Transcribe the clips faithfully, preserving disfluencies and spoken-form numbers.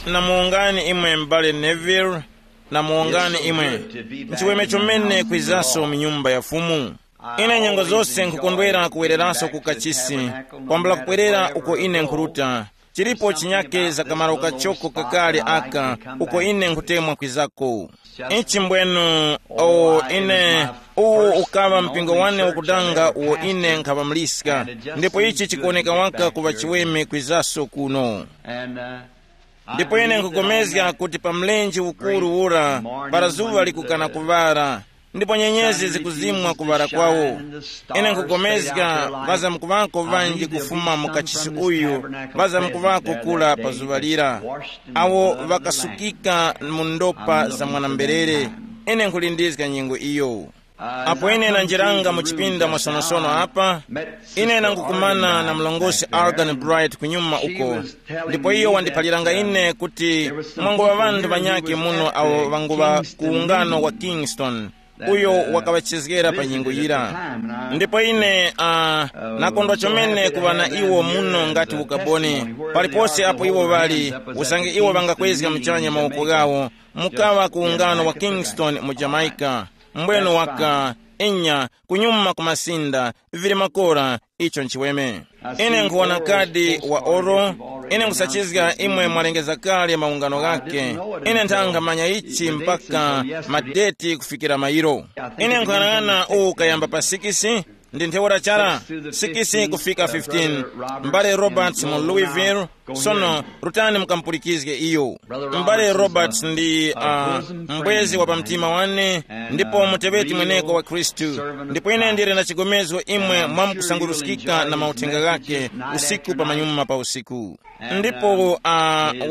Namuwongani imwe m'bale Neville. Namuwongani imwe. Nchiweme chomene kwizanso mu nyumba ya Fumu. Ine nyengo zose nkhukondwera kuwereranso ku kachisi, kwambula kubwerera uko ine nkhuruta. Chilipo chinyake za kamaro kachoko kakale aka, uko ine nkhutemwa kwizako. Ichi mbwenu, o ine, uwu ukaŵa mpingo wane wakudanga uwo ine nkhaŵa muliska. Ndipo ichi chikuwoneka waka kuŵa chiweme kwizaso kuno. Ndipo ine nkugomezga kuti pa mlenje ukuru ura, para zuŵa likukana kuŵara, ndipo nyenyezi zikuzimwa kuŵara kwawo. Ine nkugomezga, ŵazamkuŵako ŵanji kufuma mu kachisi uyu, ŵazamkuŵako kula pa zuŵa lira, awo ŵakasukika mu ndopa za mwana-mberere. Ine nkhulindizga nyengo iyo. Apo ine nanjiranga mu chipinda mwasonosono apa, ine nangukumana na mlongosi Algan Bright kunyuma uko. Ndipo iyo wandiphaliranga ine kuti mwanguŵa ŵanthu ŵanyakhe muno awo ŵanguŵa ku ungano wa Kingston, uyo wakaŵachezgera pa nyengo yira. Ndipo ine uh, nakondwa chomene kuŵa na iwo muno ngati ukaboni, palipose apo iwo ŵali, usange iwo ŵangakwezga muchanya mawoko ghawo, mukaŵa ku ungano wa Kingston mu Jamaica. Mbweno waka, inya, kunyuma ku masinda, vili makora, icho nchiweme. Ine nkhuwona kadi wa oro, ine nkusachizga imwe mwalengeza kale maungano ghake. Ine nthanga manya ichi mpaka madeti kufikira mayiro. Ine nkhanang'ana uwu kayamba pa sikisi, ndi ntheura chara, sikisi kufika fifteen. Mbale Roberts mu Louisville. Sono rutani mukamupulikizge iyo. M'bale Roberts ndi uh, mbwezi wa pamtima wane, ndipo muteŵeti mweneko wa Khristu. Ndipo ine ndili na chigomezgo imwe mwamukusanguruskika na mauthenga ghake usiku pa manyuma pa usiku. Ndipo uh,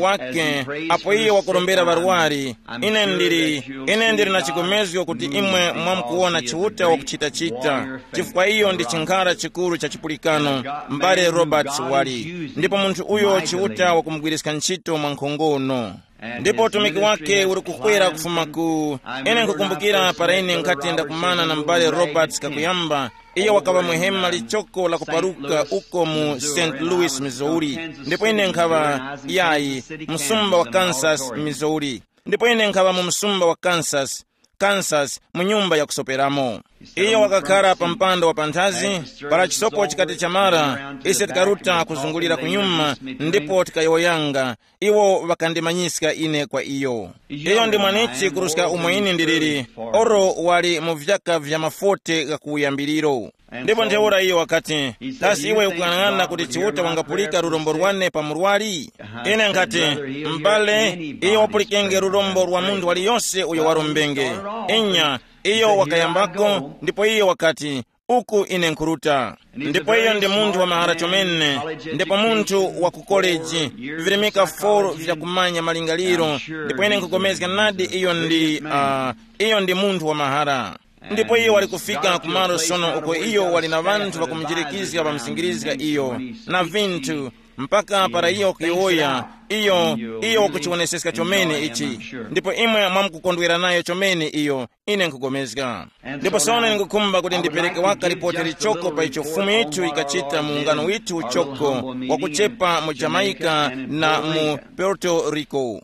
wake, apo iye wakurombera ŵarwari, ine ndili, ine ndili na chigomezgo kuti imwe mwamukuwona Chiuta wakuchita-chita, chifukwa iyo ndi chinkhara chikuru cha chipulikano, m'bale Roberts wali. Ndipo munthu uyo Chiuta wakumugwiriska ntchito mwa nkhongono. Ndipo utumiki wake uli kukwera kufuma ku, ine nkukumbukira para ine nkhati ndakumana na m'bale Roberts kakuyamba, iyo wakaŵa muhema lichoko la kuparuka uko mu St Louis, Missouri. Ndipo ine nkhaŵa, yayi, msumba wa Kansas, Missouri. Ndipo ine nkhaŵa mu msumba wa Kansas, Kansas, mu nyumba yakusoperamo. Iyo wakakhara pa mpanda wa panthazi, para chisopo chikati chamara, ise tikaruta kuzungulira kunyuma, ndipo tikayowoyanga. Iwo ŵakandimanyiska ine kwa iyo. Iyo ndi mwanichi kuruska umo ine ndiliri, oro wali mu vyaka vya mafote gha kuwuyambiriro. Ndipo ntheura iyo wakati, kasi iwe ukung'anang'ana kuti Chiuta wangapulika lurombo lwane pa murwari? Ine nkhati, m'bale, iyo wapulikenge lurombo lwa munthu waliyonse uyo warombenge. Inya, iyo wakayambako, ndipo iyo wakati, uku ine nkhuruta. Ndipo iyo ndi munthu wa mahara chomene, ndipo munthu wa ku koleji, virimika four vyakumanya malingaliro, ndipo ine nkhupulikana nadi iyo ndi uh, iyo ndi munthu wa mahara. Ndipo iyo wali kufika kumalo sono uko iyo wali na ŵanthu ŵakumujirikizga ŵamuzingirizga iyo na vinthu, mpaka para iyo kuyowoya, iyo, iyo wakuchiwoneseska chomene ichi. Ndipo imwe mwamkukondwera nayo chomene iyo, ine nkugomezga. Ndipo sono ine nkukhumba kuti ndipereke waka lipoti lichoko pa icho Fumu yithu yikachita mu ungano withu uchoko wakuchepa mu Jamaica na mu Puerto Rico.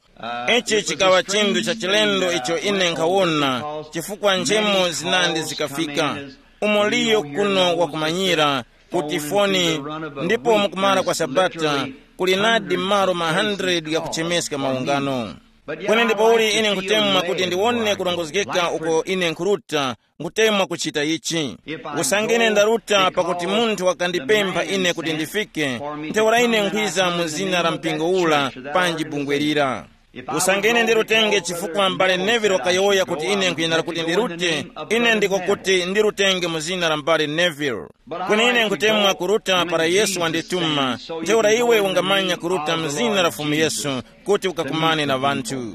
Ichi chikaŵa chinthu cha chilendo icho ine nkhawona, chifukwa nchemo zinandi zikafika. Umo liyo kuno wakumanyira kuti foni, ndipo mukumara kwa Sabata kuli nadi malo ma hundred ghakuchemeska maungano. Kweni ndipo uli ine nkhutemwa kuti ndiwone kulongozgeka uko ine nkhuruta, nkhutemwa kuchita ichi. Usange ine ndaruta pakuti munthu wakandipempha ine kuti ndifike, ntheura ine nkhwiza mu zina la mpingo ula panji bungwe lira. Usange ine ndirutenge chifukwa m'bale Neville wakayowoya kuti ine nkhuyenera kuti ndirute, ine ndiko kuti ndirutenge mu zina la m'bale Neville. Kweni ine nkhutemwa kuruta para Yesu wandituma, ntheura iwe ungamanya kuruta mu zina la Fumu Yesu kuti ukakumane na ŵanthu.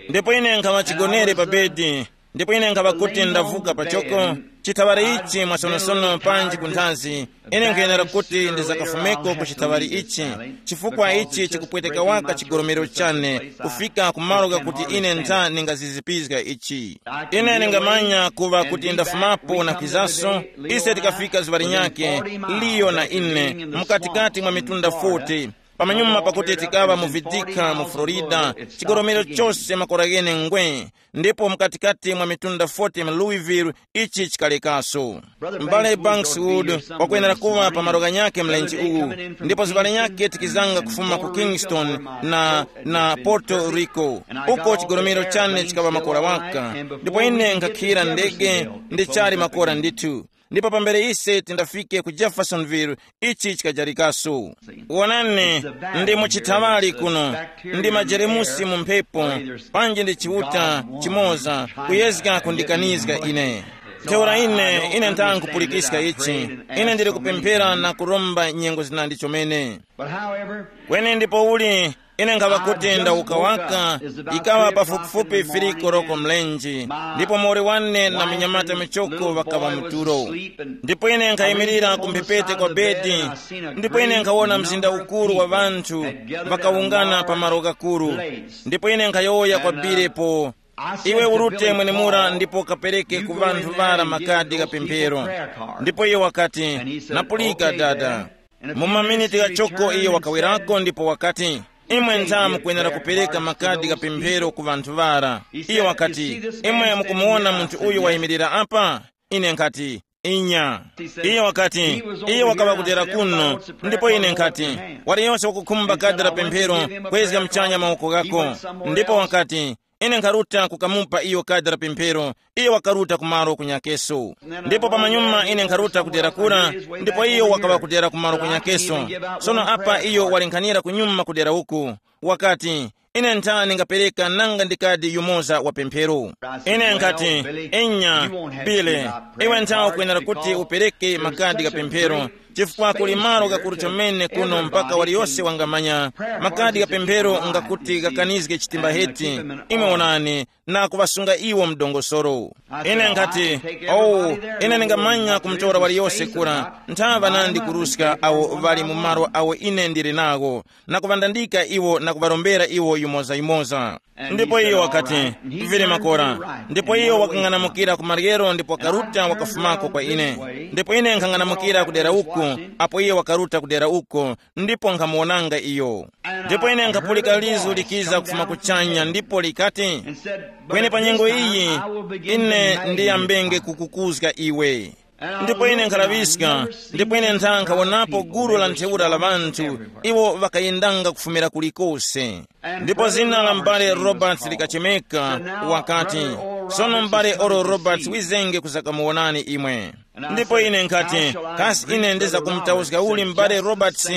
Ndipo ine nkhaŵa chigonere pa bedi, ndipo ine nkhaŵa kuti ndavuka pachoko, chithaŵari ichi mwasonosono panji kunthazi, ine nkhuyenera kuti ndizakafumeko ku chithaŵari ichi, chifukwa ichi chikupweteka waka chigolomero chane kufika kumalo ghakuti ine ntha ningazizipizga ichi. Ine ningamanya kuŵa kuti ndafumapo na kwizaso, ise tikafika zuŵa linyakhe, liyo na ine, mukatikati mwa mitunda forty, Pamanyuma pakuti tikaŵa mu Vidika mu Florida, chigolomero chose makora ghene ngwe, ndipo mkatikati mwa mitunda forty mu Louisville, ichi chikalekaso. M'bale Bankswood wakwenera kuŵa pa malo ghanyakhe mlenje uwu, ndipo zibale nyakhe tikizanga kufuma ku Kingston na, na Puerto Rico, uko chigolomero chane chikaŵa makora waka. Ndipo ine nkhakhira ndege, ndi chali makora ndithu. Ndipo pambere ise tindafike ku Jeffersonville, ichi chikajarikaso. Wonani, ndi mu chithaŵali kuno, ndi majeremusi mu mphepo, panji ndi chiuta chimoza kuyezga kundikanizga ine. Ntheura ine, ine ntha nkhupulikiska ichi. Ine ndili kupemphera na kuromba nyengo zinandi chomene. Kweni ndipo uli, ine nkhaŵa kuti ndawukawaka, ikaŵa pafupifupi firiko roko mlenje, ndipo muwoli wane na munyamata michoko ŵakaŵa mu tulo. Ndipo ine nkhayimirira ku mphepete kwa bedi, ndipo ine nkhawona mzinda ukuru wa ŵanthu ŵakawungana pa malo ghakuru. Ndipo ine nkhayowoya kwa bilepo, iwe urute mwenemura ndipo kapereke ku ŵanthu ŵara makadi gha pemphero. Ndipo iye wakati, napulika dada. Mu maminiti ghachoko iyo wakawerako ndipo wakati, imwe ntha mukwenera kupereka makadi gha pemphero ku ŵanthu ŵara. Iyo wakati, imwe mukumuwona munthu uyu wayimirira apa? Ine nkhati, inya. Iyo wakati, iye wakaŵa kudera kuno. Ndipo ine nkhati, waliyose wakukhumba kadi la pemphero, kwezga mchanya mawoko ghako. Ndipo wakati, ine nkharuta kukamupa iyo kadi la pemphero. Iye wakaruta kumalo kunyakeso. Ndipo pamanyuma ine nkharuta kudera kura, ndipo iyo wakaŵa kudera kumalo kunyakeso. Sono apa iyo walenkhanira kunyuma kudera uku, wakati, ine nthani ngapereka nanga ndi kadi yumoza wa pemphero. Ine nkhati, enya, Bile, iwe nthawi ukwenera kuti upereke makadi gha pemphero, chifukwa kuli malo gakuru chomene kuno mpaka waliyose wangamanya. Makadi gha pemphero ngakuti ghakanizge chitimba heti, imwe onani, na kuŵasunga iwo mdongosoro. Ine nkhati, oh, ine ndingamanya kumutora waliyose kura, nthaŵa nandi kuruska awo ŵali mu malo awo ine ndili nawo, na kuŵandandika iwo na kuŵarombera iwo yumoza-yumoza. Ndipo iyo wakati, vili makora. Ndipo iyo wakang'anamukira ku maryero ndipo wakaruta wakafumako kwa ine. Ndipo ine nkhang'anamukira kudera uko, apo iye wakaruta kudera uko, ndipo nkhamuwonanga iyo. Ndipo ine nkhapulika lizu likiza kufuma kuchanya ndipo likati, kweni pa nyengo iyi, ine ndiyambenge kukukuzga iwe. Ndipo ine nkhalaŵiska, ndipo ine ntha nkhawonapo gulu la ntheura la ŵanthu, iwo ŵakayendanga kufumira kulikose. Ndipo zina la m'bale Roberts likachemeka, wakati, sono m'bale Oral Roberts wizenge kuzakamuwonani imwe. Ndipo ine nkhati, kasi ine ndizakumutauzga uli m'bale Roberts?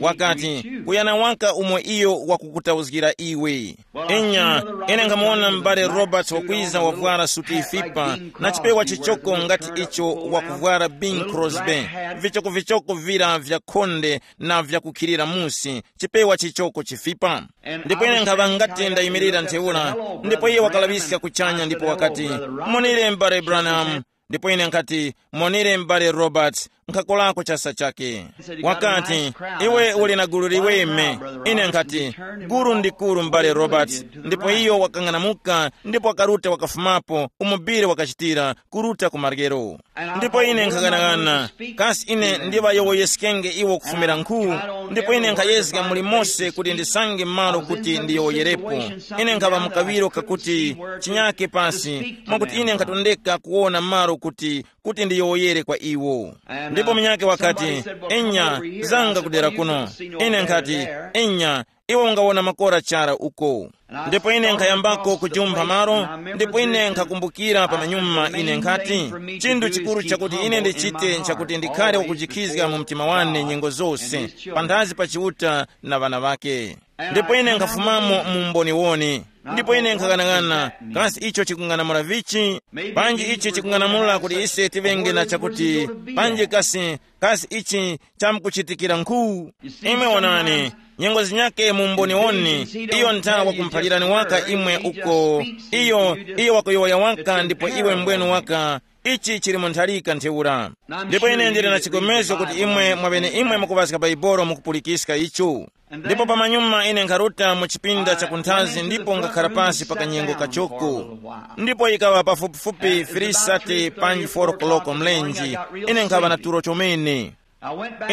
Wakati, kuyana waka umo iyo wakukutauzgira iwe. Inya, ine nkhamuwona m'bale Roberts wakwiza wavwara suti ifipa, na chipewa chichoko ngati icho wakuvwara Bing Crosby, vichokovichoko vira vya khonde na vyakukhilira musi, chipewa chichoko chifipa. Ndipo ine nkhaŵa ngati ndayimirira ntheura, ndipo iye wakalaŵiska kuchanya ndipo wakati, monire m'bale Branham. Ndipo ine nkhati, monire m'bale Roberts, nkhakolako chasa chake. Wakati, iwe uli na gulu liweme. Ine nkhati, gulu ndi gulu m'bale Roberts. Ndipo iyo wakang'anamuka ndipo wakaruta wakafumapo umo Bile wakachitira, kuruta ku maryero. Ndipo ine nkhaganaghana, kasi ine ndiŵayowoyeskenge iwo kufumira nkhu? Ndipo ine nkhayezga muli mose kuti ndisange malo kuti ndiyowoyerepo. Ine nkhaŵa mu kaŵiro kakuti chinyake pasi mwakuti ine nkhatondeka kuwona malo kuti kuti ndiyowoyere kwa iwo. Ndipo munyakhe wakati, enya, zanga kudera kuno. Ine nkhati, enya, iwe ungawona makora chara uko. Ndipo ine nkhayambako kujumpha malo, ndipo ine nkhakumbukira pamanyuma ine nkhati, chinthu chikuru chakuti ine ndichite nchakuti ndikhale wakujikhizga mu mtima wane nyengo zose, panthazi pa Chiuta na ŵana ŵake. Ndipo ine nkhafumamo mu umboniwoni. Ndipo ine nkhaghanagana, kasi icho chikung'anamula vichi? Panji ichi chikung'anamula kuti ise tivenge na chakuti, panji kasi, kasi ichi chamkuchitikira nkhu? Imwe wonani, nyengo zinyake mu umboniwoni, iyo ntha wakumphalirani waka imwe uko, iyo, iyo wakuyowoya waka ndipo iwe mbwenu waka, ichi chili mu ntharika ntheura. Ndipo ine ndili na chigomezgo kuti imwe mwaŵeneimwe mukuŵaska Baibolo mukupulikiska icho. Ndipo pamanyuma ine nkharuta mu chipinda cha kunthazi ndipo ngakhara pasi pa kanyengo kachoko. Ndipo yikaŵa pafupifupi three thirty panji four o'clock mlenje, ine nkhaŵa na tulo chomene.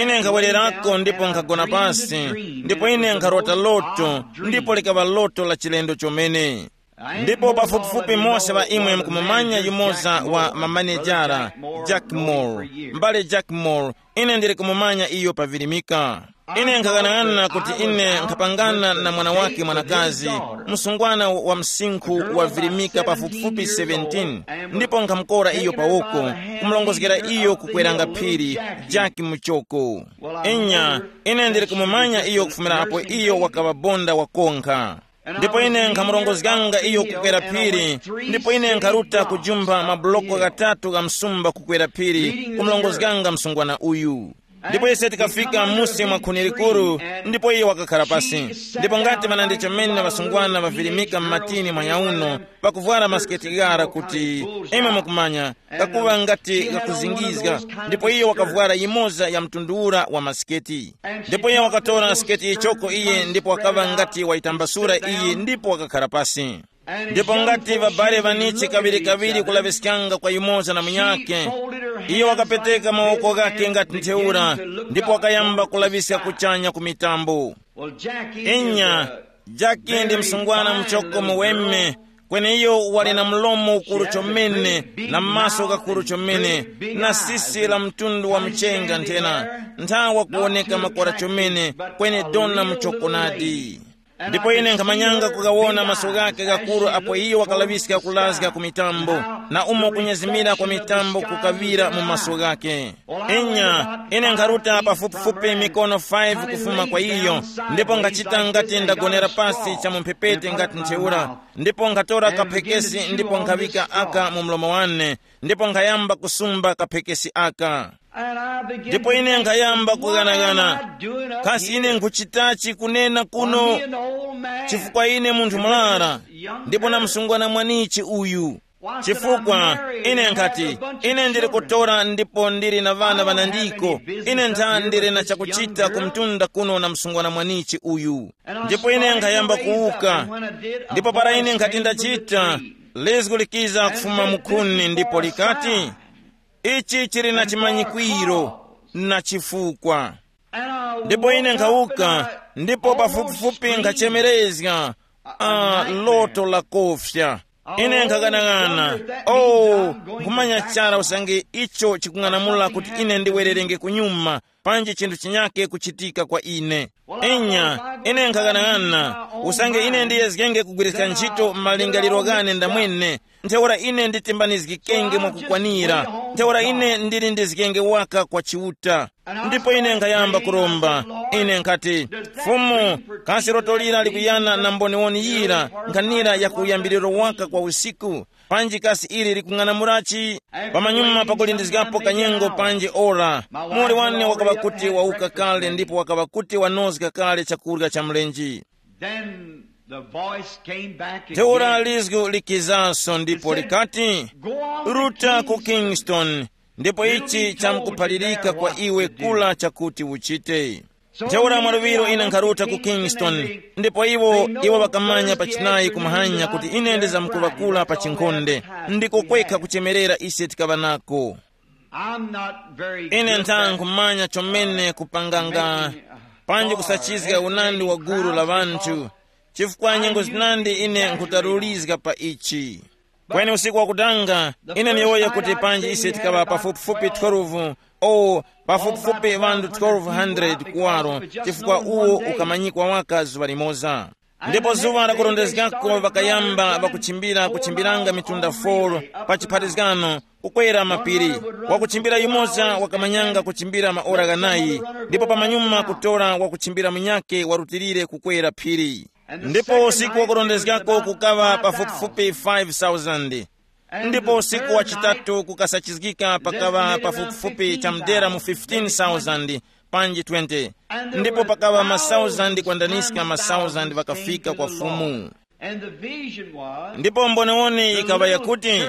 Ine nkhawererako ndipo nkhagona pasi, ndipo ine nkharota loto, ndipo likaŵa loto la chilendo chomene. Ndipo pafupifupi mose ŵa imwe mukumumanya yumoza wa mamanejara, Jack Moore, m'bale Jack Moore. Ine ndili kumumanya iyo pavirimika. Ine nkhaghanag'ana kuti ine nkhapangana na mwana wake mwanakazi, msungwana wa msinkhu wavirimika pafupifupi seventeen, ndipo nkhamukora iyo pawoko, kumulongozgera iyo kukweranga phiri, Jaki Muchoko. Inya, ine ndili kumumanya iyo kufumira apo iyo wakaŵa bonda wakonkha. Ndipo ine nkhamurongozganga iyo kukwera phiri, ndipo ine nkharuta kujumpha mabuloko ghatatu gha msumba kukwera phiri, kumurongozganga msungwana uyu. Ndipo ise tikafika musi mwa khuni likuru, ndipo iye wakakhala pasi. Ndipo ngati ŵanandi chomene ŵasungwana ŵavirimika m'matini mwa nyauno, pakuvwara masiketi ghara kuti, imwe mukumanya, kakuŵa ngati kakuzingizga, ndipo iyo wakavwara yimoza ya mtundu ura wa masiketi. Ndipo iyo wakatora siketi yichoko iye ndipo wakaŵa ngati wayitambasura iyi ndipo wakakhala pasi. Ndipo ngati ŵabale ŵanichi kaŵirikaŵiri kulaŵiskanga kwa yumoza na munyakhe, iyo wakapeteka mawoko ghakhe ngati ntheura, ndipo wakayamba kulaŵiska kuchanya ku mitambo. Inya, Jaki ndi msungwana muchoko muweme, kweni iyo wali na mlomo ukuru chomene, na maso ghakuru chomene, na sisi la mtundu wa mchenga nthena, nthawa kuwoneka makora chomene, kweni dona muchoko nadi. Ndipo ine nkhamanyanga kugawona maso ghake ghakuru apo iyo wakalaŵiska kulazga ku mitambo, na umo kunyezimira kwa mitambo kukaŵira mu maso ghake. Inya, ine nkharuta pafupifupi mikono five kufuma kwa iyo, ndipo ngachita ngati ndagonera pasi cha mu mphepete ngati ntheura, ndipo nkhatora kaphekesi ndipo nkhaŵika aka mu mlomo wane, ndipo nkhayamba kusumba kaphekesi aka. Ndipo ine nkhayamba kughanaghana, kasi ine nkhuchitachi kunena kuno? Chifukwa ine munthu murara, ndipo na msungwana mwanichi uyu. Chifukwa ine nkhati, ine ndili kutora ndipo ndili na ŵana ŵanandiko, ine ntha ndili na chakuchita kumtunda kuno na msungwana mwanichi uyu. Ndipo ine nkhayamba kuwuka, ndipo para ine nkhati ndachita, lizgu likiza kufuma mukhuni ndipo likati, ichi chili na chimanyikwiro na chifukwa. Ndipo ine nkhawuka, ndipo pafupifupi nkhachemerezga, ah, loto la kofya. Ine nkhaghanag'ana, oh, nkhumanya chara usange icho chikung'anamula kuti ine ndiwererenge kunyuma, panji chinthu chinyake kuchitika kwa ine. Inya, ine nkhaghanag'ana, usange ine ndiyezgenge kugwiriska ntchito malingaliro ghane ndamwene, ntheura ine nditimbanizgikenge mwakukwanira, ntheura ine ndilindizgenge waka kwa Chiuta. Ndipo ine nkhayamba kuromba, ine nkhati, Fumu, kasi loto lira likuyana na mboniwoni yira, nkhanira ya kuyambiriro waka kwa usiku? Panji kasi ili likung'anamurachi? Pamanyuma pakulindizgapo kanyengo panji ora, muwoli wane wakaŵa kuti wawuka kale ndipo wakaŵa kuti wanozga kale chakurya cha mlenje. Then the voice came back again. Ntheura lizgu likizaso ndipo likati, "Ruta ku Kingston, ndipo ichi chamkuphalirika kwa iwe kula chakuti uchite." Ntheura mwaluŵiro ine nkharuta ku Kingston, ndipo iwo, iwo ŵakamanya pachinayi kumahanya kuti ine ndizamkuŵakula pa chinkhonde, ndiko kwekha kuchemerera ise tikaŵa nako. I'm not very Ine good ntha at nkhumanya chomene kupanganga, panji kusachizga unandi wa gulu la ŵanthu, chifukwa nyengo zinandi ine nkhutarulizga pa ichi. Kweni usiku wakutanga, ine niyowoya kuti panji ise tikaŵa pafupifupi twelve, o, pafupifupi ŵanthu twelve hundred kuwaro, chifukwa uwo ukamanyikwa waka zuŵa limoza. Ndipo zuŵa lakurondezgako ŵakayamba ŵakuchimbira kuchimbiranga mitunda four pa chipharizgano, kukwera mapiri. Wakuchimbira yumoza wakamanyanga kuchimbira maora ghanayi, ndipo pamanyuma kutora wakuchimbira munyakhe warutilire kukwera phiri. Ndipo usiku wakurondezgako kukaŵa pafupifupi five thousand. Ndipo usiku wa chitatu kukasachizgika pakaŵa pafupifupi chamdera mu fifteen thousand panji twenty. Ndipo pakaŵa ma thousand kwandaniska ma thousand ŵakafika kwa Fumu. Ndipo mboniwoni yikaŵa yakuti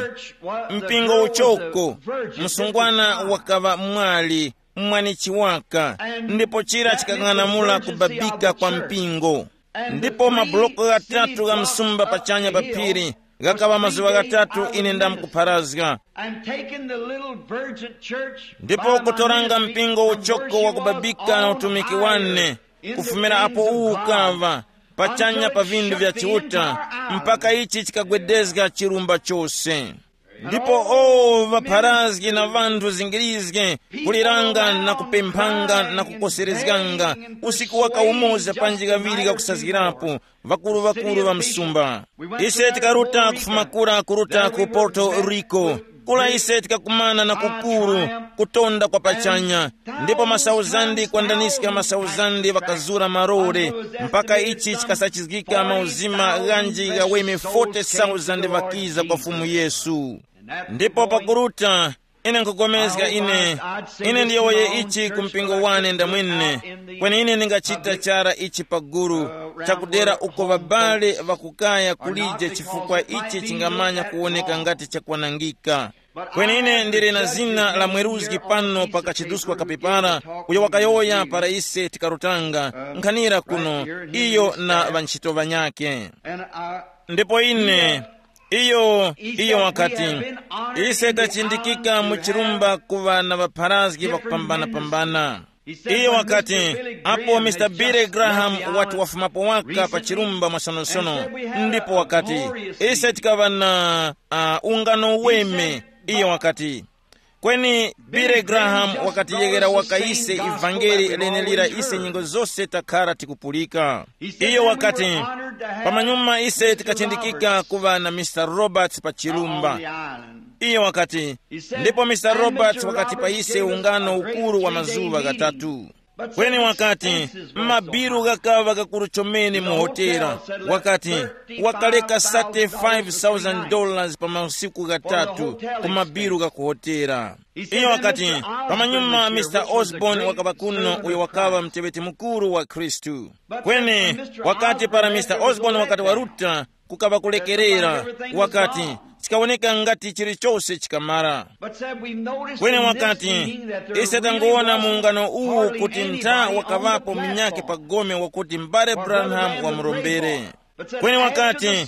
mpingo uchoko, msungwana wakaŵa mwali, mwanichi waka, ndipo chira chikang'anamula kubabika kwa mpingo. Ndipo mabuloko ghatatu gha msumba pachanya pa phiri, Ghakaŵa mazuŵa ghatatu ine ndamkupharazga. And taking the little virgin church, ndipo by my kutoranga ministry, mpingo uchoko wa kubabika na utumiki wane, kufumira apo uwu ukaŵa pachanya pa vinthu vya Chiuta, mpaka ichi chikagwedezga chirumba chose. Ndipo o ŵapharazgi na vanthu zingirizge, kuliranga na kupemphanga na kukoserezganga, usiku waka umoza panji kaŵiri kakusazgirapo, ŵakuru-ŵakuru ŵa msumba. Ise tikaruta kufuma kura kuruta ku Porto Rico. Kula ise tikakumana na kukuru kutonda kwa pachanya, ndipo masauzandi kwandaniska masauzandi ŵakazura marore, mpaka ichi chikasachizgika mauzima ghanji ghaweme forty thousand ŵakiza kwa Fumu Yesu. Ndipo pakuruta, ine nkhukomezga ine, ine ndiyowoye ichi ku mpingo wane ndamwene, kweni ine ndingachita chara ichi paguru, chakudera uko ŵabale ŵakukaya kulije chifukwa ichi chingamanya kuwoneka ngati chakwanangika. Kweni ine ndili na zina la mweruzgi pano pa kachiduskwa kapepara, uyo wakayowoya para ise tikarutanga nkhanira kuno, iyo na ŵantchito ŵanyakhe. Ndipo ine, iyo iyo wakati, ise tachindikika mu chirumba kuŵa na ŵapharazgi ŵakupambana-pambana. Iyo wakati, apo Mr Billy Graham wati wafumapo waka pa chirumba mwasonosono, ndipo wakati, ise tikaŵa na uh, ungano weme. Iyo wakati, kweni Billy Graham wakatiyeghera waka ise ivangeli lenelira ise nyengo zose takhara tikupulika. Iyo wakati, pamanyuma ise tikachindikika kuŵa na Mr Roberts pa chirumba. Iyo wakati, ndipo Mr Roberts wakati pa ise ungano ukuru wa mazuŵa ghatatu. Kweni wakati, mabilu ghakaŵa ghakuru chomene mu hotela. Wakati, wakaleka thirty-five thousand dollars pa masiku ghatatu ku mabilu gha ku hotela. Iyo wakati, pamanyuma Mr Osborne wakaŵa kuno, uyo wakaŵa mteŵeti mukuru wa Khristu. Kweni wakati para Mr Osborne wakati waruta, kukaŵa kulekerera, wakati, chikawoneka ngati chilichose chikamara. Kweni wakati, ise tangoona mu ungano uwu kuti ntha wakaŵapo munyakhe pa gome wakuti mbale Branham wamurombere. Kweni wakati,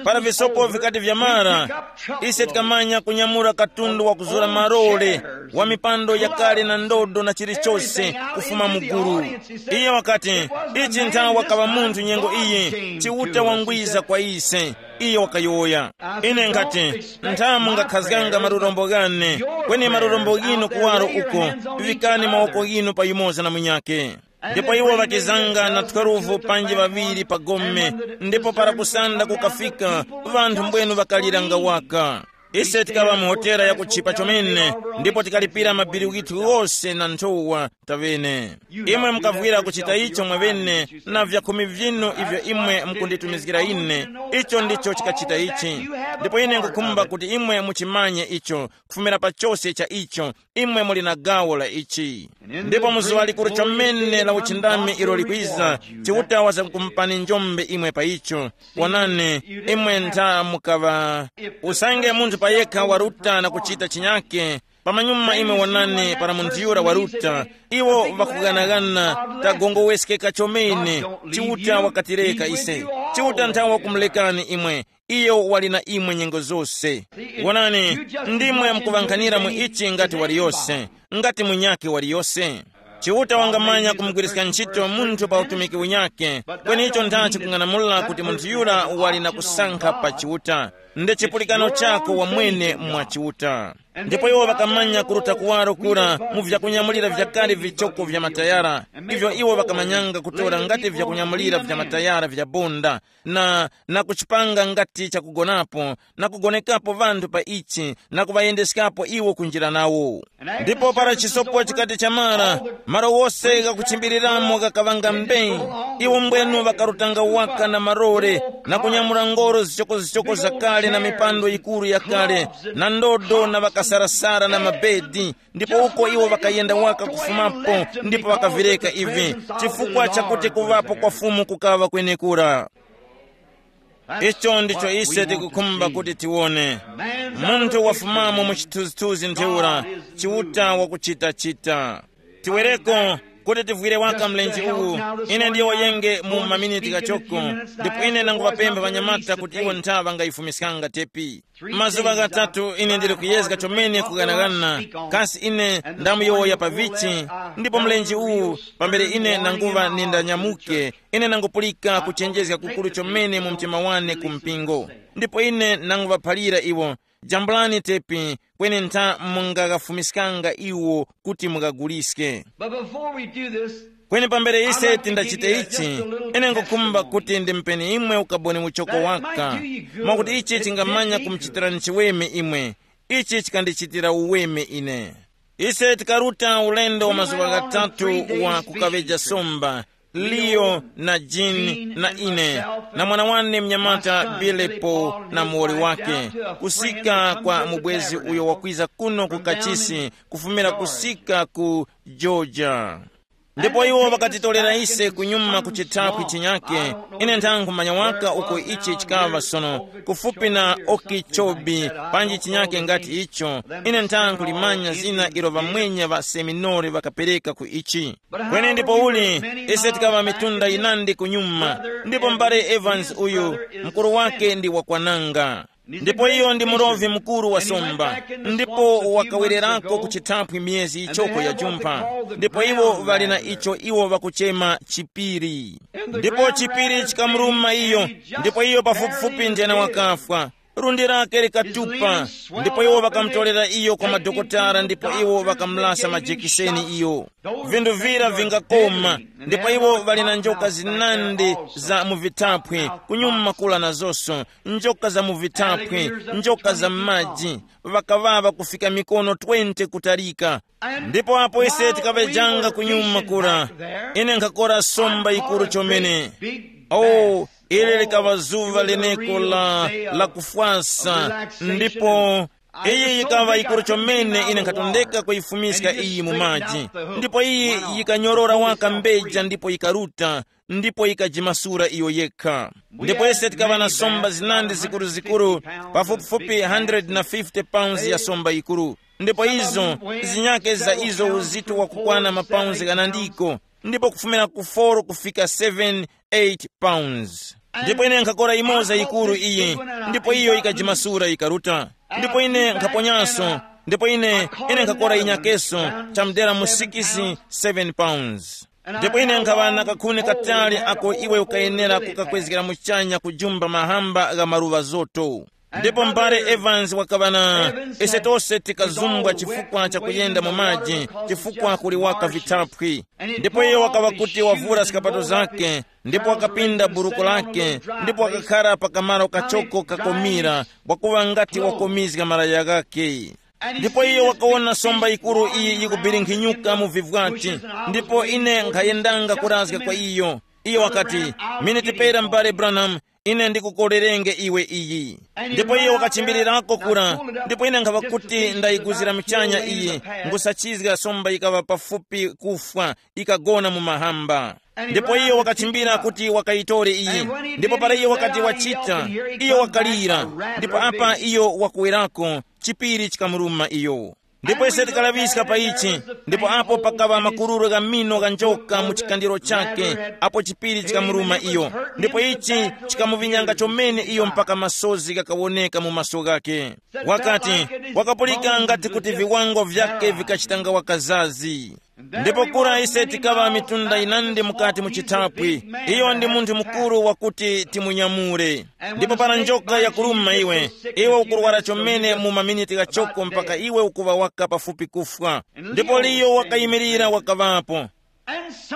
para visopo vikati vyamara, ise tikamanya kunyamura katundu wa kuzura marole, wa mipando yakale na ndodo na chilichose kufuma mu gulu. Iye wakati, ichi nthawa wakaŵa munthu nyengo iyi, Chiuta wangwiza kwa ise. Iye wakayowoya. Ine ngati, nthamu ngakhazganga malurombo ghane, kweni malurombo ghinu kuwaro uko, vikani mawoko ghinu pa yumoza na munyake. Ndipo iwo ŵakizanga na twelve panji ŵaŵiri pa gome, ndipo para kusanda kukafika, ŵanthu mbwenu ŵakaliranga waka. Ise tikaŵa mu hotela ya kutchipa chomene, ndipo tikalipira mabili ghithu ghose na nthowa taŵene. Imwe mukavwira kuchita icho mwaŵene na vyakhumi vinu ivyo imwe mukunditumizgira ine, icho ndicho chikachita ichi. Ndipo ine nkukhumba kuti imwe muchimanye icho, kufumira pa chose cha icho, imwe muli na gawo la ichi. Ndipo mu zuŵa likuru chomene la uchindami ilo likwiza, Chiuta wazamkumupani njombe imwe pa icho. Wonani, imwe ntha mukaŵa usange munthu payekha waruta na kuchita chinyake, pamanyuma imwe wonani para munthu yura waruta, iwo ŵakughanaghana, tagongoweskeka chomene. Chiuta wakatireka ise. Chiuta nthawe wakumulekani imwe. Iyo wali na imwe nyengo zose. Wonani, ndimwe mukuŵankhanira mu ichi ngati waliyose, ngati munyakhe waliyose. Chiuta wangamanya kumugwiriska ntchito munthu pa utumiki unyakhe, kweni icho nthachi kung'anamula kuti munthu yura wali na kusankha pa Chiuta. Nde chipulikano chako wamwene mwa Chiuta. Ndipo iwo ŵakamanya kuruta kuwaro kura mu vyakunyamulira vyakale vichoko vya matayara, ivyo iwo ŵakamanyanga kutora ngati vyakunyamulira vya matayara vya bonda, na, na kuchipanga ngati chakugonapo, na kugonekapo ŵanthu pa ichi, na kuŵayendeskapo iwo kunjira nawo. Ndipo para chisopo chikati chamara, malo wose ghakuchimbiriramo ghakaŵanga mbei. Iwo mbwenu ŵakarutanga waka na marore, na kunyamula ngoro zichokozichoko zakale na mipando yikuru yakale, na ndodo na ŵakasarasara na mabedi, ndipo uko iwo ŵakayenda waka kufumapo, ndipo ŵakavireka ivi, chifukwa chakuti kuŵapo kwa Fumu kukaŵa kwenekura. Icho ndicho ise tikukhumba kuti tiwone. Munthu wafumamo mu chithunzithunzi ntheura, Chiuta wakuchitachita. Tiwereko, Kuti tivwire waka mlenje uwu, ine ndiyowoyenge mu maminiti ghachoko, ndipo ine nanguvapempha ŵanyamata kuti iwo ntha ŵangayifumiskanga tepi. Mazuŵa ghatatu ine ndili kuyezga chomene kughanaghana, kasi ine ndamuyowoya pa vichi, ndipo mlenje uwu pambere ine nanguva nindanyamuke, ine nangupulika kuchenjezga kukuru chomene mu mtima wane ku mpingo. Ndipo ine nanguvaphalira iwo, jambulani tepi, kweni ntha mungaghafumiskanga iwo kuti mughaguliske. But before we do this, kweni pambere ise tindachite ichi, ine ngukhumba kuti ndimupeni imwe ukaboni uchoko waka, mwakuti ichi chingamanya kumuchitirani chiweme imwe. Ichi chikandichitira uweme ine. Ise tikaruta ulendo wa mazuŵa ghatatu wa kukaŵeja somba, Leo na Jean na ine, na mwana wane mnyamata Bilepo na muwoli wake, kusika kwa mubwezi uyo wakwiza kuno ku kachisi, kufumira kusika ku Georgia. Ndipo iwo ŵakatitorera ise kunyuma ku chithaphwi chinyake. Ine nthankhu manya waka uko ichi chikaŵa sono, kufupi na Okeechobee, panji chinyake ngati icho. Ine nthankhu limanya zina ilo ŵamwenya ŵa seminari ŵakapereka ku ichi. Kweni ndipo uli, ise tikaŵa mitunda yinandi kunyuma, ndipo mbale Evans uyu, mkuru wake ndi wakwananga. Ndipo iyo ndi murovi mukuru wa somba, ndipo wakawererako ku chithaphwi miyezi ichoko ya jumpha. Ndipo iwo ŵali na icho iwo ŵakuchema chipiri. Ndipo chipiri chikamuruma iyo, ndipo iyo pafupifupi njena wakafwa. Lundi lake likatupa, ndipo iwo ŵakamutorera iyo kwa madokotala, ndipo iwo ŵakamulasa majekiseni iyo. Vinthu vira vingakoma, ndipo iwo ŵali na njoka zinandi za mu vithaphwi, kunyuma kula nazonso, njoka za mu vithaphwi, njoka za m'maji, ŵakaŵaŵa kufika mikono twenty kutalika. Ndipo apo ise tikaŵejanga kunyuma kura, ine nkhakora somba yikuru chomene. Oh, ili likaŵa zuŵa leneko la, la kufwasa, ndipo iyi yikaŵa yikuru chomene ine nkhatondeka kuyifumiska iyi mu maji. Ndipo iyi yikanyorora waka mbeja ndipo yikaruta, ndipo yikajimasura iyo yekha. Ndipo ise tikaŵa na somba zinandi zikuruzikuru, pafupifupi one hundred fifty pounds ya somba yikuru. Ndipo izo, zinyake za izo uzito wakukwana mapaunzi ghanandiko, ndipo kufumira ku four kufika seven, eight pounds. Ndipo ine nkhakora imoza yikuru iyi, ndipo iyo yikajimasura yikaruta. Ndipo ine nkhaponyaso, ndipo ine, ine nkhakora inyakeso, chamudera mu six, seven pounds. Ndipo ine nkhaŵa na kakhuni katali ako iwe ukayenera kukakwezgera muchanya kujumba mahamba gha maluŵa zoto. Ndipo mbale Evans wakaŵa na, ise tose tikazumbwa chifukwa cha kuyenda mu maji, chifukwa kuli waka vithaphwi. Ndipo iyo wakaŵa kuti wavura skapato zake, ndipo wakapinda buruko lake, ndipo wakakhara pa kamaro kachoko kakomira, wakuŵa ngati wakomizga malaya ghake. Ndipo iyo wakawona somba yikuru iyi yikubiringhinyuka mu vivwati, ndipo ine nkhayendanga kurazga kwa iyo. Iyo wakati, miniti pera, m'bale Branham, ine ndikukorerenge iwe iyi. Ndipo iyo wakachimbirirako kura, ndipo ine nkhaŵa kuti ndayiguzira michanya iyi, nkhusachizga somba yikaŵa pafupi kufwa, ikagona mu mahamba. Ndipo iyo wakachimbira kuti wakayitore iyi. Ndipo para iyo wakati wachita, iyo wakalira. Ndipo apa iyo wakuwerako, chipiri chikamuruma iyo. Ndipo ise tikalaŵiska pa ichi, ndipo apo pakaŵa makururo gha mino gha njoka mu chikandiro chake, apo chipiri chikamuruma iyo. Ndipo ichi chikamuvinyanga chomene iyo mpaka masozi ghakawoneka mu maso ghake. Wakati, wakapulika ngati kuti viwango vyake vikachitanga wakazazi. Ndipo kura ise tikaŵa mitunda yinandi mukati mu chithaphwi. Iyo ndi munthu mukuru wakuti timunyamule. Ndipo para njoka yakuruma iwe, iwe ukurwara chomene mu maminiti ghachoko mpaka iwe ukuŵa waka pafupi kufwa. Ndipo liyo wakayimirira wakaŵapo.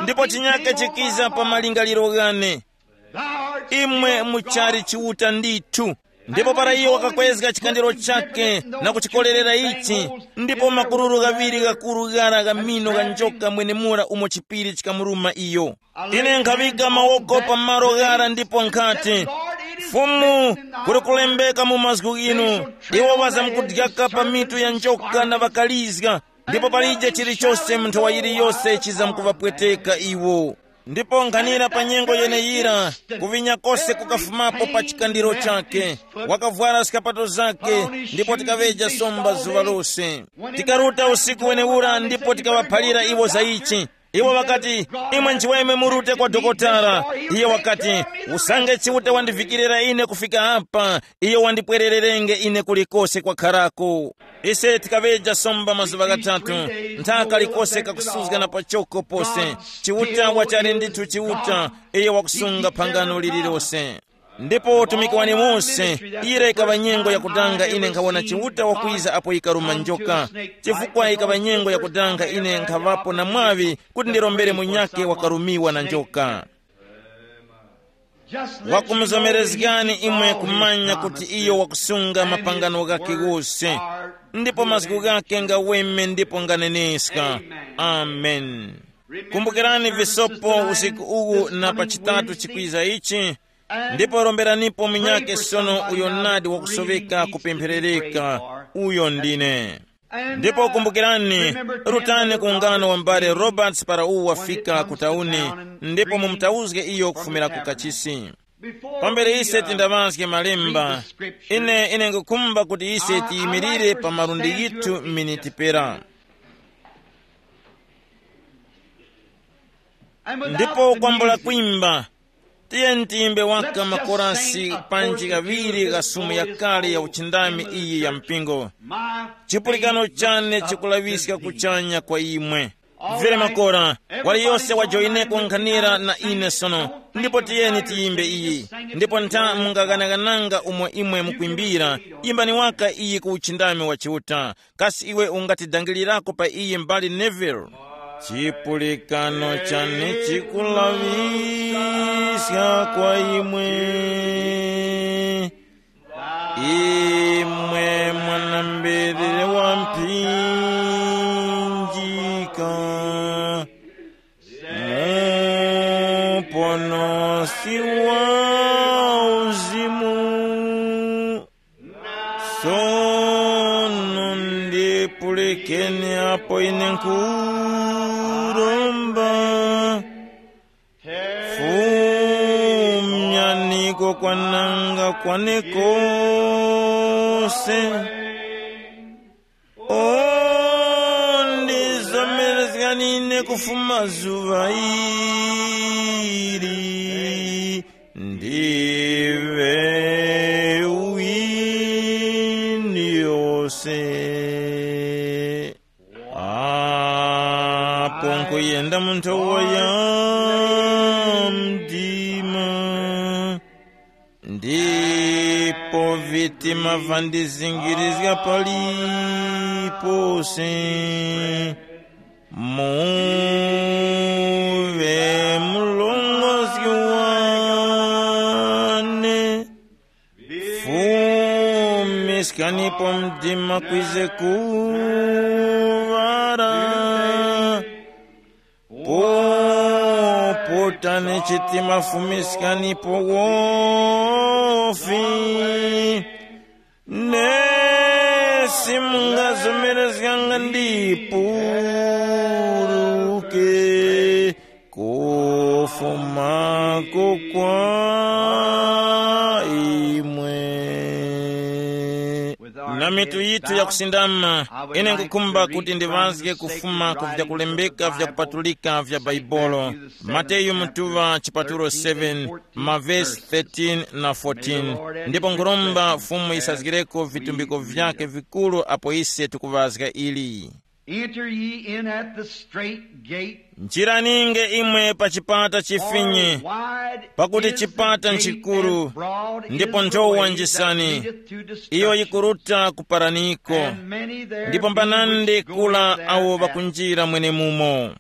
Ndipo chinyake chikiza pa malingaliro ghane. Imwe muchali Chiuta ndithu. Ndipo para iyo wakakwezga chikandiro chake na kuchikorerera ichi, ndipo makururu ghaŵiri ghakuru ghara gha mino gha njoka mwenemura umo chipiri chikamuruma iyo. Ine nkhaŵika mawoko pa malo ghara ndipo nkhati, Fumu, kuli kulembeka mu mazgu ghinu, iwo ŵazamkudyaka pa mitu ya njoka na ŵakalizga, ndipo palije chilichose mu nthawa yiliyose chizamkuvapweteka iwo. Ndipo nkhanira pa nyengo yeneyira, kuvinya kose kukafumapo pa chikandiro chake. Wakavwara skapato zake, ndipo tikaŵeja somba zuŵa lose. Tikaruta usiku wenewura ndipo tikaŵaphalira iwo za ichi. Iwo ŵakati, "Imwe nchiweme murute kwa dokotala." Iye wakati, "Usange Chiuta wandivikirira ine kufika apa, iyo wandipwerererenge ine kulikose kwakharako." Ise tikaŵeja somba mazuŵa ghatatu, ntha kalikose kakusuzga na pachoko pose. Chiuta wachali ndithu Chiuta, iyo wakusunga phangano lililose. Ndipo utumiki wane mose, ire ikaŵa nyengo yakudanga ine nkhawona Chiuta wakwiza apo ikaruma njoka. Chifukwa ikaŵa nyengo yakudanga ine nkhaŵapo na mwaŵi kuti ndirombere munyakhe wakarumiwa na njoka. Wakumuzomerezgani imwe kumanya kuti iyo wakusunga mapangano ghakhe ghose, ndipo mazgu ghakhe ngaweme ndipo nganeneska. Amen. Kumbukirani visopo usiku uwu na pa chitatu chikwiza ichi, ndipo romberanipo munyakhe sono uyo nadi wakusoveka kupempherereka. Uyo ndine. Ndipo kumbukirani, rutani ku ungano wa m'bale Roberts para uwu wafika ku tauni, ndipo mumutauzge iyo kufumira ku kachisi. Pambere ise tindaŵazge malemba, ine ine ngukhumba kuti ise tiyimirire pa malundi yithu miniti pera. Ndipo kwambula kwimba, tiyeni tiyimbe waka makorasi panji ghaŵiri gha sumu yakale ya uchindami iyi ya mpingo. Chipulikano chane chikulaŵiska kuchanya kwa imwe. Mvere makora, waliyose wajoyineko nkhanira na ine sono, ndipo tiyeni tiyimbe iyi. Ndipo ntha mungaghanaghananga umo imwe mukwimbira, yimbani waka iyi ku uchindami wa Chiuta. Kasi iwe ungatidangilirako pa iyi mbali Neville? Chipulikano chane chikulaŵiska kwa imwe, imwe mwanambere wa mphinjika, muponosi wa uzimu. Sono ndipulikeni apo ine nkhuromba, fumyaniko kwananga kwane kose. O, ndizomerezgani ine kufuma zuŵa ili, ndiŵe uwini yose. Apo nkuyenda mu nthowa ya mdima, ndipo vitima vandizingirizga palipose. Muŵe murongozgi wane, fumiskanipo mdima kwize kuŵala. Popotani chitima, fumiskanipo wofi. Nesi mungazomerezganga ndipuruke kufumako kwa imwe. Na mitu yithu yakusindama, ine nkukhumba kuti ndiŵazge kufuma ku vyakulembeka vyakupatulika vya Baibolo, Mateyu mutuŵa chipatulo seven, mavesi thirteen na fourteen. Ndipo nkhuromba Fumu yisazgireko vitumbiko vyake vikuru apo ise tikuŵazga ili. Enter ye in at the strait gate. Njiraninge imwe pa chipata chifinye, pakuti chipata nchikuru, ndipo nthowa njisani iyo yikuruta kuparaniko, ndipo mbanandi kula awo ŵakunjira mwenemumo.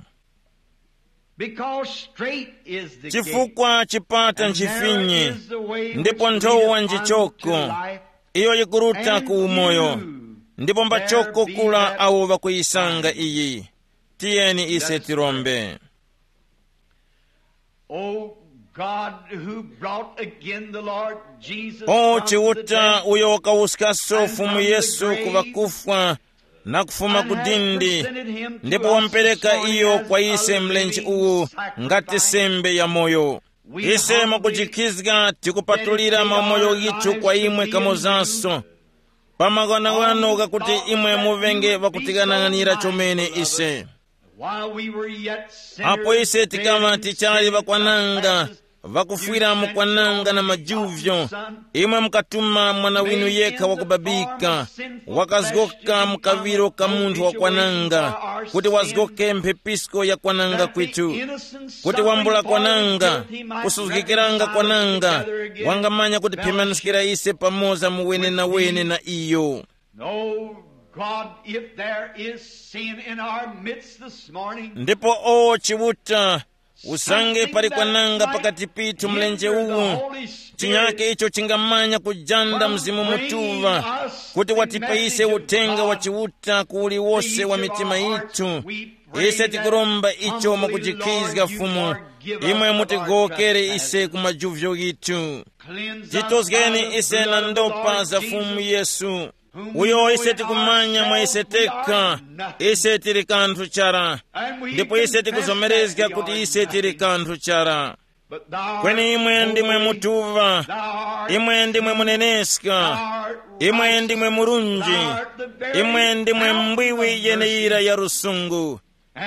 Because strait is the gate, chifukwa chipata and narrow nchifinye, is the way which ndipo nthowa leadeth unto njichoko life, iyo yikuruta ku umoyo, ndipo mbachoko kula awo ŵakuyisanga iyi. Tiyeni ise tirombe. O God, who brought again the Lord Jesus O from the Chiuta dead, uyo wakawuskaso and Fumu from the Yesu grave, ku ŵakufwa na kufuma ku dindi, ndipo wampereka iyo kwa ise mlenje uwu ngati sembe ya moyo. Ise mwakujikhizga tikupatulira mamoyo ghithu kwa imwe kamozanso, pa maghanoghano ghakuti imwe muŵenge ŵakutighanaghanira chomene ise. While we were yet sinners, apo ise tikaŵa tichali ŵakwananga, ŵakufwira mu kwananga na majuvyo, imwe mukatuma mwana winu yekha wakubabika, wakazgoka mu kaŵiro ka munthu wakwananga, kuti wazgoke mphepisko ya kwananga kwitu, kuti wambula kwananga, kusuzgikiranga kwananga, wangamanya kutiphemanyiskira ise pamoza mu wene na wene na iyo. No, God, if there is sin in our midst this morning, ndipo o Chiuta, usange pali kwananga pakati pithu mlenje uwu, chinyake icho chingamanya kujanda Mzimu Mutuŵa, kuti watipe ise uthenga wa Chiuta ku uliwose wa mitima yithu. Ise tikuromba icho mwakujikhizga Fumu, imwe mutigowokere ise ku majuvyo ghithu. Titozgeni ise na ndopa za Fumu Yesu, uyo ise tikumanya mwa ise tekha, ise tili kanthu chara, ndipo ise tikuzomerezga kuti ise tili kanthu chara. Kweni imwe ndimwe mutuŵa, imwe ndimwe muneneska, imwe ndimwe murunji, imwe ndimwe mbwiwi yeneyira ya lusungu.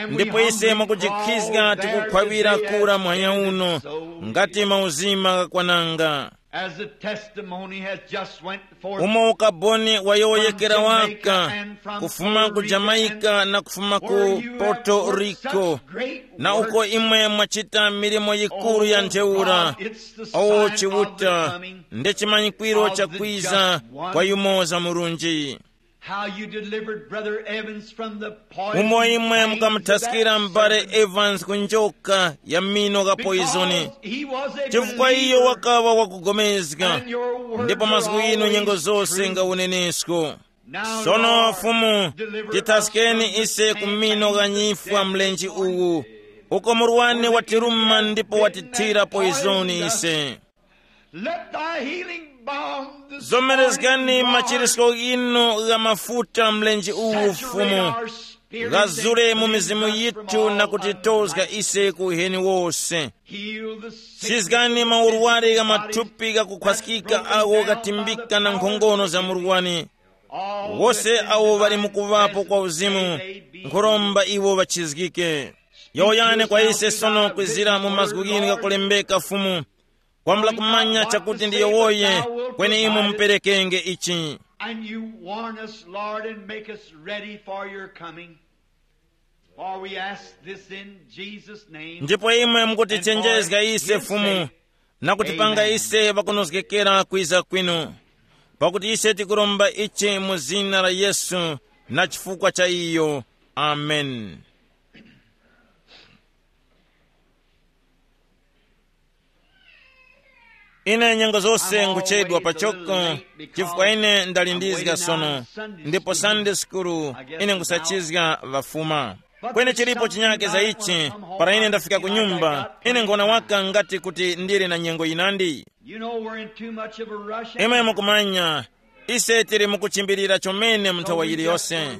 Ndipo ise mwakujikhizga tikukhwawira kura muhanya uno, ngati mauzima ghakwananga. As the testimony has just went forth, umo ukaboni wayowoyekera waka, kufuma ku Jamaica na kufuma ku Puerto Rico, na uko imwe mwachita milimo yikuru ya ntheura. O Chiuta, nde chimanyikwiro cha kwiza kwa yumoza murunji. How you delivered Brother Evans from the poison umo imwe mukamuthaskira mbale Evans ku njoka ya mino ga poizoni. He was a chifukwa iyo believer, wakawa wakugomezga, and your words ndipo mazgu are inu always nyengo zose true. Nga unenesko. Now, sono Lord, fumu, deliver us titaskeni from the ise ku mino ga nyifwa mlenji uwu, uko murwani watiruma ndipo watithira poizoni ise. Let thy healing balm this zomerezgani morning, Lord, machirisko ghinu gha mafuta mlenje uwu saturate fumu, our spirit ghazure and mu cleanse mizimu us from yithu all na kutitozga unrighteousness. Ise ku uheni wose. Heal the sick. Chizgani maurwari gha mathupi ghakukhwaskika agho ghatimbika na nkhongono za murwani. All wose that awo ŵali mukuŵapo kwa uzimu, nkhuromba iwo ŵachizgike. Yowoyani kwa ise sono kwizira mu mazgu ghinu ghakulembeka fumu, kwambula kumanya chakuti ndiyo woye, kweni imwe muperekenge ichi. And you warn us, Lord, and make us ready for your coming. For we ask this in Jesus' name. Ndipo imwe mukutichenjezga ise fumu, na kutipanga ise ŵakunozgekera kwiza kwinu, pakuti ise tikuromba ichi mu zina la Yesu, na chifukwa cha iyo. Amen. Ine nyengo zose nguchedwa pachoko, chifukwa ine ndalindizga sono, ndipo Sunday school ine ngusachizga ŵafuma. Kweni chilipo chinyake za ichi, para ine ndafika ku nyumba, ine ngona waka ngati kuti ndili na nyengo yinandi. You know, we're in too much of a rush. Imwe mukumanya, ise tili mukuchimbilira chomene mu nthawi yiliyose.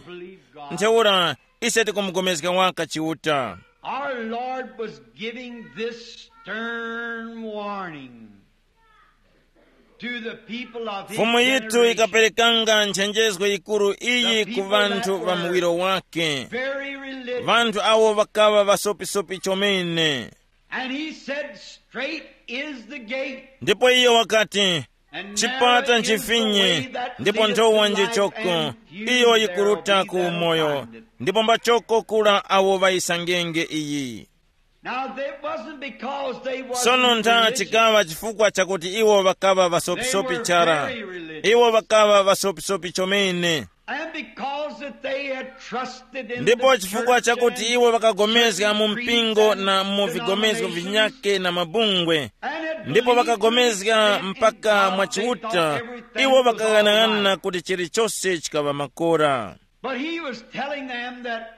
Ntheura, ise tikumugomezga waka Chiuta. Our Lord was giving this stern warning to the people of his fumu yitu generation. Ikaperekanga nchenjezgo yikuru iyi ku vanthu va muwiro wake, very religious. Vanthu awo ŵakaŵa ŵasopisopi chomene. And he said, "Straight is the gate, ndipo iyo wakati, and chipata narrow is the nchifinye, way that ndipo leadeth nthowa to life, njichoko, and few iyo there yikuruta be ku that umoyo, find it." Ndipo mbachoko kula awo ŵayisangenge iyi. Now, that wasn't because they wasn't sono ntha religious. Chikaŵa chifukwa chakuti iwo ŵakaŵa ŵasopisopi chara. They were very religious. Iwo ŵakaŵa ŵasopisopi chomene. And because that they had trusted in ndipo the chifukwa church chakuti and iwo ŵakagomezga mu certain mpingo creeds na and mu vigomezgo denominations, vinyake na mabungwe, and had ndipo believed to an ŵakagomezga extent in mpaka God, mwa they thought Chiuta, everything iwo was all ŵakaghanag'ana right. Kuti chilichose chikaŵa makora. But he was telling them that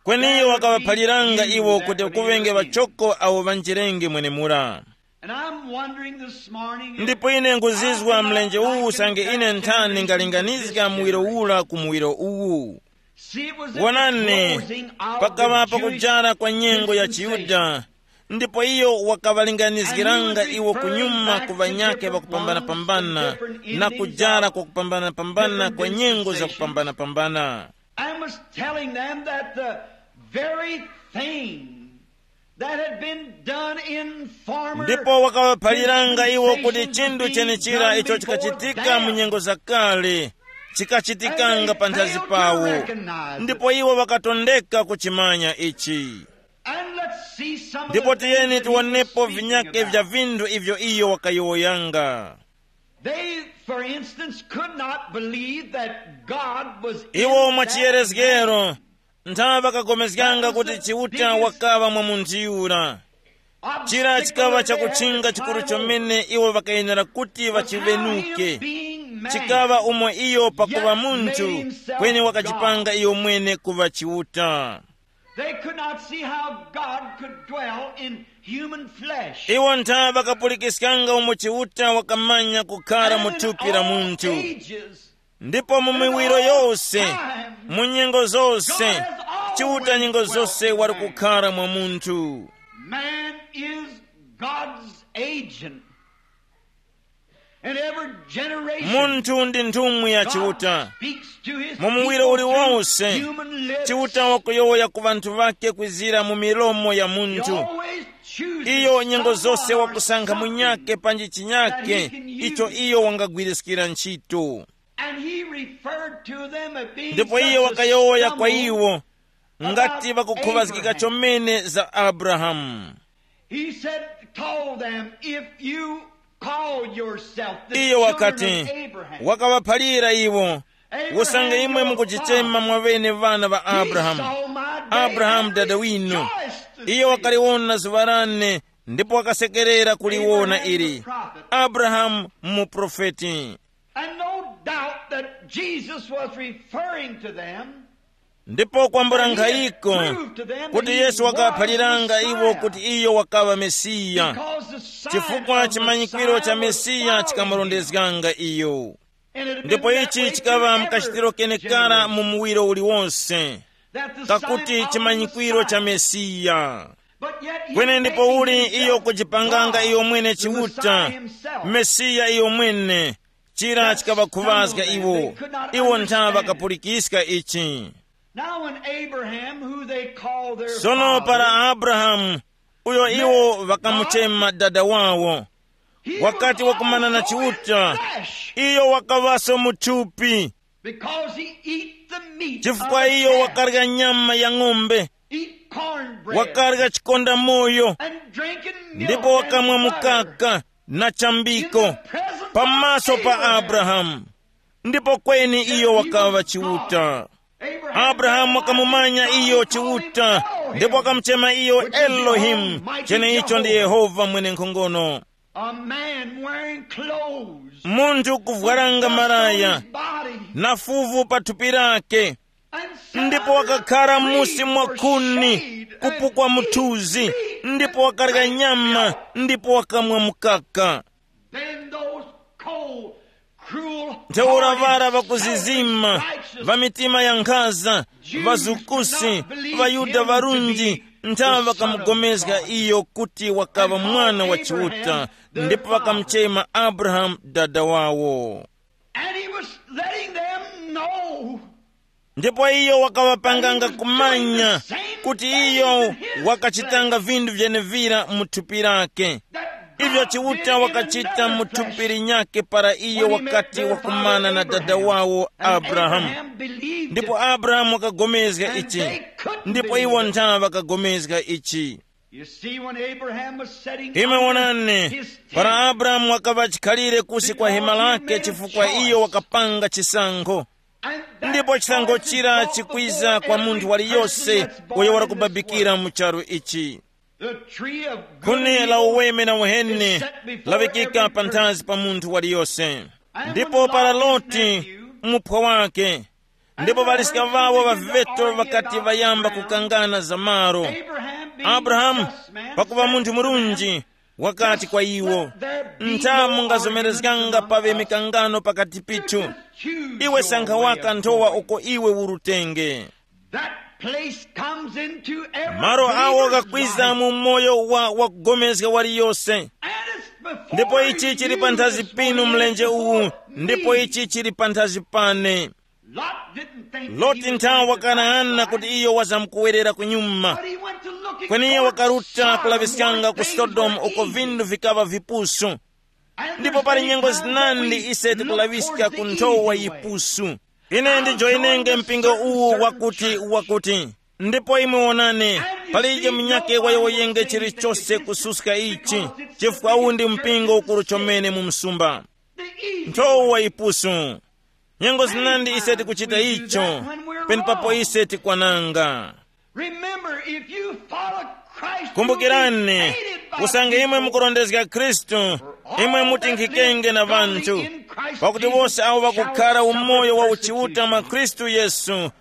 kweni iyo there would be wakaŵaphaliranga Jews iwo that kuti would kuŵenge enter in. Ŵachoko awo ŵanjirenge mwenemura. And I'm wondering this morning if ndipo ine nguzizwa I mlenje uwu usange ine nthani ngalinganizga muwiro ula ku muwiro uwu. See, it was at the wonani, closing of pakaŵa the Jewish pakujara kwa nyengo ya dispensation. Chiyuda, ndipo iyo wakaŵalinganizgiranga iwo kunyuma ku ŵanyakhe ŵakupambana-pambana na kujara kwa kupambana-pambana kwa nyengo za kupambana-pambana. And was telling them that the very thing that had been done in former ndipo wakawaphaliranga iwo kuti dispensations chinthu being chenichira done icho before chikachitika mu bad. Nyengo zakale chikachitikanga panthazi pawo. Ndipo iwo wakatondeka kuchimanya ichi. And let's see some of ndipo the things tiyeni that he was tiwonepo speaking vinyake about. Vya vinthu ivyo iyo wakayowoyanga. They, for instance, could not believe that God was in iwo that mwachiyerezgero man. Nthawe ŵakapulikana kuti Chiuta wakaŵa mwa munthu yura. Chira chikaŵa chakutchinga chikuru chomene iwo ŵakayenera kuti ŵachiŵenuke. Chikaŵa umo iyo pakuŵa munthu, kweni wakachipanga iyo mwene kuŵa Chiuta. They could not see how God could dwell in human flesh. Iwo nthawe ŵakapulikiskanga umo Chiuta wakamanya kukhara mu thupi la munthu. Ndipo mu miwiro yose, mu nyengo zose, Chiuta nyengo zose wali kukhara mwa munthu. Man is God's agent. And every generation, munthu ndi nthumwi ya God Chiuta speaks to his mu muwiro people through uliwonse. Human lips. Chiuta wakuyowoya ku vanthu vake kwizira mu milomo ya munthu. Iyo nyengo zose wakusankha munyake panji chinyake icho iyo wangagwiriskira ntchito. And he referred to them as being ndipo iye wakayowoya kwa iwo ngati vakukhuŵazgika chomene za Abrahamu. He said, told them, if you call yourself the iye wakati, wakawaphalira iwo, usange imwe mukuchichema mwa ŵene ŵana ŵa Abrahamu, Abrahamu dada winu, iye wakaliwona zuŵa lane ndipo wakasekerera kuliwona ili. Abrahamu muprofeti. And no doubt that Jesus was referring to them. Ndipo kwambula nkhayiko kuti Yesu wakaphaliranga iwo kuti iyo wakaŵa Mesiya, chifukwa chimanyikwiro cha Mesiya chikamurondezganga iyo. Ndipo ichi chikaŵa mkachitiro kenekara mu muwiro uliwonse, kakuti chimanyikwiro cha Mesiya. Kweni ndipo uli iyo kujipanganga iyo mwene Chiuta, Mesiya iyo mwene, chira chikaŵakhuŵazga iwo. Iwo nthawe ŵakapulikiska ichi. Now, when Abraham, who they called their sono para father, Abrahamu, uyo iwo ŵakamuchema dada wawo, he wakati was wakumana na also in Chiuta, flesh, iyo wakaŵaso mu thupi, because he eat the meat chifukwa of iyo the calf, wakarya nyama ya ng'ombe, eat cornbread, wakarya chikonda moyo, and drinking milk ndipo wakamwa and butter mukaka na chambiko in the presence pamaso of pa Abraham. Abrahamu. Ndipo kweni iyo wakaŵa Chiuta. Abrahamu wakamumanya iyo Chiuta, ndipo wakamuchema iyo Elohimu, cheneicho ndi Yehova mwenenkhongono. A man wearing clothes, munthu kuvwaranga malaya, body, na fuvu pa thupi lake, ndipo wakakhala musi mwa khuni, kupukwa muthuzi, ndipo wakarya nyama, ndipo wakamwa mukaka. Then those cold, cruel, ntheura vara ŵakuzizima, ŵa mitima ya nkhaza, ŵazukusi, ŵaYuda ŵarunji, nthawe ŵakamugomezga iyo kuti wakaŵa mwana wa Chiuta, ndipo ŵakamuchema Abrahamu dada wawo. And he was letting them know ndipo iyo wakaŵapanganga kumanya kuti iyo wakachitanga vinthu vyenevira mu thupi lake, ivyo Chiuta wakachita mu thupi linyakhe para iyo wakati wakumana na dada wawo Abrahamu. Ndipo Abrahamu wakagomezga ichi, ndipo iwo nthawe ŵakagomezga ichi. You see, when Abraham was setting imwe out wonani, his tent, para Abrahamu wakaŵa chikhalire kusi kwa hema lake chifukwa iyo wakapanga chisankho. And that ndipo chisankho choice chira brought chikwiza before kwa munthu every waliyose person that's born uyo in this warakubabikira world. Mu charu ichi. The tree of good khuni and la evil uweme na uheni is set before laŵikika every pa person. Nthazi pa munthu waliyose. And ndipo when para Lot, his Loti nephew, muphwa wake, ndipo ŵaliska ŵawo ŵaviŵeto ŵakati ŵayamba kukangana za malo. Abrahamu, pakuŵa munthu murunji, wakati kwa iwo, ntha mungazomerezganga paŵe mikangano pakati pithu. Iwe sankha waka nthowa uko iwe urutenge. Malo awo ghakwiza mu moyo wa wakupulikana waliyose. Ndipo ichi chili panthazi pinu mlenje uwu, ndipo ichi chili panthazi pane. Loti nthawe wakanang'ana kuti iyo wazamkuwerera kunyuma. Kweni iyo wakaruta kulaŵiskanga ku Sodomu uko vinthu vikaŵa vipusu. Ndipo pali nyengo zinandi ise tikulaŵiska ku nthowa yipusu. Ine ndijoyinenge mpingo uwu wakuti wakuti. Ndipo imwe wonani, palije munyakhe wayowoyenge chilichose kususka ichi, chifukwa uwu ndi mpingo ukuru chomene mu msumba. Nthowa yipusu. Nyengo zinandi ise tikuchita icho, penepapo ise tikwananga. Remember, if you follow Christ, kumbukirani, usange imwe mukurondezga Khristu, imwe mutinkhikenge na vanthu, pakuti wose awo ŵakukhara umoyo wa uchiuta mwa Khristu Yesu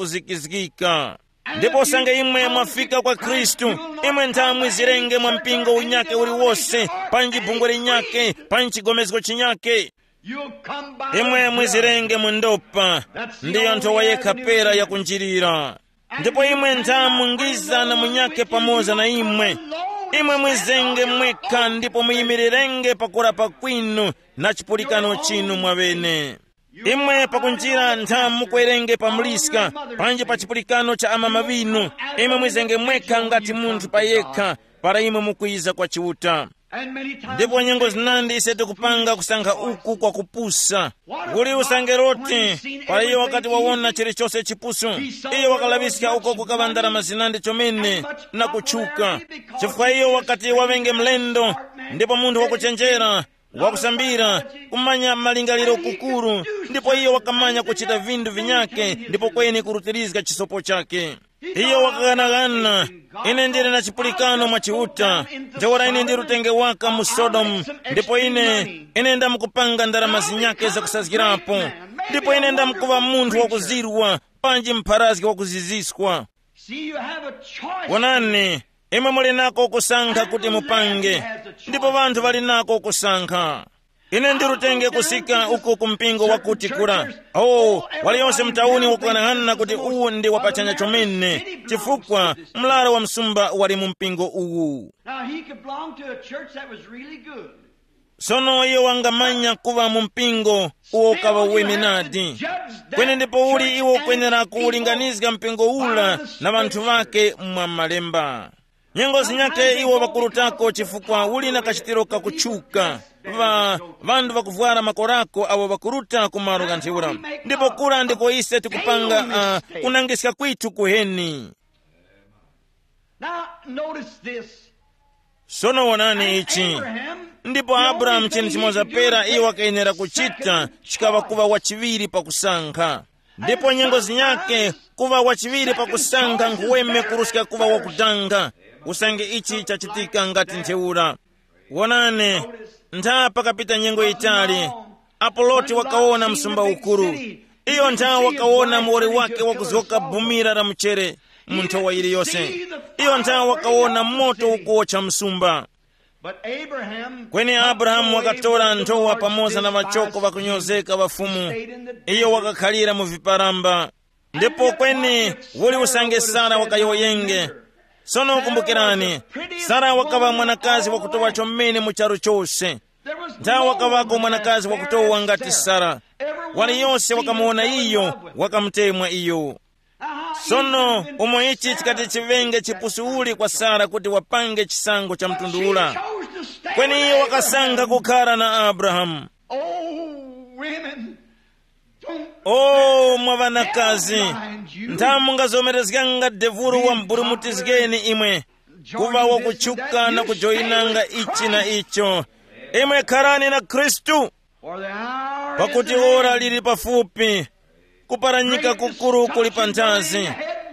ŵazamkuzikizgika. Ndipo usange imwe mwafika kwa Khristu, imwe ntha mwizirenge mwa mpingo unyake uliwose, panji bungwe linyake, panji chigomezgo chinyake. Imwe mwizirenge mu ndopa. Ndiyo nthowa yekha pera yakunjirira. Ndipo imwe ntha mungiza na munyake pamoza na imwe. Imwe mwizenge mwekha ndipo muyimirirenge pakurapa kwinu na chipulikano chinu mwaŵene. Imwe pakunjira ntha mukwerenge pa muliska, panji pa chipulikano cha amama ŵinu. Imwe mwizenge mwekha ngati munthu pa yekha, para imwe mukwiza kwa Chiuta. Ndipo nyengo zinandi ise tikupanga kusankha uku kwa kupusa. Uli usange Loti, para iyo wakati wawona chilichose chipusu, iyo wakalaŵiska uko kukaŵa ndarama zinandi chomene na kutchuka. Chifukwa iyo wakati waŵenge mlendo, ndipo munthu wakuchenjera, wakusambira, kumanya malingaliro kukuru, ndipo iyo wakamanya kuchita vinthu vinyake ndipo kweni kurutirizga chisopo chake. Iyo wakaghanagana, ine ndili na chipulikano mwa Chiuta, ntheura ine ndi rutenge waka mu Sodomu, ndipo ine, ine ndamkupanga ndarama zinyake zakusazgirapo, ndipo ine ndamkuŵa munthu wakuzirwa, panji mpharazgi wakuziziswa. See, you have a choice. Wonani, imwe muli nako kusankha kuti mupange, ndipo vanthu vali nako kusankha. Ine ndirutenge kusika uko ku mpingo wakuti kura. Oh, waliyonse mtauni wakukanaghana kuti uwu ndi wapachanya chomene, chifukwa mlaro wa msumba wali mu mpingo uwu. Now, he could belong to a church that was really good. Sono iyo wangamanya kuŵa mu mpingo uwo ukaŵa uweme nadi. Kweni ndipo uli iwo ukwenera kuwulinganizga mpingo ula na ŵanthu ŵake mwa malemba. Nyengo zinyake iwo ŵakurutako chifukwa uli na kachitiro kakutchuka. Va, ŵanthu ŵakuvwara makorako awo ŵakuruta ku malo ghantheura. Ndipo kura ndiko ise tikupanga uh, kunangiska kwithu kuheni. Now, notice this. Sono wonani ichi. Ndipo Abrahamu chinthu chimoza pera iye wakayenera kuchita chikaŵa kuŵa wachiŵiri pakusankha. Ndipo nyengo zinyake kuŵa wachiŵiri pakusankha nkhuweme kuruska kuŵa wakutanga. Usange ichi chachitika ngati ntheura. Wonani, ntha pakapita nyengo yitali, apo Loti wakawona msumba ukuru. Iyo ntha wakawona muwoli wake wakuzgoka bumira la mchere mu nthowa yiliyose. Iyo ntha wakawona moto ukuwotcha msumba. But Abraham, kweni Abrahamu wakatora nthowa pamoza na ŵachoko ŵakunyozeka ŵa Fumu. Iyo wakakhalira mu viparamba. Ndipo kweni uli usange Sara wakayowoyenge. Sono kumbukirani, Sara wakaŵa mwanakazi wakutowa chomene mu charu chose. Nthawe wakaŵako mwanakazi wakutowa ngati Sara. Waliyonse wakamuwona iyo, wakamutemwa iyo. Sono umo ichi chikati chiŵenge chipusu uli kwa Sara kuti wapange chisankho cha mtundu ula. Kweni iyo wakasankha kukhara na Abrahamu. Oh, women, don't, o mwa ŵanakazi, ntha mungazomerezganga devuru wamburumutizgeni imwe, kuva wakutchuka na kujoyinanga ichi na icho. Imwe kharani na Khristu. Pakuti ora lili pafupi, kuparanyika kukuru kuli panthazi,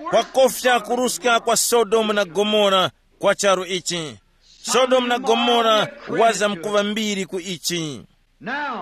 kwakofya kuruska kwa Sodomu na Gomora kwa charu ichi. Sodomu na Gomora waza mkuva mbiri ku ichi.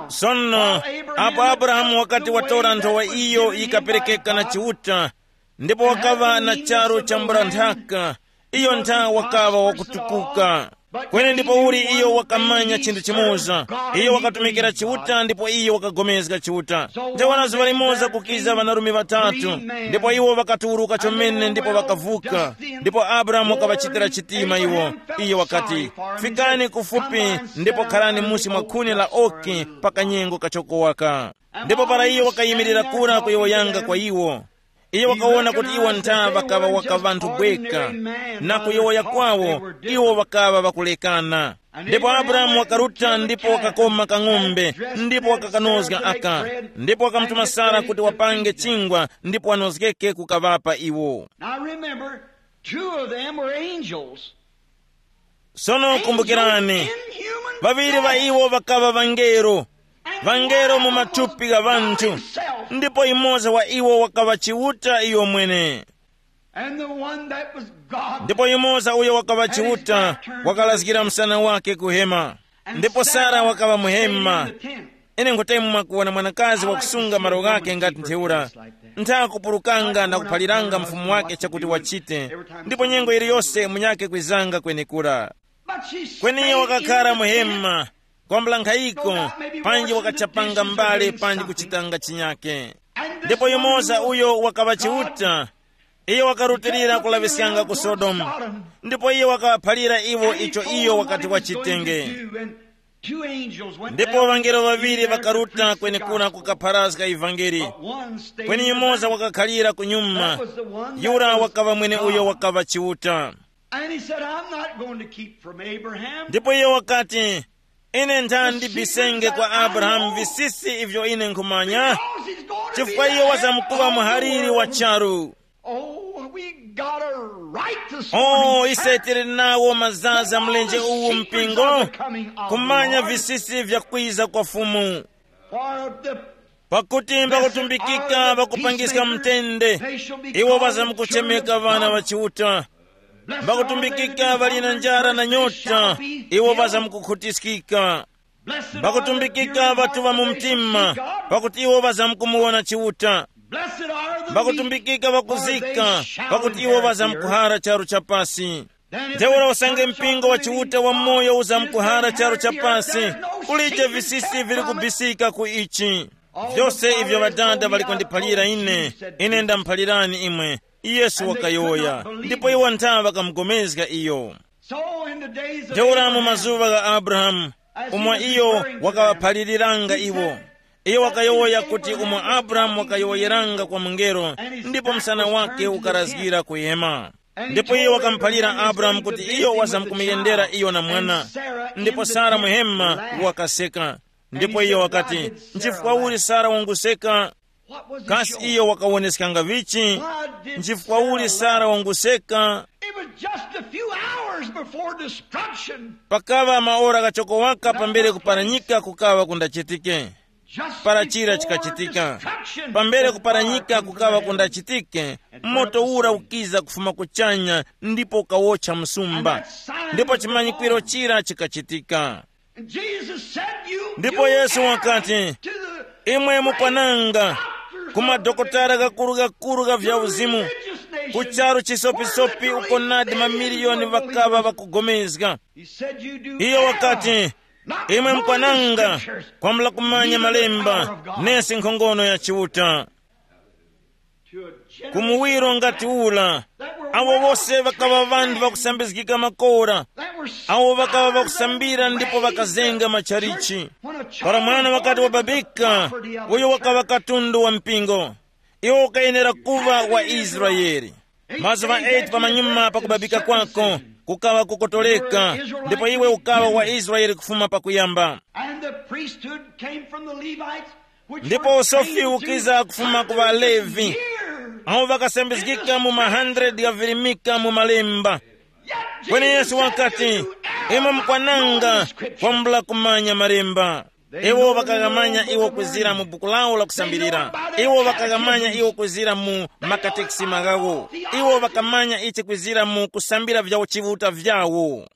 Sono, apo Abrahamu wakati watora nthowa iyo yikaperekeka na Chiuta, ndipo wakaŵa na charu cha mbula nthaka, iyo ntha wakaŵa wakutukuka. Kweni ndipo uli iyo wakamanya chinthu chimoza. Iyo wakatumikira Chiuta ndipo iyo wakagomezga Chiuta. Ntheura zuŵa limoza kukiza ŵanarume ŵatatu, ndipo iwo ŵakatuwuruka chomene ndipo ŵakavuka. Ndipo Abrahamu wakaŵachitira chitima iwo. Iyo wakati, "Fikani kufupi ndipo kharani musi mwa khuni la oki pa kanyengo kachoko waka." Ndipo para iyo wakayimirira kura kuyowoyanga kwa iwo, iyo wakawona kuti iwo ntha ŵakaŵa waka ŵanthu bweka, na kuyowoya kwawo iwo ŵakaŵa ŵakulekana. Ndipo Abrahamu wakaruta ndipo wakakoma kang'ombe, ndipo wakakanozga aka, ndipo wakamutuma Sara kuti wapange chingwa ndipo wanozgeke kukaŵapa iwo. Now remember, two of them were angels. Sono kumbukirani, ŵaŵiri ŵa iwo ŵakaŵa ŵangelo, ŵangelo mu mathupi gha ŵanthu, ndipo yumoza wa iwo wakaŵa Chiuta iyo mwene. And the one that was God. Ndipo yumoza uyo wakaŵa Chiuta wakalazgira msana wake ku hema, ndipo Sara wakaŵa mu hema. Ine nkhutemu mwakuwona mwanakazi wakusunga malo ghake ngati ntheura, ntha kupulukanga na kuphaliranga mfumu wake chakuti wachite, ndipo nyengo yiliyose munyake kwizanga kwenekura. Kweni iyo wakakhala mu hema, kwambula nkhayiko, panji wakachapanga mbale panji kuchitanga chinyake. Ndipo yumoza uyo wakaŵa Chiuta, iyo wakarutilira kulaŵiskanga ku Sodomu, ndipo iyo wakawaphalira iwo icho iyo wakati wachitenge. Ndipo ŵangelo ŵaŵiri ŵakaruta kwenekura kukapharazga ivangeli. Kweni yumoza wakakhalira kunyuma, yura wakaŵa mwene uyo wakaŵa Chiuta. And he said, "I'm not going to keep from Abraham." Ndipo iyo wakati, "Ine ntha ndibisenge kwa Abrahamu visisi ivyo ine nkhumanya, chifukwa iyo wazamkuŵa muhaliri wa charu." Oh, we got a right this morning, oh, ise tili nawo mazaza mlenje uwu mpingo, kumanya visisi vya kwiza kwa Fumu. For the Pakuti mbakutumbikika ŵakupangiska mtende, iwo ŵazamkuchemeka ŵana ŵa Chiuta. Mbakutumbikika ŵali na njara na nyota, iwo ŵazamkukhutiskika. Mbakutumbikika ŵatuŵa mu mtima, pakuti iwo ŵazamkumuwona Chiuta. Mbakutumbikika ŵakuzika, pakuti iwo ŵazamkuhara charu cha pasi. Ntheura usange mpingo wa Chiuta wamoyo uzamkuhara charu cha pasi, kulije visisi vili kubisika ku ichi. Vyose ivyo Ŵadada ŵali kundiphalira ine, ine ndamuphalirani imwe, Yesu wakayowoya, ndipo iwo ntha ŵakamugomezga iyo. Ntheura mu mazuŵa gha Abrahamu, umo iyo wakaŵaphaliliranga iwo, iyo wakayowoya kuti umo Abrahamu wakayowoyeranga kwa mungelo, ndipo msana wake ukarazgira kuyema. Ndipo iyo wakamuphalira Abrahamu kuti iyo wazamkumuyendera iyo na mwana. Ndipo Sara muhema wakaseka. Ndipo iyo wakati, "Nchifukwa uli Sara wanguseka?" Kasi iyo wakawoneskanga vichi? Nchifukwa uli Sara wanguseka? It was just a few hours before destruction. Pakaŵa maora ghachoko waka pambere kuparanyika kukaŵa kundachitike. Para chira chikachitika, pambere kuparanyika kukaŵa kundachitike, moto ura ukiza kufuma kuchanya ndipo ukawotcha msumba. Ndipo chimanyikwiro chira chikachitika. Ndipo Yesu wakati, "Imwe mukwananga ku madokotala ghakuru-ghakuru gha vyauzimu, ku charu chisopisopi uko nadi mamiliyoni ŵakaŵa ŵakugomezga." Iyo wakati, "Imwe mukwananga kwambula kumanya malemba, nesi nkhongono ya Chiuta." Ku muwiro ngati ura, awo wose ŵakaŵa ŵanthu ŵakusambizgika makora, awo ŵakaŵa ŵakusambira ndipo ŵakazenga machalichi. Para mwana wakati wababika, uyo wakaŵa katundu wa mpingo, iwo ukayenera kuŵa wa Israele. Mazuŵa eight pamanyuma pa kubabika kwako, kukaŵa kukotoleka, ndipo iwe ukaŵa wa Israele kufuma pakuyamba. And the priesthood came from the Levites, which ndipo were usofi trained ukiza kufuma ku Valevi, awo vakasambizgika mu ma hundred ghavirimika mu malemba. Kweni Yesu wakati, "Imwe mukwananga kwambula kumanya malemba." Iwo vakaghamanya iwo kwizira mu buku lawo la kusambirira. Iwo vakaghamanya iwo kwizira mu makatekisima ghawo. Iwo vakamanya ichi kwizira mu kusambira vya uchivuta vyawo.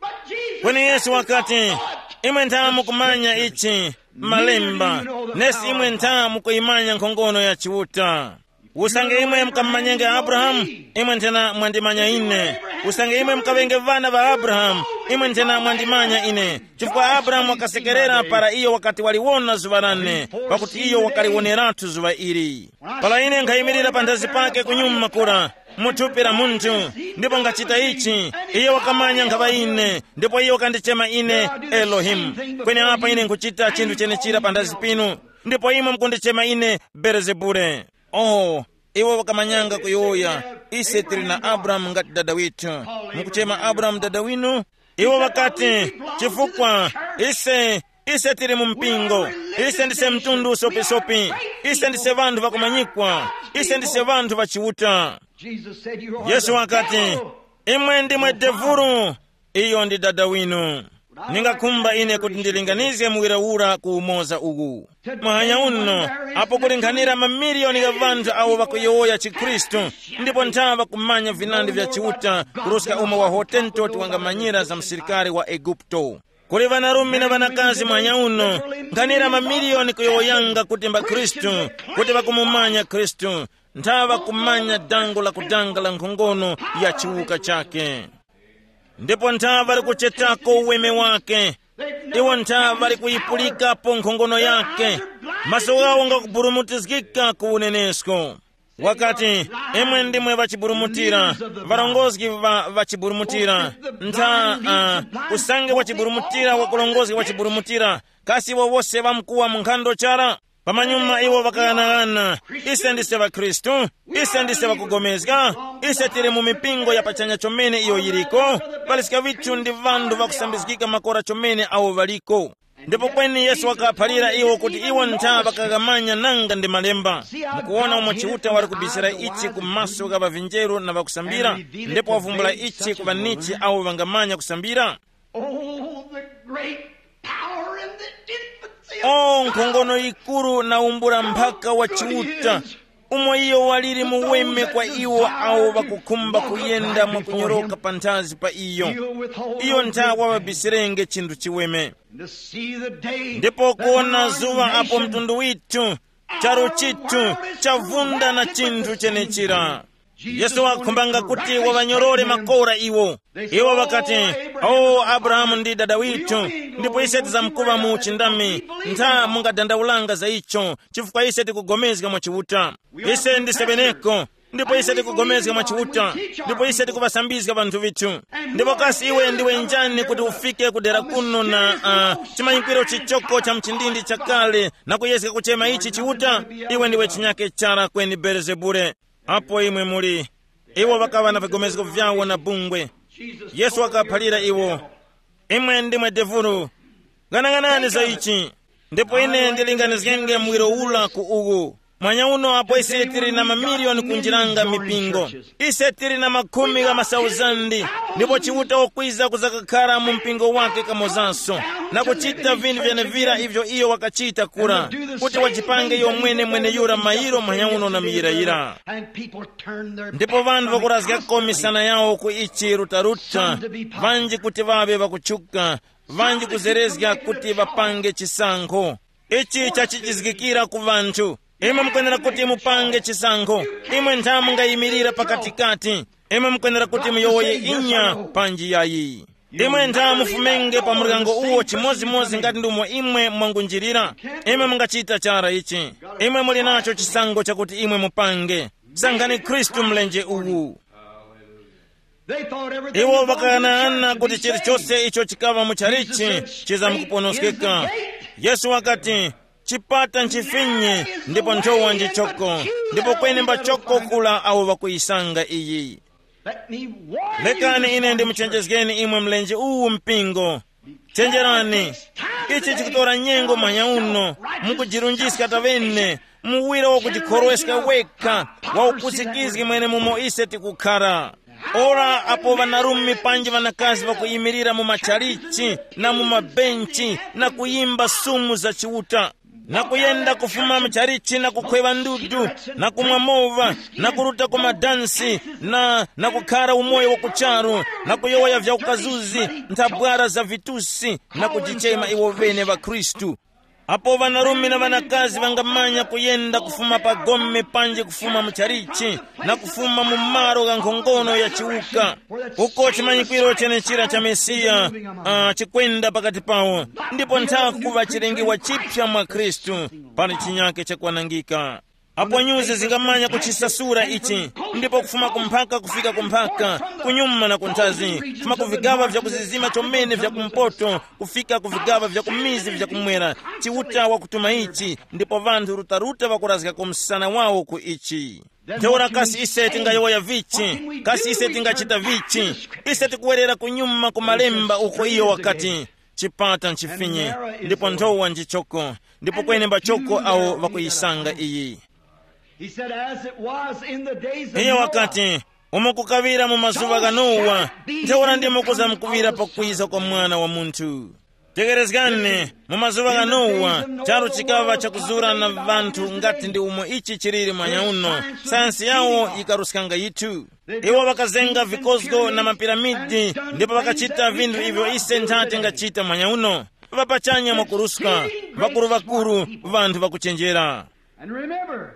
Kweni Yesu wakati, "Imwe ntha mukumanya ichi, malemba, nesi imwe ntha mukuyimanya nkhongono ya Chiuta." Usange imwe mukamumanyenge Abrahamu, imwe nthena mwandimanya ine. Usange imwe mukaŵenge ŵana ŵa Abrahamu, imwe nthena mwandimanya ine. Chifukwa Abrahamu wakasekerera para iyo wakati waliwona zuŵa lane, pakuti iyo wakaliwoneratu zuŵa ili. Para ine nkhayimirira panthazi pake kunyuma kura, mu thupi la munthu, ndipo nkhachita ichi, iye wakamanya nkhaŵa ine, ndipo iye wakandichema ine Elohimu. Kweni apa ine nkhuchita chinthu chenechira panthazi pinu, ndipo imwe mukundichema ine Belezebule. Oh, iwo wakamanyanga kuyowoya, ise tili na Abrahamu ngati dada withu. Mukuchema Abrahamu dada winu? Iwo ŵakati, chifukwa ise ise tili mu mpingo, ise ndise mtundu usopisopi, ise ndise ŵanthu ŵakumanyikwa, ise ndise ŵanthu ŵa Chiuta. Jesus said, "You are Yesu the wakati, devil." Imwe ndimwe devulu, iyo ndi dada winu. Ningakhumba ine kuti ndilinganizge muwira ura ku umoza uwu. Mahanya uno, apo kuli nkhanira mamiliyoni gha ŵanthu awo ŵakuyowoya chikhristu, ndipo nthawa ŵakumanya vinandi vya Chiuta kuruska umo wa Hotentoti wangamanyira za msirikari wa Eguputo. Kuli ŵanarume na ŵanakazi mwanya uno, nkhanira mamiliyoni kuyowoyanga kuti mba Khristu, kuti ŵakumumanya Khristu, nthawa ŵakumanya dango la kudanga la nkhongono ya chiwuka chake. Ndipo nthawa ŵali kuchetako uweme wake, iwo nthawa ŵali kuyipulikapo nkhongono yake, maso ghawo ngakuburumutizgika ku unenesko. Wakati, imwe ndimwe ŵachiburumutira, ŵarongozgi ŵa ŵachiburumutira, ntha uh, usange wachiburumutira wakulongozga wachiburumutira, kasi iwo wose ŵamkuwa mu nkhando chara? Pamanyuma iwo ŵakaghanaghananga, ise ndise ŵakhristu, ise ndise ŵakugomezga, ise tili mu mipingo ya pachanya chomene iyo yiliko, paliska vithu ndi vanthu ŵakusambizgika makora chomene awo ŵaliko. Ndipo kweni Yesu wakaphalira iwo kuti iwo ntha ŵakaghamanya nanga ndi malemba. Mukuwona umo Chiuta wali kubisira ichi ku maso gha ŵavinjeru na ŵakusambira, ndipo wavumbula ichi ku ŵanichi awo ŵangamanya kusambira. Oh, the great power and the infancy of O nkhongono yikuru na umbula mphaka wa Chiuta, umo iyo waliri muweme kwa iwo awo ŵakukhumba kuyenda mwakunyoroka panthazi pa iyo. Iyo ntha waŵabisirenge chinthu chiweme. To see the day ndipo kuona zuŵa apo mtundu withu, charu chithu, chavunda na chinthu chenechira. Yesu wakhumbanga kuti waŵanyorore makora iwo. Iwo ŵakati, o Abrahamu ndi dada withu, ndipo ise tizamkuŵa mu uchindami. Ntha mungadandaulanga za icho, chifukwa ise tikugomezga mwa Chiuta. Ise ndisebeneko, ndipo ise tikugomezga mwa Chiuta, ndipo ise tikuŵasambizga ŵanthu vithu. Ndipo kasi iwe ndiwe njani kuti ufike kudera kuno na uh, chimanyikwiro chichoko cha mchindindi chakale na kuyezga kuchema ichi Chiuta? Iwe ndiwe chinyake chara kweni Belezebule. Apo imwe muli, iwo ŵakaŵa na vigomezgo vyawo na bungwe. Yesu wakaphalira iwo, imwe ndimwe devulu. Ghanaghanani za ichi. Ndipo ine ndilinganizgenge muwiro ula ku uwu. Mwanya uno apo ise tili na mamiliyoni kunjiranga mipingo, ise tili na makhumi gha masauzandi, ndipo Chiuta wakwiza kuzakakhara mu mpingo wake kamozanso, na kuchita vinthu vyenevira ivyo iyo wakachita kura, kuti wajipange iyo mwene mweneyura mayiro mwanya uno na muyirayira. And people turn their ndipo vanthu vakurazgako misana yawo ku ichi rutaruta, vanji kuti ŵaŵe ŵakutchuka, vanji kuzerezga kuti ŵapange chisankho. Ichi chachichizgikira ku vanthu. Imwe mukwenera kuti mupange chisankho. Imwe ntha mungayimirira pakatikati. Imwe mukwenera kuti muyowoye inya panji yayi. Imwe ntha mufumenge pa muryango uwo chimozimozi ngati ndumo imwe mwangunjirira. Imwe mungachita chara ichi. Imwe muli nacho chisankho chakuti imwe mupange. Sankhani Khristu mlenje uwu. Iwo ŵakaghanaghananga kuti chilichose icho chikaŵa mu chalichi chizamkuponoskeka. Yesu wakati, chipata nchifinye, ndipo nthowa njichoko, ndipo kweni mbachoko kula awo ŵakuyisanga iyi. Lekani ine ndimuchenjezgeni imwe mlenje uwu mpingo. Chenjerani, ichi chikutora nyengo mwanya uno, mukujirunjiska tavene, muwira wakujikhorweska wekha, waupusikizgi mwenemumo ise tikukhara. Ora apo ŵanarume panji ŵanakazi ŵakuyimirira mu matchalichi na mu mabenchi na kuyimba sumu za Chiuta, na kuyenda kufuma mchalichi na kukhweŵa ndudu, na kumwa mova, na kuruta ku madansi, na, na kukhara umoyo wa kucharu, na kuyowoya vya ukazuzi, nthabwara za vitusi, na kujichema iwo vene ŵakhristu. Apo ŵanarume na ŵanakazi ŵangamanya kuyenda kufuma pa gome panji kufuma mu chalichi, na kufuma mu malo gha nkhongono ya chiwuka, uko chimanyikwiro chenechira cha Mesiya, uh, chikwenda pakati pawo, ndipo nthaku kuŵa chilengiwa chipya mwa Khristu, pali chinyake chakwanangika. Apo nyuzi zingamanya kuchisasura ichi, ndipo kufuma kumphaka kufika kumphaka, kunyuma na kunthazi, kufuma ku vigaŵa vya kuzizima chomene vya kumpoto kufika ku vigaŵa vya kumizi vya kumwera, Chiuta wakutuma ichi, ndipo ŵanthu rutaruta ŵakurazga ku msana wawo ku ichi. Ntheura kasi ise tingayowoya vichi? Kasi ise tingachita vichi? Ise tikuwerera kunyuma ku malemba uko iyo wakati, chipata nchifinye, ndipo nthowa njichoko, ndipo kwenemba choko awo ŵakuyisanga iyi. He said, "As it was in the days of Iye Noah." Wakati, umo kukaŵira mu mazuŵa gha Nowa, ntheura ndimo kuzamkuŵira pakwiza kwa Mwana wa Munthu. Tegerezgani, mu mazuŵa gha Nowa, charu chikaŵa chakuzura na ŵanthu ngati ndi umo ichi chiliri mwanyauno. Sayansi yawo yikaruskanga yithu. Iwo ŵakazenga vikozgo na mapiramidi, ndipo ŵakachita vinthu ivyo ise ntha tingachita mwanyauno. Ŵapachanya mwakuruska, ŵakuru ŵakuru, ŵanthu ŵakuchenjera. And remember,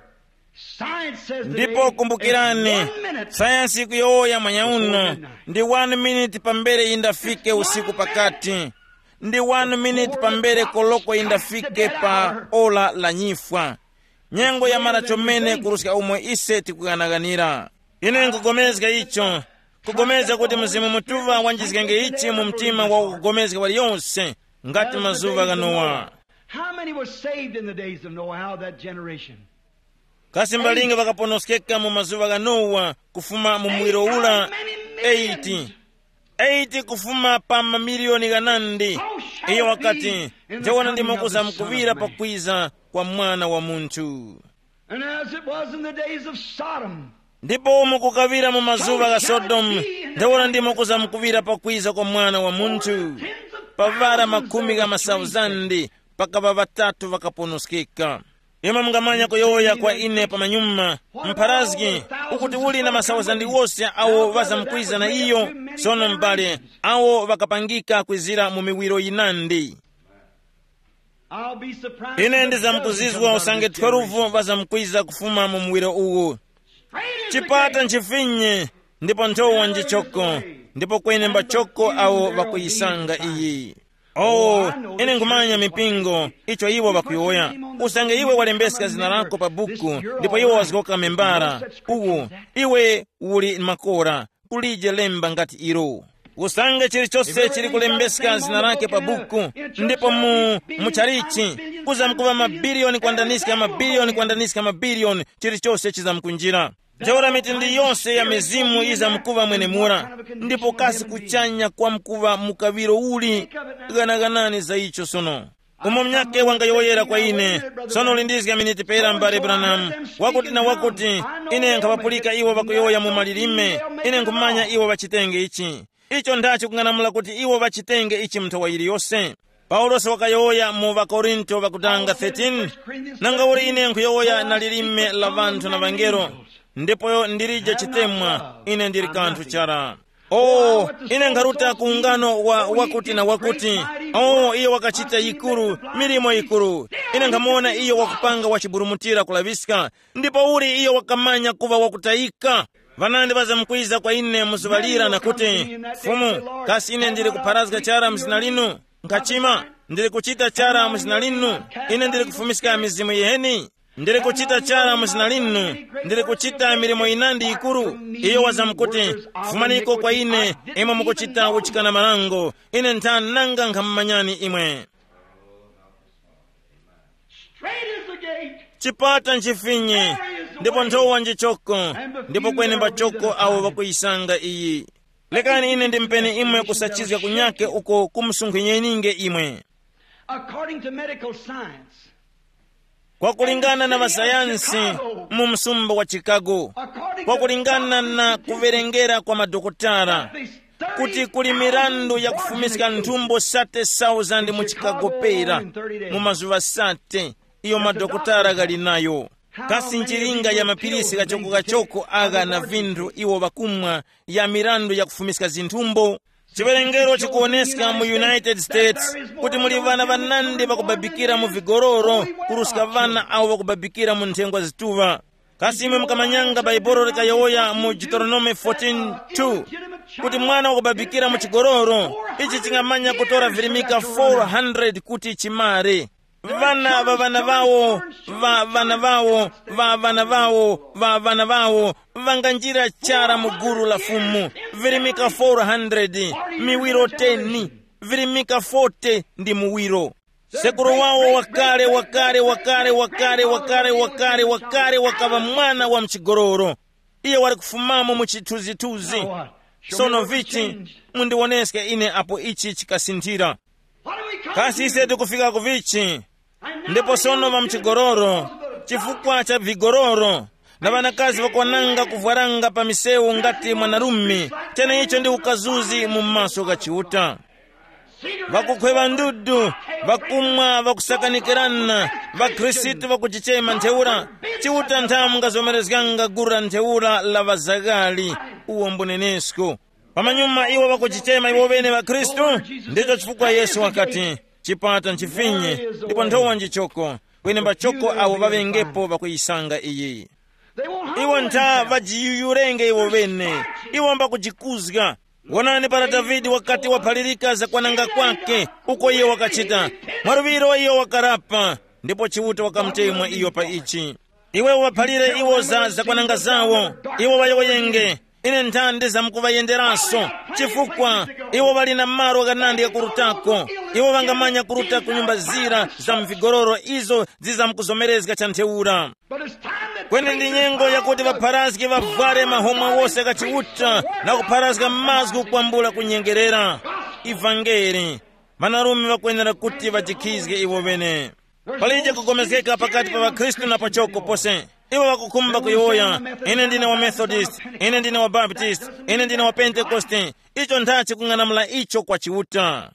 science says the Ndipo day kumbukirani, is one minute sayansi ikuyowoya mwanyauno ndi one minute pambere yindafike usiku pakati, ndi one minute pambere koloko yindafike pa ora la nyifwa. Nyengo yamara chomene kuruska umo ise tikuyanaganira. Ine nkugomezga icho, kugomezga kuti Mzimu Mutuŵa wanjizgenge ichi mu mtima wa kugomezga waliyonse, ngati mazuŵa gha Nowa. How many were saved in the days of Noah, out of that generation? Kasi mbalinga ŵakaponoskeka mu mazuŵa gha Nowa kufuma mu muwiro ula? Eight. Eight kufuma pa mamiliyoni ghanandi. Iyo wakati, ntheura ndimo kuzamkuŵira pakwiza kwa Mwana wa Munthu. And as it was in the days of Sodom, ndipo mukukaŵira mu mazuŵa gha Sodomu, ntheura ndimo kuzamkuŵira pakwiza kwa Mwana wa Munthu. Pavara makhumi gha masauzandi, pakaŵa ŵatatu ŵakaponoskeka. Imwe mungamanya kuyowoya kwa ine pamanyuma, mpharazgi, ukuti uli na masauzandi wose awo ŵazamkwiza na iyo. Sono m'bale, awo ŵakapangika kwizira mu miwiro yinandi. I'll be surprised. Ine ndizamkuzizwa usange twelve ŵazamkwiza kufuma mu muwiro uwu. Chipata nchifinye, ndipo nthowa njichoko, ndipo kwene mbachoko awo ŵakuyisanga iyi. Oh, ine nkhumanya mipingo, icho iwo ŵakuyowoya. Usange iwe walembeska zina lako pa buku, ndipo iwo wazgoka membara, uwo, iwe uli makora, kulije lemba ngati ilo. Usange chilichose chili kulembeska zina lake pa buku, ndipo mu, mu chalichi, kuzamkuŵa mabiliyoni kwandaniska mabiliyoni kwandaniska mabiliyoni, chilichose chizamkunjira. Ntheura mitundu yose ya mizimu yizamkuŵa mwenemura, ndipo kasi kuchanya kwamkuŵa mukaŵiro uli? Ghanaganani za icho sono. Umo munyakhe wangayowoyera kwa ine, sono lindizga miniti pera, m'bale Branham, wakuti na wakuti, ine nkhaŵapulika iwo ŵakuyowoya mu malilime, ine nkhumanya iwo ŵachitenge ichi. Icho ndachi kung'anamula kuti iwo ŵachitenge ichi mu nthowa yiliyose. Paulosi wakayowoya mu ŵakorinto ŵakutanga thirteen, nanga uli ine nkhuyowoya na lilime la ŵanthu na ŵangelo, ndipo ndilije chitemwa, ine ndili kanthu chara. Oh, ine nkharuta ku ungano wa wakuti na wakuti. Oh, iyo wakachita yikuru, milimo yikuru. Ine nkhamuwona iyo wakupanga wachiburumutira kulaŵiska, ndipo uli iyo wakamanya kuŵa wakutayika. Ŵanandi ŵazamkwiza kwa ine mu zuŵa lira na kuti, Fumu, kasi ine ndili kupharazga chara mu zina linu? Nkhachima, ndili kuchita chara mu zina linu? Ine ndili kufumiska mizimu yiheni? Ndili kuchita chara mu zina linu, ndili kuchita milimo yinandi yikuru. Iyo wazamkuti, fumaniko kwa ine, imwe mukuchita uchikana marango, ine nthani nanga nkhamumanyani imwe. Straight is the gate. Chipata nchifinye, ndipo nthowa njichoko, ndipo kwenemba choko awo ŵakuyisanga iyi. Lekani ine ndimpeni imwe kusachizga kunyake uko kumusunkhenyeninge imwe. According to medical science, kwakulingana na ŵasayansi mu msumba wa Chicago, kwakulingana na kuwerengera kwa madokotala, kuti kuli mirandu ya kufumiska nthumbo sate thousand mu Chicago pera mu mazuŵa sate, iyo madokotala ghali nayo. Kasi nchilinga ya mapilisi ghachoko-ghachoko agha na vinthu iwo ŵakumwa ya mirandu ya kufumiska zinthumbo? Chiwerengero chikuwoneska mu United States kuti muli ŵana ŵanandi ŵakubabikira mu vigororo kuruska ŵana awo ŵakubabikira mu nthengwa zituŵa. Kasi imwe mukamanyanga Baibolo likayowoya mu Deuteronome fourteen two kuti mwana wakubabikira mu chigororo, ichi chingamanya kutora virimika four hundred kuti chimare. Vana va vana vawo, va vana vawo, va vana vawo, va vana vawo, vanganjira chara mu gulu la Fumu, virimika four hundred, miwiro ten, virimika forty ndi muwiro. Sekuru wawo wakale wakale wakale wakale wakale wakale wakale wakaŵa mwana wa mchigororo. Iye wali kufumamo mu chithunzithunzi. Sono vichi, mundiwoneske ine apo ichi chikasinthira. Kasi ise tikufika ku vichi? Ndipo sono ŵa mchigororo, chifukwa cha vigororo, na ŵanakazi ŵakwananga kuvwaranga pa misewu ngati mwanarume, cheneicho ndi ukazuzi mu maso gha Chiuta. Ŵakukhweŵa ndudu, ŵakumwa, ŵakusakanikirana, ŵakhristu ŵakuchichema ntheura. Chiuta nthamu ngazomerezganga gulu la ntheura la ŵazaghali. Uwo mbunenesko. Pamanyuma iwo ŵakuchichema iwo ŵene ŵakhristu. Ndicho chifukwa Yesu wakati, chipata nchifinye, ndipo nthowa njichoko, kweni mbachoko awo ŵaŵengepo ŵakuyisanga iyi. Iwo ntha ŵajiyuyurenge iwo ŵene. Iwo mbakujikuzga. Wonani para Davide wakati waphalirika zakwananga kwake, uko iyo wakachita, mwaluŵiro iyo wakarapa, ndipo Chiuta wakamutemwa iyo pa ichi. Iwe uŵaphalire iwo za zakwananga zawo, iwo ŵayowoyenge. Ine ntha ndizamkuŵayenderanso, chifukwa iwo ŵali na malo ghanandi ghakurutako. Iwo ŵangamanya kuruta ku nyumba zira za mvigororo izo zizamkuzomerezga cha ntheura. Kweni ndi nyengo yakuti ŵapharazgi ŵavware mahomwa wose gha Chiuta na kupharazga mazgu kwambula kunyengerera. Ivangeli. Ŵanarume ŵakwenera kuti ŵajikhizge iwo ŵene. Palije kugomezgeka pakati pa ŵakhristu na pachoko pose. Iwo ŵakukhumba kuyowoya, ine ndine wa Methodist, ine ndine wa Baptist, ine ndine wa Pentekoste. Icho nthachi kung'anamula icho kwa Chiuta.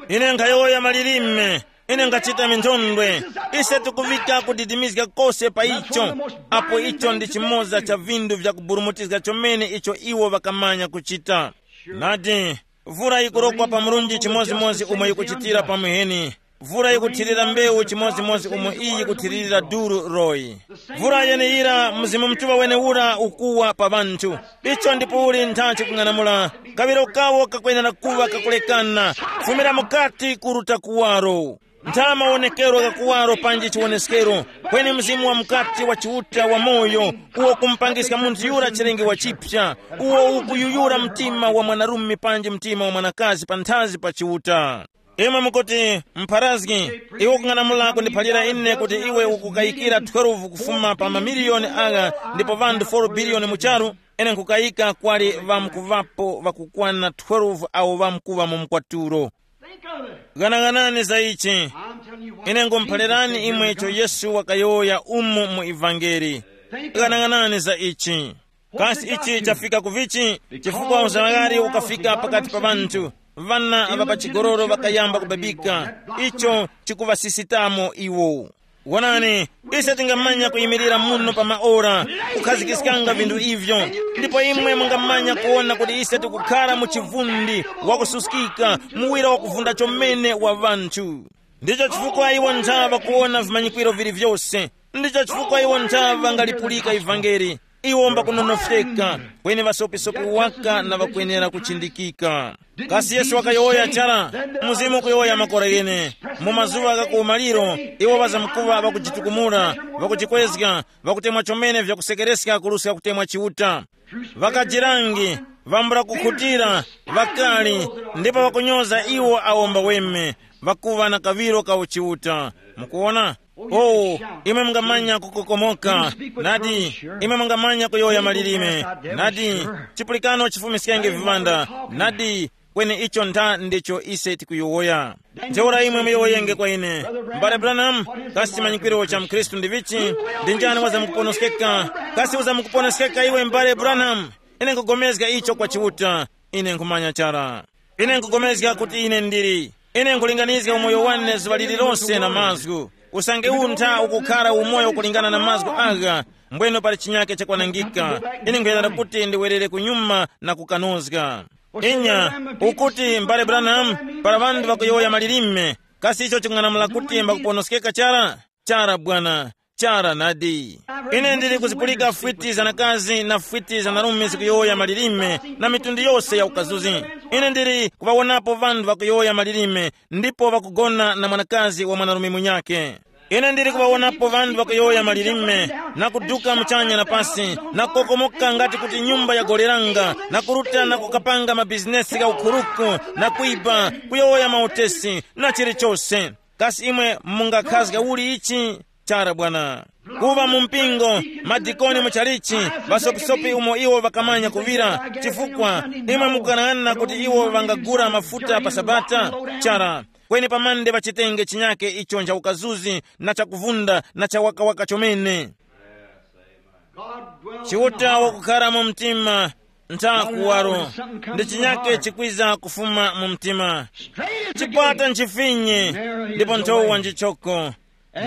Ine nkhayowoya malilime, ine nkhachita minthondwe. Ise tikuŵika kudidimizga kose pa icho, apo icho ndi chimoza cha vinthu vyakuburumutizga chomene icho iwo ŵakamanya kuchita. Nadi, vura yikurokwa pa murunji chimodzimodzi umo yikuchitira pa muheni. Vura yikuthirira mbewu chimodzimodzi umo iyi yikuthiririra duru royi. Vura yeneyira Mzimu Mutuŵa wenewura ukuwa pa ŵanthu. Icho ndipo uli nthachi kung'anamula. Kaŵiro kawo kakwenera kuŵa kakulekana. Fumira mukati kuruta kuwaro. Ntha mawonekero gha kuwaro panji chiwoneskero, kweni Mzimu wa mukati wa Chiuta wa moyo, uwo kumupangiska munthu yura chilenge wa chipya, uwo ukuyuyura mtima wa mwanarume panji mtima wa mwanakazi panthazi pa Chiuta. Imwe mukuti, mpharazgi, iwe ukung'anamula kundiphalira ine kuti iwe ukukayikira twelve kufuma pa mamiliyoni agha ndipo vanthu four biliyoni mu charu? Ine nkukayika kwali ŵamkuŵapo ŵakukwana twelve awo ŵamkuŵa mu mkwatulo. Ghanaghanani za ichi. Ine ngumuphalirani imwe icho Yesu wakayowoya umu mu ivangeli. Ghanaghanani za ichi. Kasi ichi chafika ku vichi? Chifukwa uzaghali ukafika pakati pa ŵanthu, ŵana ŵa pa chigololo ŵakayamba kubabika. Icho chikuŵasisitamo iwo. Wonani, ise tingamanya kuyimirira muno pa maora, kukhazikiskanga vinthu ivyo, ndipo imwe mungamanya kuwona kuti ise tikukhala mu chivundi, wakususkika, muwira wakuvunda chomene wa ŵanthu. Ndicho chifukwa iwo nthawa kuwona vimanyikwiro vili vyose. Ndicho chifukwa iwo nthawa ngalipulika ivangeli. Iwo mbakunonofyeka, kweni ŵasopisopi waka na ŵakwenera kuchindikika. Kasi Yesu wakayowoya chara? Mzimu kuyowoya makora ghene. Mu mazuŵa gha kuwumaliro, iwo ŵazamkuŵa ŵakujitukumula, ŵakujikwezga, ŵakutemwa chomene vyakusekereska kuruska kutemwa Chiuta. Ŵakajirangi, ŵambula kukhutira, ŵakali, ndipo ŵakunyoza iwo awo mbaweme, ŵakuŵa na kaŵiro ka uchiuta. Mukuwona? Oh, imwe mungamanya kukokomoka. Nadi, imwe mungamanya kuyowoya malilime. Nadi, chipulikano chifumiskenge viŵanda. Nadi, kweni icho ntha ndicho ise tikuyowoya. Ntheura imwe muyowoyenge kwa ine, M'bale Branham, kasi chimanyikwiro cha mkhristu ndi vichi? Ndi njani wazamkuponoskeka? Kasi uzamkuponoskeka iwe, M'bale Branham? Ine nkugomezga icho kwa Chiuta. Ine nkhumanya chara. Ine nkupulikana kuti ine ndili. Ine nkulinganizga umoyo wane zuŵa lililonse na mazgu. Usange untha ukukhala umoyo kulingana na mazgu agha, mbweno pali chinyake chakwanangika. Ine nkuyendera kuti ndiwerere kunyuma na kukanozga. Inya, ukuti mbale Branham, para ŵanthu ŵakuyowoya malilime, kasi icho ching'anamula kuti mbakuponoskeka chara? Chara bwana, chara nadi. Ine ndili kuzipulika fwiti za nakazi na fwiti za narume zikuyowoya malilime na mitundu yose ya ukazuzi. Ine ndili kuŵawonapo ŵanthu ŵakuyowoya malilime ndipo ŵakugona na mwanakazi wa mwanarume munyake. Ine ndili kuŵawonapo ŵanthu ŵakuyowoya malilime, na kuduka muchanya na pasi, na kukokomoka ngati kuti nyumba yagoleranga, na kuruta na kukapanga mabizinesi gha ukhuruku, na kwiba, kuyowoya mautesi, na chilichose. Kasi imwe mungakhazga uli ichi? Chara bwana. Kuŵa mu mpingo, madikoni mu chalichi, ŵasopisopi umo iwo ŵakamanya kuŵira, chifukwa imwe mukanang'ana kuti iwo ŵangagula mafuta pa Sabata? Chara. Kweni pamande ŵachitenge chinyake icho ncha ukazuzi na chakuvunda na chawakawaka chomene. Chiuta wakukhala mu mtima, ntha kuwaro, ndi chinyake chikwiza kufuma mu mtima. Chipata nchifinye, ndipo nthowa njichoko,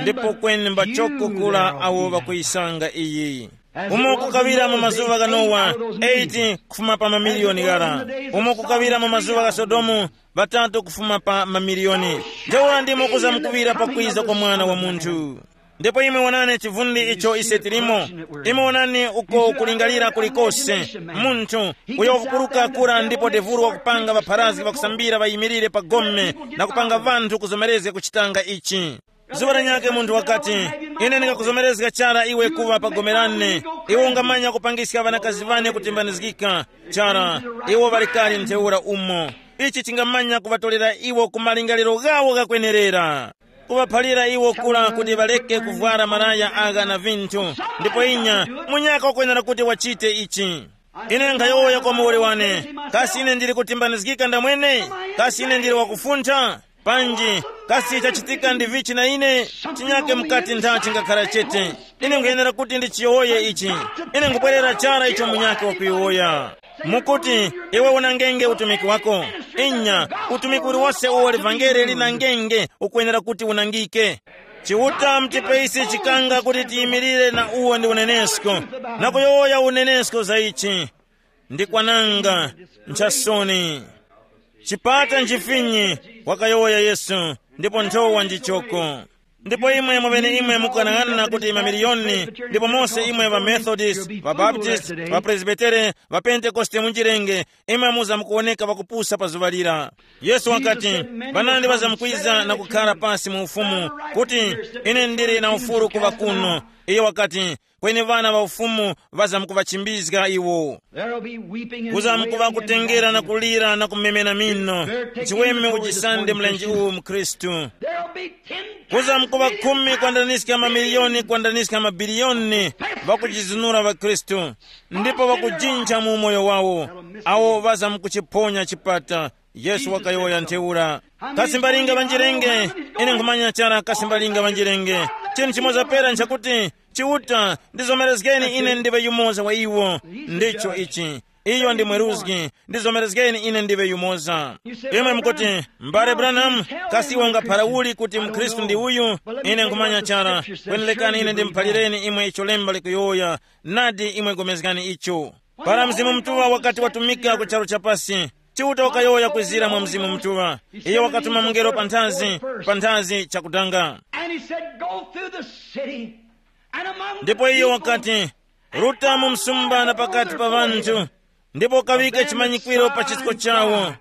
ndipo kweni mbachoko kula awo ŵakuyisanga iyi. Umo kukaŵira mu mazuŵa gha Nowa, eight kufuma pa mamiliyoni ghara. Umo kukaŵira mu mazuŵa gha Sodomu, ŵatatu kufuma pa mamiliyoni. Ntheura ndimo kuzamkuŵira pakwiza kwa Mwana wa Munthu. Ndipo imwe wonani chivundi icho ise tilimo. Imwe wonani uko kulingalira kulikose. Munthu uyo wakupuruka kura ndipo devuru wakupanga ŵapharazgi ŵakusambira ŵayimirire pa gome na kupanga ŵanthu kuzomerezga kuchitanga ichi. Zuŵa lanyakhe munthu wakati, ine ndingakuzomerezga chara iwe kuŵa pa gome lane. Iwe ungamanya kupangiska ŵanakazi ŵane kutimbanizgika. Chara, iwo ŵali kale ntheura umo. Ichi chingamanya kuŵatolera iwo ku malingaliro ghawo ghakwenerera. Kuŵaphalira iwo kula kuti ŵaleke kuvwara malaya agha na vinthu. Ndipo inya, munyaka wakwenera kuti wachite ichi. Ine nkhayowoya kwa muwoli wane, kasi ine ndili kutimbanizgika ndamwene? Kasi ine ndili wakufuntha? Panji, kasi chachitika ndi vichi na ine? Chinyake mukati ntha chingakhala chete. Ine nkhuyenera kuti ndichiyowoye ichi. Ine nkubwerera chara icho munyake wakuyowoya. Mukuti, iwe unangenge utumiki wako. Inya, utumiki uliwose uwo livangeli linangenge ukwenera kuti unangike. Chiuta mutipeisi chikanga kuti tiyimirire na uwo ndi unenesko, na kuyowoya unenesko za ichi. Ndi kwananga, nchasoni. Chipata nchifinyi, wakayowoya Yesu, ndipo nthowa njichoko. Ndipo imwe mweneimwe mukanang'ana kuti mamiliyoni, ndipo mose imwe ŵa Methodist, ŵa Baptist, ŵa Presbitere, ŵa Pentekoste munjirenge, imwe muza mukuwoneka ŵakupusa pa zuŵa lira. Yesu wakati, panandi ŵazamkwiza na kukhara pasi mu ufumu, kuti, ine ndili na ufulu kuŵa kuno. Iye wakati, kweni ŵana ŵa ufumu ŵazamkuŵachimbizga iwo. There'll be weeping and wailing and kuzamkutengera na kulira na kumemena mino. Chiweme uchisande mlenje uwu mu Khristu. There'll be ten kuzamkuva khumi kwandanyiska mamiliyoni kwandanyiska mabiliyoni ŵakujizinura ŵa Khristu, ndipo ŵakujinja mu umoyo wawo, awo ŵazamkuchiphonya chipata. Yesu wakayowoya ntheura. Kasi mbalinga ŵanjirenge? Ine nkhumanya chara kasi mbalinga ŵanjirenge. Chinthu chimoza pera nchakuti, Chiuta, ndizomerezgeni ine ndiwe yumoza wa iwo. Ndicho ichi. Iyo ndi mweruzgi. Ndizomerezgeni ine ndiwe yumoza. Imwe mukuti, mbale Branham, kasi iwe ungaphara uli kuti mkhristu ndi uyu? Ine nkhumanya chara. Kweni lekani ine ndimuphalireni imwe icho lemba likuyowoya. Nadi imwe gomezgani icho. Para Mzimu Mutuŵa wakati watumika ku charu chapasi, Chiuta wakayowoya kwizira mwa Mzimu Mutuŵa. Iyo wakatuma mungelo panthazi, panthazi chakudanga. And he said, "Go through the city and among the ndipo iyo people wakati, ruta mu msumba na pakati pa ŵanthu, ndipo ukawike chimanyikwiro pa chisko chawo,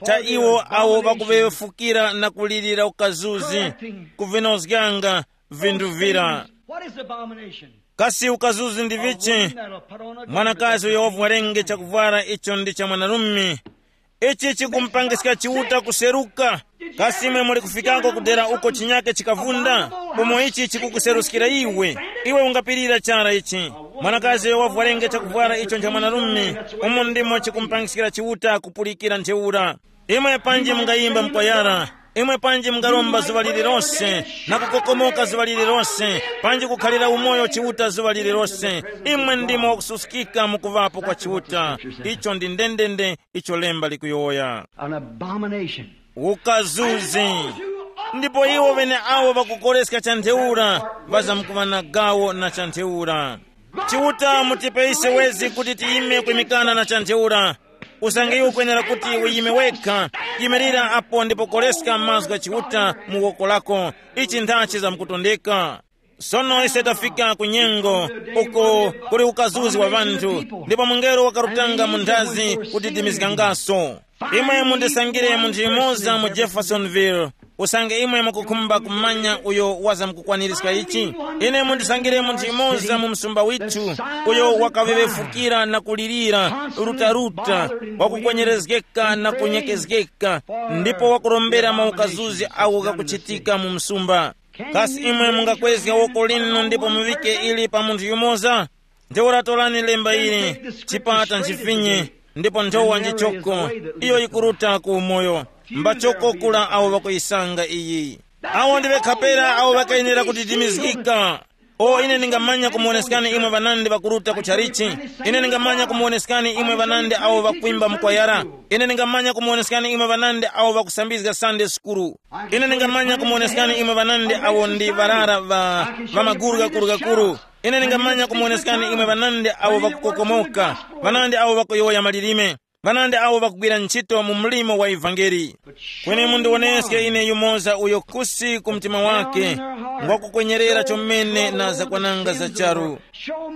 cha iwo awo ŵakuŵefukira na kulirira ukazuzi, kuvinozganga vinthu vira." What is abomination? Kasi ukazuzi ndi vichi? Mwanakazi uyo wavwarenge chakuvwara icho ndi cha mwanarume. Ichi chikumpangiska Chiuta kuseruka. Kasi imwe muli kufikako kudera uko chinyake chikavunda, umo ichi chikukuseruskira iwe? Iwe ungapirira chara ichi? Mwanakazi uyo wavwarenge chakuvwara icho ncha mwanarume, umo ndimo chikumpangiskira Chiuta kupulikira ntheura. Imwe panji mungayimba mkwayara, imwe panji mungaromba zuŵa lililose, na kukokomoka zuŵa lililose, panji kukhalira umoyo Chiuta zuŵa lililose. Imwe ndimo wakususkika mu kuŵapo kwa Chiuta. Icho ndi ndendende icho lemba likuyowoya. An abomination. Ukazuzi. Ndipo iwo ŵene awo ŵakukoreska cha ntheura, ŵazamkuŵa na gawo na cha ntheura. Chiuta mutipe ise wezi kuti tiyime kwimikana na cha ntheura. Usange iwe ukwenera kuti uyime wekha, yimirira apo ndipo koleska mazgu gha Chiuta mu woko lako. Ichi nthachi zamkutondeka. Sono ise tafika ku nyengo uko kuli ukazuzi wa ŵanthu, ndipo mungelo wakarutanga mu nthazi kudidimizgangaso. Imwe mundisangire munthu yumoza mu Jeffersonville, usange imwe mukukhumba kumanya uyo wazamkukwanirizga ichi. Ine mundisangire munthu yumoza mu msumba withu, uyo wakaŵeŵefukira na kulirira rutaruta, wakukwenyerezgeka na kunyekezgeka, ndipo wakurombera maukazuzi awo ghakuchitika mu msumba. Kasi imwe mungakwezga woko linu ndipo muŵike ili pa munthu yumoza? Ntheura torani lemba ili, chipata nchifinye, ndipo nthowa njichoko, iyo yikuruta ku umoyo. Mbachoko kula awo ŵakuyisanga iyi. Awo ndi ŵekhapera awo ŵakayenera kudidimizgika. O, ine ndingamanya kumuwoneskani imwe ŵanandi ŵakuruta ku chalichi. Ine ndingamanya kumuwoneskani imwe ŵanandi awo ŵakwimba mukwayara. Ine ndingamanya kumuwoneskani imwe ŵanandi awo ŵakusambizga Sunday sukulu. Ine ndingamanya kumuwoneskani imwe ŵanandi awo ndi ŵarara ŵa, ŵa maguru ghakuru-ghakuru. Ine ndingamanya kumuwoneskani imwe ŵanandi awo ŵakukokomoka, ŵanandi awo ŵakuyowoya malilime, ŵanandi awo ŵakugwira ntchito mu mlimo wa ivangeli. Kweni mundiwoneske ine yumoza uyo kusi ku mtima wake ngwakukwenyerera chomene na zakwananga za charu.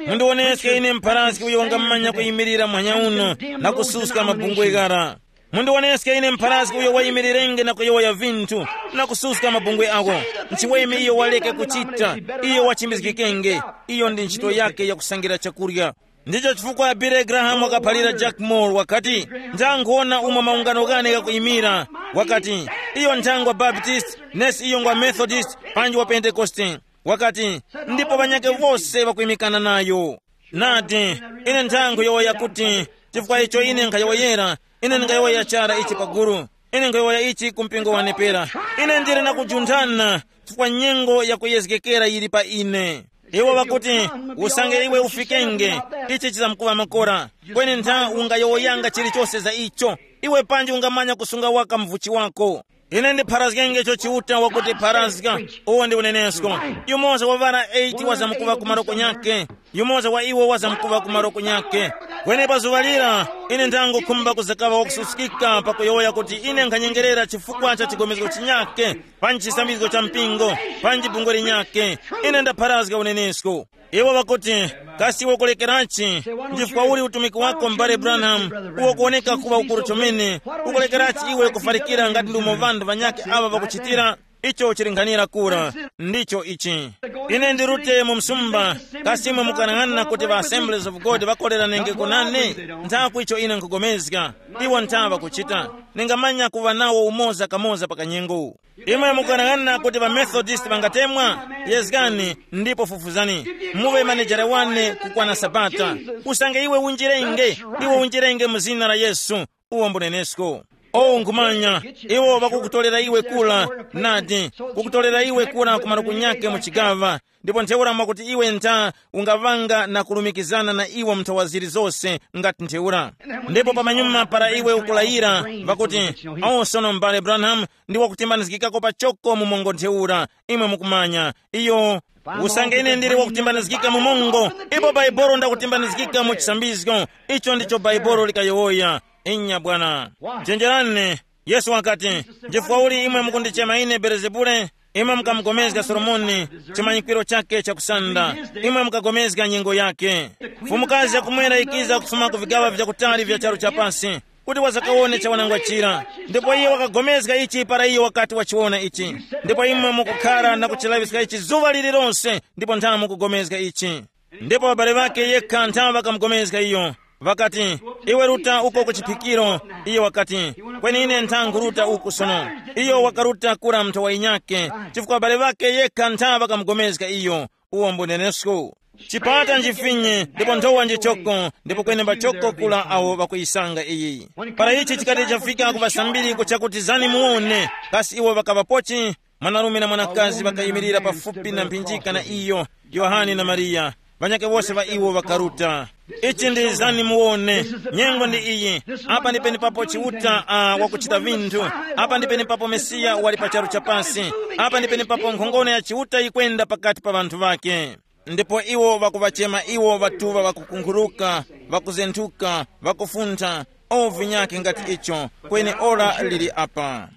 Mundiwoneske ine mpharazgi uyo ungamanya kuyimirira muhanya uno na kususka mabungwe ghara. Mundiwoneske ine mpharazgi uyo wayimirirenge na kuyowoya vinthu na kususka mabungwe awo. Nchiweme iyo waleke kuchita, iyo wachimbizgikenge. Iyo ndi ntchito yake yakusangira chakurya. Ndicho chifukwa Billy Graham wakaphalira Jack Moore wakati, ndangwona umo maungano ghane ghakuyimira. Wakati, iyo nthangwa Baptist, nesi iyo ngwa Methodist, panji wa Pentekoste. Wakati, ndipo ŵanyakhe wose ŵakuyimikana nayo. Nadi, ine nthangwe yowoya kuti, chifukwa icho ine nkhayowoyera, ine ndingayowoya chara ichi paguru. Ine nkhayowoya ichi ku mpingo wane pera. Ine ndili na kujunthana, chifukwa nyengo yakuyezgekera yili pa ine. Iwo ŵakuti, usange iwe ufikenge, ichi chizamkuŵa makora. Kweni ntha ungayowoyanga chilichose za icho, iwe panji ungamanya kusunga waka mvuchi wako. Ine ndipharazgenge icho Chiuta wakuti pharazga. Uwo ndi unenesko. Yumoza wa ŵara eight wazamkuŵa ku maroko nyake. Yumoza wa iwo wazamkuŵa ku maroko nyake. Kweni pa zuŵa lira, ine ndangokhumba kuzakaŵa wakususkika pakuyowoya kuti ine nkhanyengerera chifukwa cha chigomezgo chinyake, panji chisambizgo cha mpingo, panji bungwe linyake. Ine ndapharazga unenesko. Iwo ŵakuti, kasi iwe ukulekerachi? Ndi chifukwa uli utumiki wako m'bale Branham, uwo kuwoneka kuŵa ukuru chomene? Ukulekerachi iwe kufarikira ngati ndi umo ŵanthu ŵanyakhe aŵa ŵakuchitira? Icho chili nkhanira kura. Ndicho ichi. Ine ndirute mu msumba. Kasi imwe mukanang'ana kuti ŵa Assemblies of God ŵakoleranenge kunane? Nthakwi icho ine nkhupulikana. Iwo ntha ŵakuchita. Ningamanya kuŵa nawo umoza kamoza pa kanyengo. Imwe mukanang'ana kuti ŵamethodist ŵangatemwa? Yezgani, ndipo fufuzani. Muŵe manejera wane kukwana sabata. Usange iwe unjirenge, iwe unjirenge mu zina la Yesu. Uwo mbunenesko. O nkhumanya, iwo ŵakukutolera iwe kula. Nadi, kukutolera iwe kula ku maluku nyake mu chigaŵa. Ndipo ntheura mwakuti iwe ntha ungaŵanga na kulumikizana na iwo mnthawa zilizose. Ngati ntheura. Ndipo pamanyuma para iwe ukulayira, ŵakuti, o sono m'bale Branham, ndi wakutimbanizgikako pachoko mu mongo ntheura. Imwe mukumanya iyo. Usange ine ndili wakutimbanizgika mu mongo, ipo bhaibolo ndakutimbanizgika mu chisambizgo. Icho ndicho bhaibolo likayowoya. Inya bwana. Chenjerani. Yesu wakati, chifukwa uli imwe mukundichema ine belezebule? Imwe mukamugomezga solomoni, chimanyikwiro chake chakusanda. Imwe mukagomezga nyengo yake. Mfumukazi yakumwera ikiza kufuma ku vigaŵa vyakutali vya charu cha pasi, kuti wazakawone chawanangwa chira. Ndipo iye wakagomezga ichi para iye wakati wachiwona ichi. Ndipo imwe mukukhara na kuchilaŵiska ichi zuŵa lililonse, ndipo nthamu kugomezga ichi. Ndipo ŵabale ŵake yekha nthamu ŵakamugomezga iyo. Ŵakati, iwe ruta uko ku chiphikiro. Iyo wakati, kweni ine nthangu ruta uku sono. Iyo wakaruta kura mnthowa yinyakhe, chifukwa ŵabale ŵake yekha nthamu ŵakamugomezga iyo. Uwo mbunenesko. Chipata njifinye ndipo nthowa njichoko, ndipo kwenemba choko kula awo ŵakuyisanga iyi. Para ichi chikati chafika ku ŵasambiri kuchakuti zani muwone, kasi iwo ŵakaŵapochi? Mwanarume na mwanakazi ŵakayimirira pafupi na mphinjika na iyo, Yohane na Mariya. Ŵanyakhe wose ŵa iwo ŵakaruta. Ichi ndi zani muwone. Nyengo ndi iyi. Apa ndi penepapo Chiuta uh, wakuchita vinthu. Apa ndi penepapo Mesiya wali pa charu cha pasi. Apa ndi penepapo nkhongono ya Chiuta yikwenda pakati pa ŵanthu ŵake. Ndipo iwo ŵakuŵachema iwo ŵatuŵa ŵakukunkhuluka, ŵakuzenthuka, ŵakufuntha, O vinyake ngati icho, kweni ora lili apa.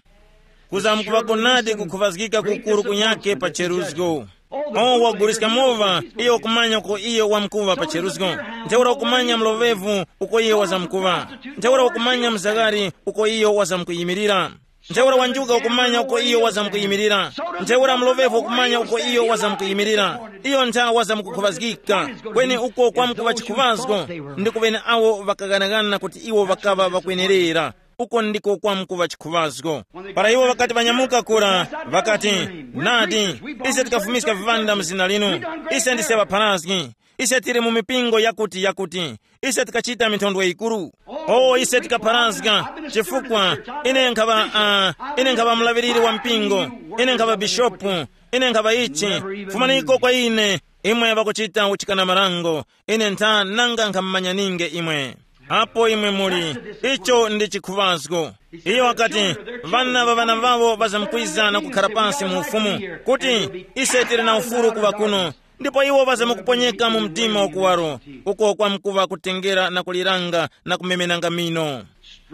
Kuzamkuŵako nadi kukhuvazgika kukuru kunyake pa cheruzgo. O waguliska mowa, iyo kumanya uko iyo wamkuŵa pa cheruzgo. Ntheura ukumanya mlovevu uko iyo wazamkuŵa. Ntheura ukumanya mzagari uko iyo wazamkuyimirira. Ntheura wanjuka ukumanya uko iyo wazamkuyimirira. Ntheura mlovevu ukumanya uko iyo wazamkuyimirira. Iyo ntha wazamkukhuvazgika. Kweni uko kwamkuŵa chikhuvazgo, ndi kuvene awo ŵakaghanagana kuti iwo ŵakaŵa ŵakwenerera. Uko ndiko kwamkuŵa chikhuŵazgo. Para iwo ŵakati ŵanyamuka kura, ŵakati, nadi, ise tikafumiska viŵanda mu zina linu. Ise ndise ŵapharazgi. Ise tili mu mipingo yakuti yakuti. Ise tikachita minthondwe yikuru. O ise tikapharazga, chifukwa ine nkhaŵa uh, ine nkhaŵa mulaŵiriri wa mpingo. Ine nkhaŵa bishopu. Ine nkhaŵa ichi. Fumaniko kwa ine. Imwe ŵakuchita uchikana marango. Ine ntha nanga nkhamumanyaninge imwe. Apo imwe muli, icho ndi chikhuŵazgo. Iyo wakati, vana va vana vavo vazamkwiza na kukhara pansi mu ufumu, kuti ise tili na ufulu kuŵa kuno. Ndipo iwo vazamkuponyeka mu mdima wakuwaro, uko kwamkuŵa kutengera na kuliranga na kumemenanga mino.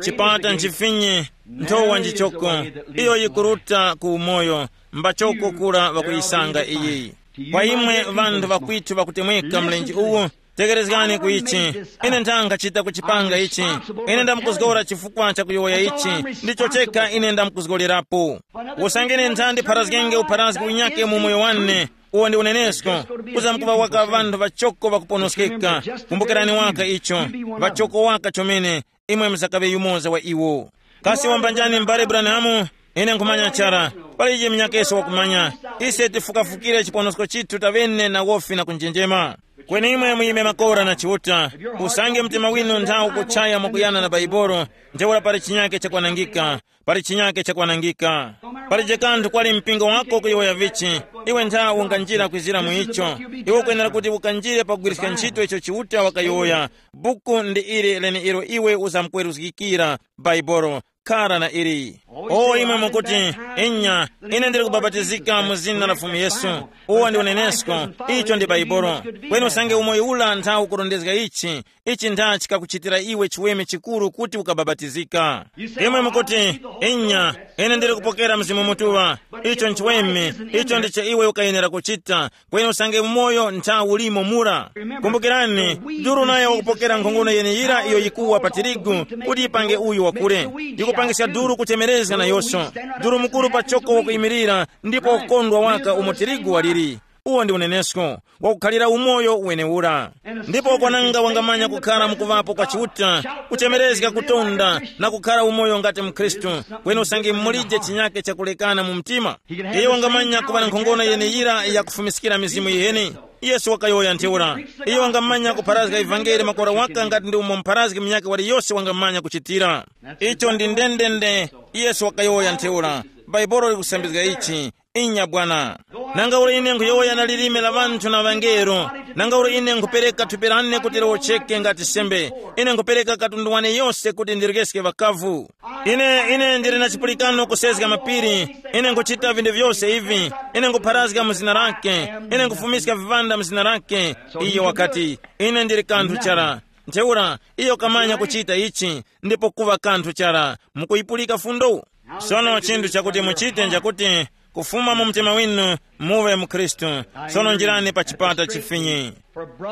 Chipata nchifinye, nthowa njichoko, iyo yikuruta ku umoyo, mbachoko kura ŵakuyisanga iyi. Kwa imwe ŵanthu ŵakwithu ŵakutemweka mlenje uwu, tekerezgani ku ichi. Ine nthanga chita kuchipanga ichi. Ine ndamkuzgora chifukwa cha kuyowoya ichi. Ndicho chekha ine ndamkuzgorerapo. Usangene nthandi pharazgenge upharazgi unyake mu moyo wane. Uwo ndi unenesko. Kuzamkuŵa waka ŵanthu ŵachoko ŵakuponoskeka. Kumbukirani waka icho. Ŵachoko waka chomene. Imwe muzakaŵe yumoza wa iwo. Kasi wambanjani m'bale Branham? Ine nkhumanya chara. Palije munyakeso wakumanya. Ise tifukafukire chiponosko chithu tavene na wofi na kunjenjema. Kweni imwe muyime makora na Chiuta. Usange mtima winu nthawu kuchaya mwakuyana na Baibolo, ntheura pali chinyake chakwanangika. Pali chinyake chakwanangika. Palije kanthu kwali mpingo wako kuyowoya vichi. Iwe ntha unganjira kwizira mu icho. Iwe ukwenera kuti ukanjire pakugwiriska ntchito icho Chiuta wakayowoya. Buku ndi ili leneilo iwe uzamkweruzgikira. Baibolo. Khara na ili. O imwe mukuti, inya, ine ndili kubabatizika mu zina la Fumu Yesu. Uwo ndi unenesko. Icho ndi Baibolo. Kweni usange umoyo ula ntha ukurondezga ichi. Ichi ntha chikakuchitira iwe chiweme chikuru kuti ukababatizika. Imwe mukuti, inya, ine ndili kupokera Mzimu Mutuŵa. Icho nchiweme. Icho ndicho iwe ukayenera kuchita. Kweni usange umoyo ntha ulimo mura. Kumbukirani, duru nayo wakupokera nkhongono yeneyira iyo yikuwa pa tirigu, kuti yipange uyu wakule. Yikupangiska duru kuchemerezga nayonso. Duru mukuru pachoko wakuyimirira, ndipo wakukondwa waka umo tirigu waliri. Uwo ndi unenesko wakukhalira umoyo wenewura. Ndipo kwananga wangamanya kukhala mukuvapo kwa Chiuta, kuchemerezga kutonda na kukhala umoyo ngati mkhristu. Kweni usange mulije chinyake chakulekana mu mtima. Iye wangamanya kuŵa na nkhongono yeneyira yakufumiskira mizimu yiheni. Yesu wakayowoya ntheura. Iye wangamanya kupharazga ivangeli makora waka ngati ndi umo mpharazgi munyakhe waliyose wangamanya kuchitira. Icho ndi ndendende. Yesu wakayowoya ntheura. Bhaibuli likusambizga ichi. Inya bwana. Nanga ule ine nkhuyowoya na lilime la ŵanthu na ŵangelo, nanga ule ine nkhupereka thupi lane kuti liwocheke ngati sembe, ine nkhupereka katundu wane yose kuti ndirekeske ŵakavu. Ine ine ndili na chipulikano kusezga mapiri. Ine nkhuchita vinthu vyose ivi. Ine nkhupharazga mu zina lake. Ine nkhufumiska viŵanda mu zina lake. Iyo wakati, ine ndili kanthu chara. Ntheura iyo kamanya kuchita ichi, ndipo kuŵa kanthu chara. Mukuyipulika fundo? Sono chinthu chakuti muchite nchakuti, kufuma mu mtima winu, muŵe mu Khristu. Sono njirani pa chipata chifinyi.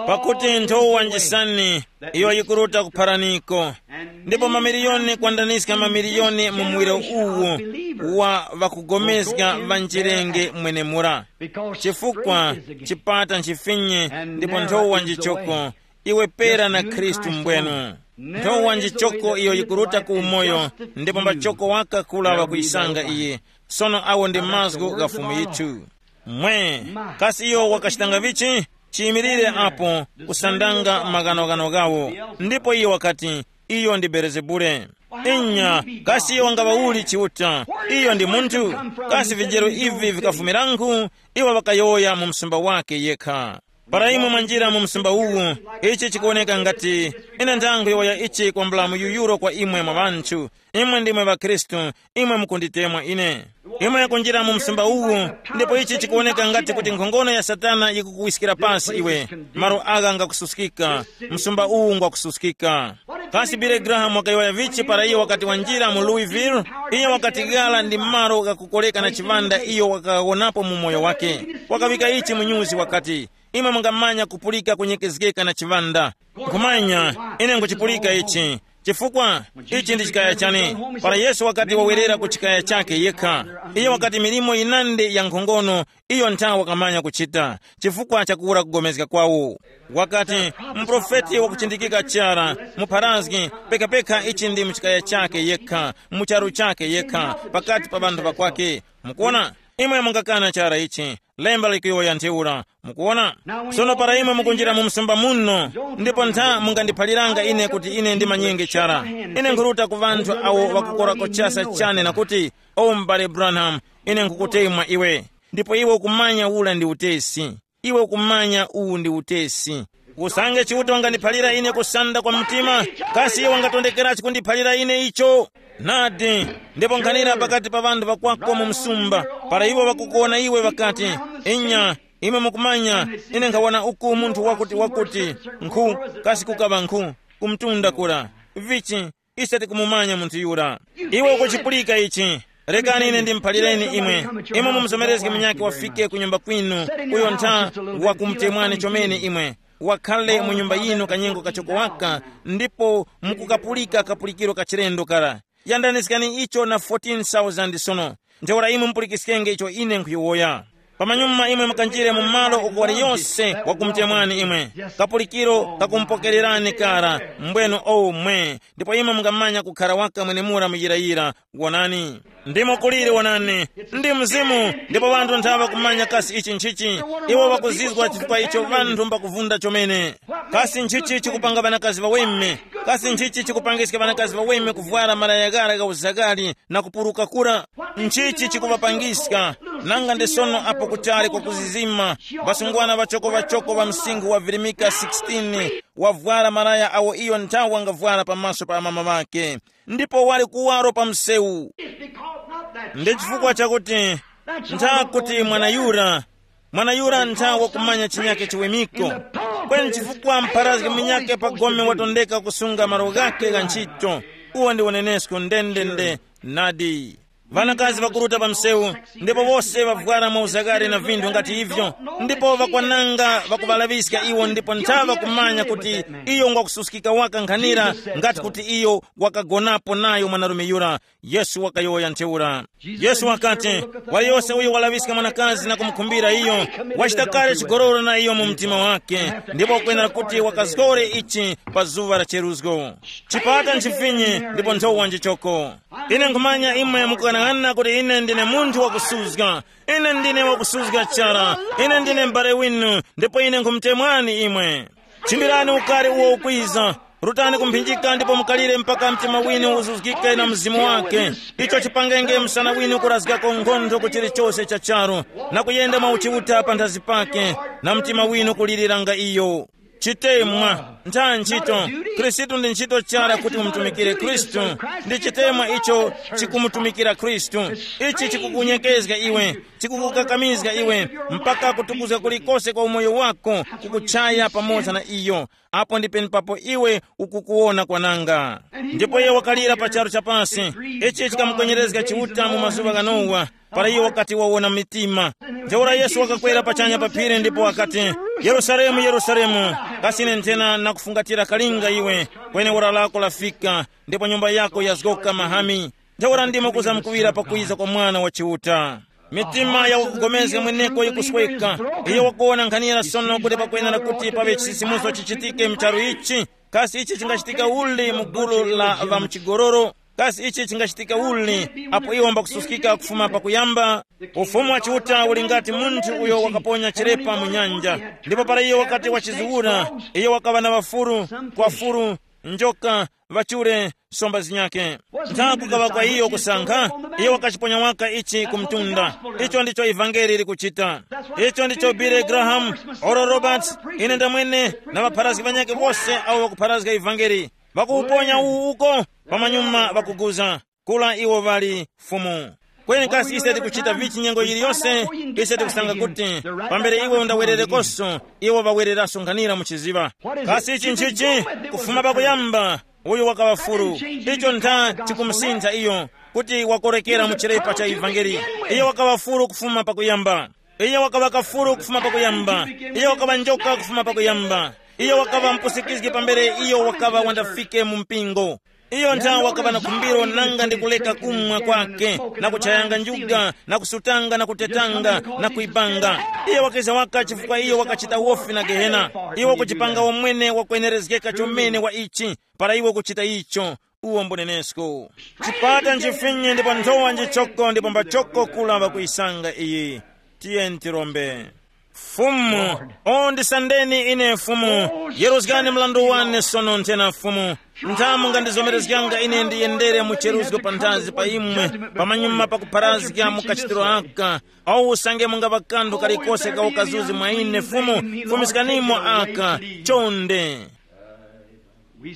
Pakuti nthowa njisani iyo yikuruta kupharaniko, ndipo mamiliyoni kwandaniska mamiliyoni mu muwiro uwu wa ŵakugomezga ŵa njirenge mwenemura. Chifukwa chipata nchifinyi, ndipo nthowa njichoko. Iwe pera na Khristu mbwenu. Nthowa njichoko iyo yikuruta ku umoyo, ndipo mbachoko waka kula ŵakuyisanga iye. Sono awo ndi mazgu gha Fumu yithu. Mwe, kasi iyo wakachitanga vichi? Chiyimirire apo, kusandanga maghanoghano ghawo. Ndipo iyo wakati, iyo ndi Belezebule. Inya, kasi iyo wangaŵa uli Chiuta? Iyo ndi munthu. Kasi vijero ivi vikafumiranku? Iwo ŵakayowoya mu msumba wake yekha. Para imwe mwanjira mu msumba uwu, ichi chikuwoneka ngati, ine ndangwe waya ichi kwambula muyuyuro kwa imwe mwa ŵanthu. Imwe ndimwe ŵakhristu. Imwe mukunditemwa ine. Imwe kunjira mu msumba uwu, ndipo ichi chikuwoneka ngati kuti nkhongono ya Satana yikukuwiskira pasi iwe. Malo agha ngakususkika. Msumba uwu ngwakususkika. Kasi Billy Graham wakayowoya vichi para iyo wakati wanjira mu Louisville? Iyo wakatighala ndi malo ghakukoleka na chiŵanda iyo wakawonapo mu moyo wake. Wakawika ichi mu nyuzi wakati, imwe mungamanya kupulika kunyekezgeka na chiŵanda. Nkhumanya, ine nkuchipulika ichi. Chifukwa ichi ndi chikaya chane. Para Yesu wakati wawerera ku chikaya chake yekha, iyo wakati milimo yinandi ya nkhongono iyo nthawi wakamanya kuchita chifukwa chakuwura kugomezga kwawo. Wakati, muprofeti wakuchindikika chara, mupharazgi, pekapeka ichi ndi muchikaya chake yekha, mucharu chake yekha, pakati pa ŵanthu ŵakwake. Mukuona, imwe mungakana chara ichi. Lemba likuyowoya ntheura. Mukuona? Sono para imwe mukunjira mu msumba muno, ndipo ntha mungandiphaliranga ine kuti ine ndimanyenge chara. Ine nkhuruta ku ŵanthu awo ŵakukorako chasa chane na kuti, o m'bale Branham, ine nkhukutemwa iwe. Ndipo iwe ukumanya ula ndi utesi. Iwe ukumanya uwu ndi utesi. Usange Chiuta wangandiphalira ine kusanda kwa mtima, kasi iwe wangatondekerachi kundiphalira ine icho? Nadi, ndipo nkhanira pakati pa ŵanthu ŵakwako mu msumba, para iwo ŵakukuwona iwe ŵakati, inya, imwe mukumanya, ine nkhawona uku munthu wakuti wakuti, nkhu, kasi kukaŵa nkhu, kumtunda kura. Vichi, ise tikumumanya munthu yura. Iwe ukuchipulika ichi. Rekani ine ndimuphalireni imwe. Imwe mumuzomerezge munyakhe wafike ku nyumba kwinu, uyo ntha wakumutemwani chomene imwe. Wakhale mu nyumba yinu kanyengo kachoko waka, ndipo mukukapulika kapulikiro ka chilendo kara. Yandaniskani icho na fourteen thousand sono. Ntheura imwe mupulikiskenge icho ine nkhuyowoya. Pamanyuma imwe mukanjire mu malo uko wali yose wakumutemwani imwe. Kapulikiro kakumupokererani kara, mbwenu omwe, ndipo imwe mungamanya kukhara waka mwenemura muyirayira. Wonani, ndimo kuliri wonani, ndi mzimu, ndipo ŵanthu nthawi ŵakumanya kasi ichi nchichi. Iwo ŵakuzizwa chifukwa icho ŵanthu mbakuvunda chomene. Kasi nchichi chikupanga ŵanakazi ŵaweme? Kasi nchichi chikupangiska ŵanakazi ŵaweme kuvwara malaya ghara gha uzakali na kupuruka kura? Nchichi chikuŵapangiska? Nanga ndi sono apo kutali kwa kuzizima, ŵasungwana ŵachoko ŵachoko ŵa msinkhu wa virimika sixteen wavwara malaya awo iyo nthawi wangavwara pamaso pa amama ŵake, ndipo wali kuwaro pa msewu. Ndi chifukwa chakuti ntha kuti mwana yura, mwana yura ntha wakumanya chinyake chiwemiko. Kweni chifukwa mpharazgi munyake pa gome watondeka kusunga malo ghake gha ntchito, uwo ndi unenesko ndendende. Nadi. Ŵanakazi ŵakuruta pa msewu, ndipo wose ŵavwara mwa uzakare na vinthu ngati ivyo, ndipo ŵakwananga ŵakuŵalaŵiska iwo ndipo ntha ŵakumanya kuti iyo ngwakususkika waka nkhanira, ngati kuti iyo wakagonapo nayo mwanarume yura. Yesu wakayowoya ntheura. Yesu wakati, waliyose uyo walaŵiska mwanakazi na kumukhumbira iyo, wachita kale chigololo na iyo mu mtima wake, ndipo wakwenera kuti wakazgore ichi pa zuŵa la cheruzgo. Chipata nchifinyi ndipo nthowa njichoko. Ine nkhumanya imwe mukughanaghananga kuti ine ndine munthu wakusuzga. Ine ndine wakusuzga chara. Ine ndine m'bale winu, ndipo ine nkhumutemwani imwe. Chimbirani ukari uwo ukwiza. Rutani kumphinjika ndipo mukalire mpaka mtima winu uzuzgike na mzimu wake. Icho chipangenge msana winu kurazgako nkhondo ku chilichose cha charu, na kuyenda mwa uchiuta panthazi pake, na mtima winu kuliriranga iyo. Chitemwa, ntha ntchito. Khristu ndi ntchito chara kuti mumutumikire Khristu. Ndi chitemwa icho chikumutumikira Khristu. Ichi chikukunyekezga iwe, chikukukakamizga iwe, mpaka kutukuzga kulikose kwa umoyo wako, kukuchaya pamoza na iyo. Apo ndi penepapo iwe ukukuwona kwananga. Ndipo iye wakalira pa charu chapasi. Ichi chikamukwenyerezga Chiuta mu mazuŵa gha Nowa, para iye wakati wawona mitima. Ntheura Yesu wakakwera pachanya pa phiri ndipo wakati, Yerusalemu, Yerusalemu, kasi ine nthena nakufungatira kalinga iwe, kweni ora lako lafika, ndipo nyumba yako yazgoka mahami. Ntheura ndimo kuzamkuŵira pakwiza kwa Mwana wa Chiuta. Mitima ya wakugomezga mweneko yikusweka. Iyo wakuwona nkhanira sono kuti pakwenera kuti paŵe chisisimuso chichitike mcharu ichi. Kasi ichi chingachitika uli mu gulu la ŵamchigololo? Kasi ichi chingachitika uli apo iwo mbakususkika kufuma pakuyamba? Ufumu wa Chiuta uli ngati munthu uyo wakaponya chirepa mu nyanja, ndipo para iyo wakati wachiziwura, iyo wakaŵa na ŵafuru, kwafuru, njoka, ŵachure, somba zinyakhe. Ntha kukaŵa kwa iyo kusankha, iyo wakachiponya waka ichi ku mtunda. Icho ndicho ivangeli likuchita. Icho ndicho Billy Graham, Oral Roberts, ine ndamwene, na ŵapharazgi ŵanyakhe wose awo ŵakupharazga ivangeli, ŵakuwuponya uwu uko, pamanyuma ŵakuguza, kula iwo ŵali Fumu. Kweni kasi ise tikuchita vichi nyengo yiliyose? Ise tikusanga kuti pambere iwe undawererekoso, iwo ŵawereraso nkhanira mu chiziŵa. Kasi ichi nchichi? Kufuma pakuyamba, Uyu wakaŵa furu. Icho ntha chikumusintha iyo, kuti wakorekera mu chirepa cha ivangeli. Iyo wakaŵa furu kufuma pakuyamba. Iyo wakaŵa kafuru kufuma pakuyamba. Iyo wakaŵa njoka kufuma pakuyamba. Iyo wakaŵa mpusikizgi pambere iyo wakaŵa wandafike mu mpingo. Iyo ntha wakaŵa na khumbiro nanga ndi kuleka kumwa kwake, na kuchayanga njuga, na kusutanga, na kutetanga, na kuibanga. Iyo wakiza waka chifukwa iyo wakachita wofi na gehena. Iwo kuchipanga womwene wakwenerezgeka chomene wa ichi, para iwe kuchita icho. Uwo mbunenesko. Chipata nchifinyi ndipo nthowa njichoko ndipo mbachoko kula ŵakuyisanga iyi. Tiyeni tirombe. Fumu, o ndisandeni ine Fumu, yeruzgani mlandu wane sono nthena Fumu. Nthamu ngandizomerezganga ine ndiyendere mu cheruzgo panthazi pa imwe, pamanyuma pakupharazga mu kachitiro aka. Au usange mungava kanthu kalikose ka ukazuzi mwa ine Fumu, fumiskanimo aka. Chonde.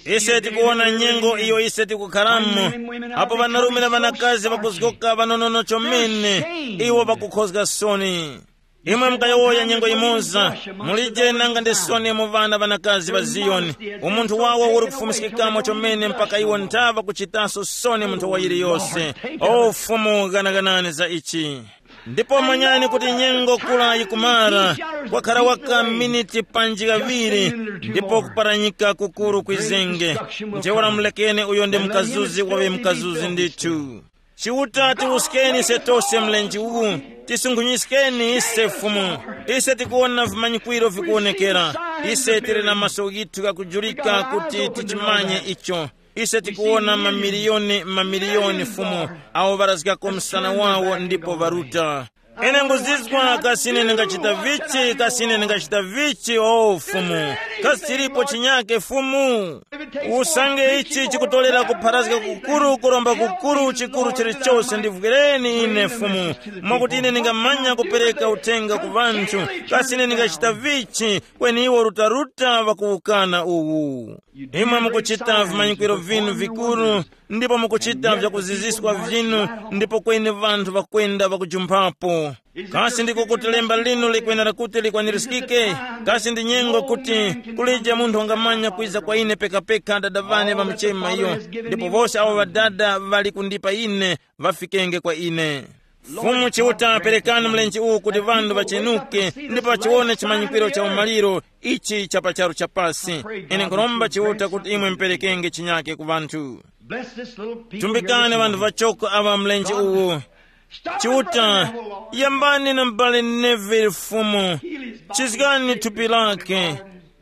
Ise tikuwona nyengo iyo ise tikukharamo, apo ŵanarume na ŵanakazi ŵakuzgoka ŵanonono chomene, iwo ŵakukhozga soni. Imwe mukayowoya nyengo yimoza, mulije nanga ndi soni mu ŵana ŵanakazi ŵa Ziyoni. Umunthu wawo uri kufumiskikamo chomene mpaka iwo nthaŵa kuchitaso soni munthu wa yiliyose. O Fumu, ghanaganani za ichi. Ndipo manyani kuti nyengo kula yikumara, kwakhara waka miniti panji ghaŵiri, ndipo kuparanyika kukuru kwizenge. Ntheura mulekeni uyo ndi mukazuzi waŵe mukazuzi ndithu. Chiuta tiwuskeni ise tose mlenje uwu, tisunkhunyiskeni ise Fumu. Ise tikuwona vimanyikwiro vikuwonekera. Ise tili na maso ghithu ghakujulika kuti tichimanye icho. Ise tikuwona mamiliyoni mamiliyoni Fumu, awo ŵarazgako msana wawo ndipo ŵaruta. Ine nguzizwa kasi ine ndingachita vichi, kasi ine ndingachita vichi, o Fumu. Kasi chilipo chinyake Fumu? Usange ichi chikutolera kupharazga kukuru, kuromba kukuru, chikuru chilichose, ndivwireni ine Fumu, mwakuti ine ndingamanya kupereka uthenga ku ŵanthu. Kasi ine ndingachita vichi? Kweni iwo rutaruta ŵakuwukana uwu. Imwe mukuchita vimanyikwiro vinu vikuru, ndipo mukuchita vyakuziziswa vinu, ndipo kweni vanthu ŵakwenda ŵakujumphapo. Kasi ndiko kuti lemba linu likwenera kuti likwanirizgike? Kasi ndi nyengo kuti kulije munthu wangamanya kwiza kwa ine pekapeka Dada ŵane ŵamuchema iyo, ndipo wose awo ŵadada ŵali kundipa ine, ŵafikenge kwa ine. Fumu Chiuta, perekani mlenje uwu kuti ŵanthu ŵachenuke ndipo ŵachiwone chimanyikwiro cha umaliro ichi cha pa charu cha pasi. Ine nkhuromba Chiuta kuti imwe muperekenge chinyake ku ŵanthu. Bless this little people here. Tumbikani this ŵanthu morning. Ŵachoko aŵa mlenje uwu. Stop and pray, Lord. Chiuta, yambani na m'bale Neville Fumu. Chizgani thupi lake.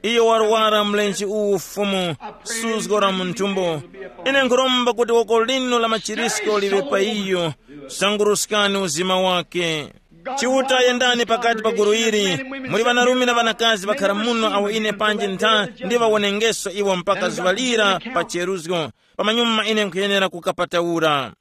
Iyo warwara mlenje uwu Fumu, suzgo la mu nthumbo. Ine nkhuromba kuti woko linu la machirisko liŵe pa iyo. Sanguruskani uzima wake. Chiuta, yendani pakati pa gulu ili. Muli ŵanarume na ŵanakazi ŵakhara muno awo ine panji ntha ndiŵawonengeso iwo mpaka zuŵa lira pa cheruzgo. Pamanyuma ine nkhuyenera kukapataura.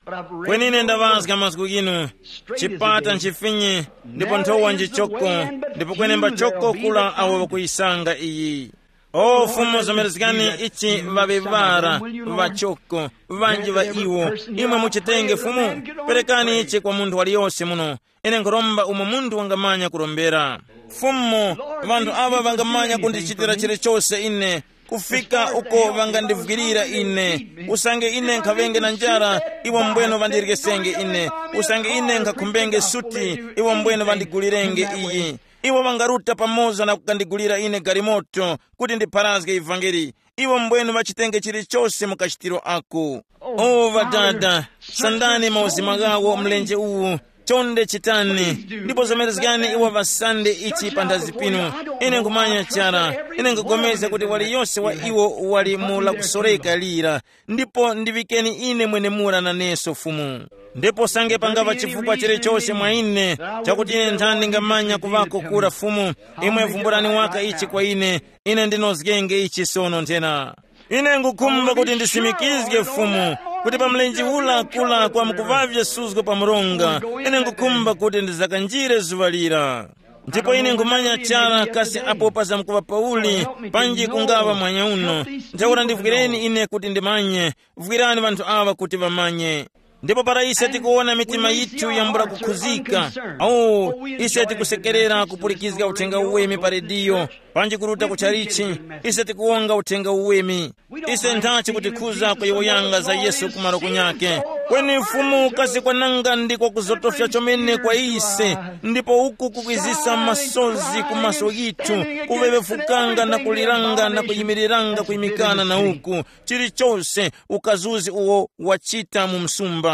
Kweni ine ndaŵazga mazgu ghinu. Chipata nchifinyi, ndipo nthowa njichoko, ndipo kwenemba choko kula awo ŵakuyisanga iyi. O Fumu, zomerezgani ichi ŵaŵeŵara, ŵachoko, ŵanji ŵa iwo. Imwe muchitenge Fumu, perekani ichi kwa munthu waliyose muno. Ine nkhuromba umo munthu wangamanya kurombera. Fumu, ŵanthu aŵa ŵangamanya kundichitira chilichose ine, kufika uko ŵangandivwirira ine. Usange ine nkhaŵenge na njara, iwo mbweno ŵandiryesenge ine. Usange ine nkhakhumbenge suti, iwo mbweno ŵandigulirenge iyi. Iwo ŵangaruta pamoza na kukandigulira ine galimoto kuti ndipharazge ivangeli. Iwo mbwenu ŵachitenge chilichose mu kachitiro ako. O Ŵadada, sandani mauzima ghawo mlenje uwu. Chonde chitani, ndipo zomerezgani iwo ŵasande ichi panthazi pinu. Ine nkhumanya chara, ine nkhupulikana kuti waliyose wa iwo wali mu lakusoreka lira. Ndipo ndiŵikeni ine mwenemura naneso Fumu. Ndipo sange pangaŵa chifukwa chilichose mwa ine, chakuti ine nthani ndingamanya kuŵako kura Fumu, imwe vumbulani waka ichi kwa ine. Ine ndinozgenge ichi sono nthena. Ine ngukhumba kuti ndisimikizge Fumu, kuti pa mlenje ula kula kwa mukuvavya suzgo pa mronga, ine ngukhumba kuti ndizakanjire zuŵa lira. Ndipo ine nkhumanya chara kasi apo pazamkuŵa pauli, panji kungaŵa mwanya uno. Ntheura ndivwireni ine kuti ndimanye, vwirani ŵanthu aŵa kuti ŵamanye. Ndipo para ise tikuwona mitima yithu yambula kukhuzika, oh, ise tikusekerera kupulikizga uthenga uweme pa rediyo, panji kuruta ku chalichi, ise tikuwonga uthenga uweme. Ise nthachi kutikhuza kuyowoyanga za Yesu kumaro kunyake. Kweni Fumu kasi kwananga ndiko kuzotofya chomene kwa ise, ndipo uku kukwizisa masozi ku maso yithu, kuŵeŵefukanga na kuliranga na kuyimiriranga kuyimikana na uku, chilichose ukazuzi uwo wachita mu msumba.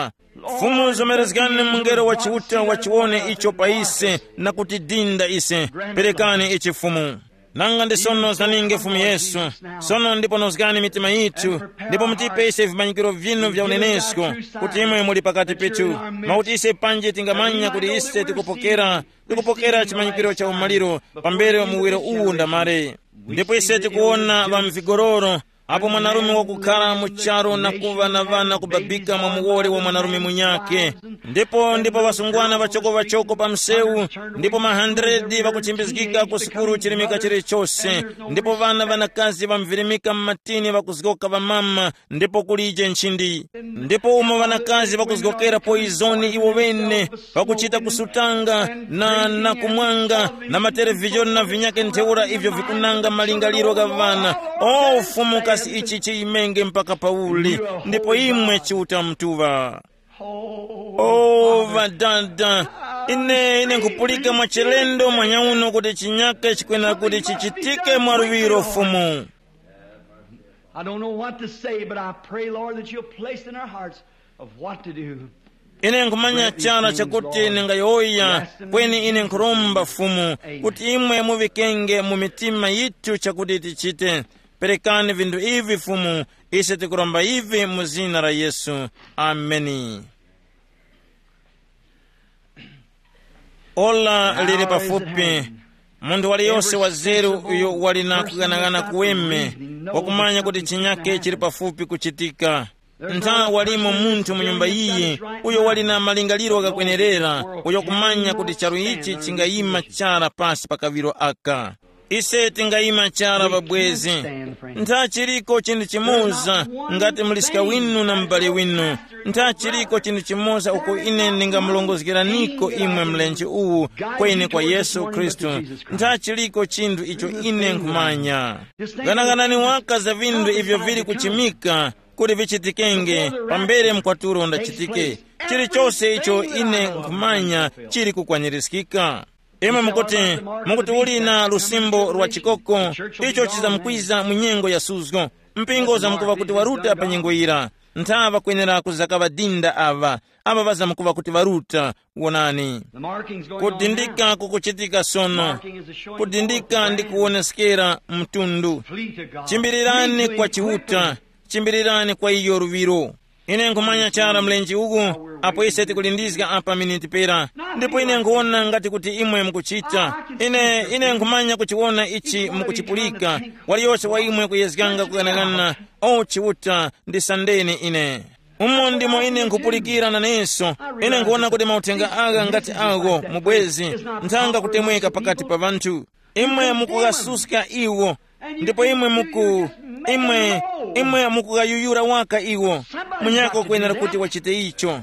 Fumu zomerezgani mungelo wa Chiuta wachiwone icho pa ise, na kutidinda ise. Perekani ichi Fumu. Nanga ndi sono zaninge Fumu Yesu. Sono ndipo nozgani mitima yithu, ndipo mutipe ise vimanyikiro vinu vya unenesko, kuti imwe muli pakati pethu, mwakuti ise panji tingamanya kuti ise tikupokera, tikupokera chimanyikiro cha umaliro pambere muwiro uwu ndamare. Ndipo ise tikuwona ŵa mvigororo, apo mwanarume wakukhala mu charu na kuŵa na ŵana kubabika mwa muwoli wa mwanarume munyakhe. Ndipo ndipo ŵasungwana ŵachoko-ŵachoko pa msewu, ndipo ma hundred ŵakuchimbizgika ku sukulu chilimika chilichose, ndipo ŵana ŵanakazi ŵamvirimika m'matini ŵakuzgoka ŵamama, ndipo kulije nchindi. Ndipo umo ŵanakazi ŵakuzgokera poizoni iwo ŵene, pakuchita kusutanga na, na kumwanga, na matelevizhoni na vinyake ntheura ivyo vikunanga malingaliro gha ŵana. O Fumu, kasi ichi chiyimenge mpaka pauli? Ndipo imwe Chiuta Mutuŵa. O ŵadada, ine ine nkupulika mwa chilendo mwanyauno kuti chinyake chikwena kuti chichitike mwa luŵiro Fumu. I don't know what to say, but I pray, Lord, that you'll place in our hearts of what to do. Ine nkhumanya chara chakuti ningayowoya, kweni ine nkhuromba Fumu kuti imwe muŵikenge mu mitima yithu chakuti tichite. Perekani vinthu ivi Fumu, ise tikuromba ivi mu zina la Yesu. Ameni. Ola lili pafupi. Munthu waliyose wazeru uyo wali na kughanagana kuweme, wakumanya kuti chinyake chili pafupi kuchitika. Ntha walimo munthu mu nyumba iyi uyo wali na malingaliro ghakwenerera, uyo kumanya kuti charu ichi chingayima chara pasi pa kaŵiro aka. Ise tingayima chara pabwezi. Ntha chiliko chinthu chimoza, ngati muliska winu na mubali winu, ntha chiliko chinthu chimoza uko ine ndingamulongozgeraniko imwe mlenje uwu, kweni kwa Yesu Khristu. Ntha chiliko chinthu icho ine nkhumanya. Ghanaghanani waka za vinthu ivyo vili kuchimika kuti vichitikenge pambere mkwatulo ndachitike. Chilichose icho ine nkhumanya chili kukwanirizgika. Imwe mukuti, mukuti uli na lusimbo lwa chikoko, icho chizamkwiza mu nyengo ya suzgo. Mpingo uzamkuva kuti waruta pa nyengo yira. Ntha ŵakwenera kuzakaŵa dinda aŵa, aŵa ŵazamkuva kuti ŵaruta. Wonani, kudindika kukuchitika sono. Kudindika ndi kuwoneskera mtundu. Chimbirirani kwa Chiuta, chimbirirani kwa iyo luŵiro. Ine nkhumanya chara mlenje uku, apo ise tikulindizga apa miniti pera, ndipo ine nkhuwona ngati kuti imwe mukuchita. Ine ine nkhumanya kuchiwona ichi mukuchipulika. Waliyose wa imwe kuyezganga kughanaghanana, o Chiuta, ndisandeni ine. Umo ndimo ine nkhupulikira naneso. Ine nkhuwona kuti mauthenga agha ngati agho mubwezi, nthanga kutemweka pakati pa ŵanthu. Imwe mukughasuska iwo, ndipo imwe muku imwe imwe mukughayuyura waka iwo. Munyako kwenera kuti wachite icho.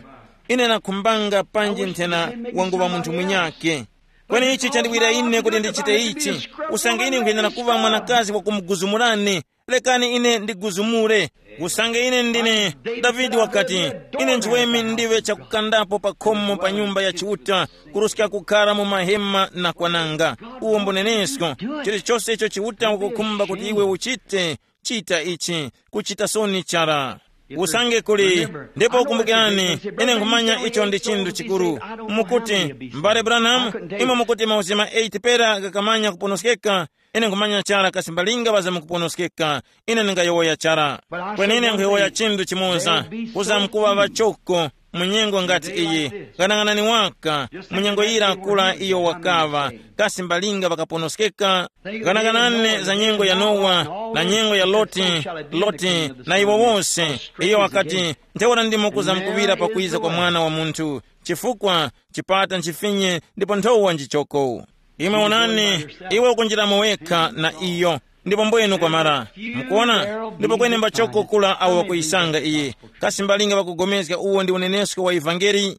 Ine nakhumbanga panji nthena wanguŵa munthu munyake. Kweni ichi chandiwira ine kuti ndichite ichi. Usange ine nkhuyenera kuŵa mwanakazi wakumuguzumurani, lekani ine ndiguzumure. Usange ine ndine, Davide wakati, ine nchiweme ndiwe chakukandapo pa khomo pa nyumba ya Chiuta, kuruska kukhara mu mahema na kwananga. Uwo mbunenesko. Chilichose icho Chiuta ukukhumba kuti iwe uchite, chita ichi. Kuchita soni chara. Usange kuli, ndipo kumbukirani, ine nkhumanya icho ndi chinthu chikuru. Mukuti, mbale Branham, imwe mukuti mauzima eight pera ghakamanya kuponoskeka. Ine nkhumanya chara kasi mbalinga ŵazamkuponoskeka. Ine ndingayowoya chara. Kweni ine nkhuyowoya chinthu chimoza. Kuzamkuŵa ŵachoko mu nyengo ngati iyi. Ghanaghanani waka, mu nyengo yira kula iyo wakaŵa, kasi mbalinga ŵakaponoskeka? Ghanaghanani za nyengo ya Nowa, na nyengo ya Loti. Loti na iwo wose. Iyo wakati, ntheura ndimo kuzamkuŵira pakwiza kwa Mwana wa Munthu. Chifukwa chipata nchifinye ndipo nthowa nchichoko. Imwe wonani, iwe ukunjiramo wekha na iyo. Ndipo mbwenu kwamara. Mukuona? Ndipo kweni mbachoko kula awo ŵakuyisanga iyi. Kasi mbalinga ŵakugomezga uwo ndi unenesko wa ivangeli?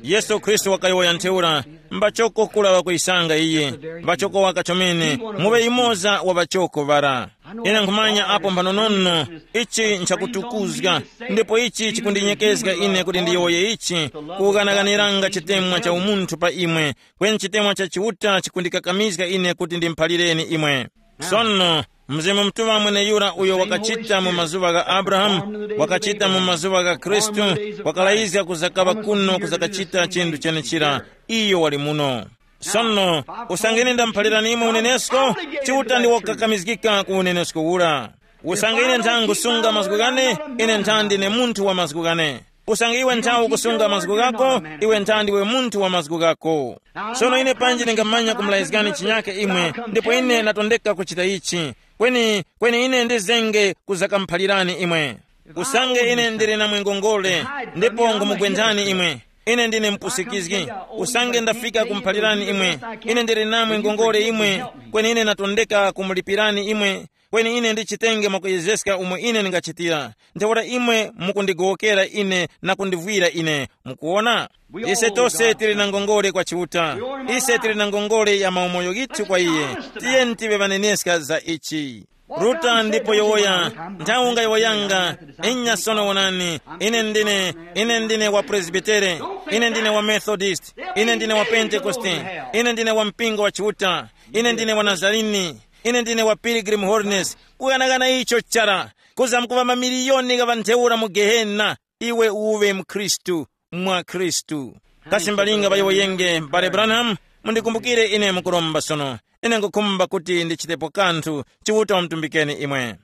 Yesu Khristu wakayowoya ntheura, mbachoko kula ŵakuyisanga iyi. Mbachoko waka chomene, muŵe yumoza wa ŵachoko ŵara. Ine nkhumanya apo mphanonono, ichi nchakutukuzga, ndipo ichi chikundinyekezga ine kuti ndiyowoye ichi, kughanaghaniranga chitemwa cha umunthu pa imwe, kweni chitemwa cha Chiuta chikundikakamizga ine kuti ndimuphalireni imwe. Sono, Mzimu Mutuŵa mweneyura uyo wakachita mu mazuŵa gha Abrahamu, wakachita mu mazuŵa gha Khristu, wakalayizga kuzakaŵa kuno kuzakachita chinthu chenechira, iyo wali muno. Sono, usange ine ndamuphalirani imwe unenesko, Chiuta ndi wakukakamizgika ku unenesko ura. Usange ine ntha ngusunga mazgu ghane, ine ntha ndine munthu wa mazgu ghane. Usange iwe ntha ukusunga mazgu ghako, iwe ntha ndiwe munthu wa mazgu ghako. Sono ine panji ndingamanya kumulazgani chinyake imwe, ndipo ine natondeka kuchita ichi. Kweni, kweni ine ndizenge kuzakamuphalirani imwe. Usange ine ndili na mwingongole, ndipo ngumugwendani imwe. Ine ndine mpusikizgi. Usange ndafika kumuphalirani imwe, ine ndili namwe ngongole imwe, kweni ine natondeka kumulipirani imwe, kweni ine ndichitenge mwakuyezeska umo ine ndingachitira. Ntheura imwe mukundigowokera ine na kundivwira ine. Mukuona? Ise tose tili na ngongole kwa Chiuta. Ise tili na ngongole ya maumoyo ghithu kwa iye. Tiyeni tive ŵaneneska za ichi. Ruta ndipo yowoya, nthawi ungayowoyanga, inya sono wonani, ine ndine, ine ndine wa Presbitere, ine ndine wa Methodist, ine ndine wa Pentekoste, ine ndine wa mpingo wa Chiuta, ine ndine wa Nazarini, ine ndine wa Pilgrim Holiness. Kughanaghana icho chara, kuzamkuŵa mamiliyoni gha ŵantheura mu Gehena, iwe uwe mkhristu, mwa Khristu. Kasi mbalinga ŵayowoyenge, m'bale Branham, mundikumbukire ine mukuromba sono. Ine ngukhumba kuti ndichitepo kanthu, Chiuta wamtumbikeni imwe.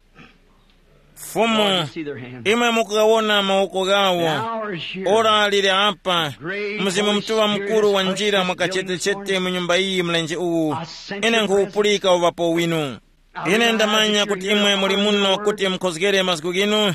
Fumu, imwe mukugawona mawoko ghawo. Ora lili apa, Mzimu Mutuŵa mukuru wa njira mwakachetechete mu nyumba iyi mlenje uwu. Ine nkhuwupulika uŵapo winu. Ine ndamanya kuti imwe muli muno kuti mukhozgere mazgu ghinu.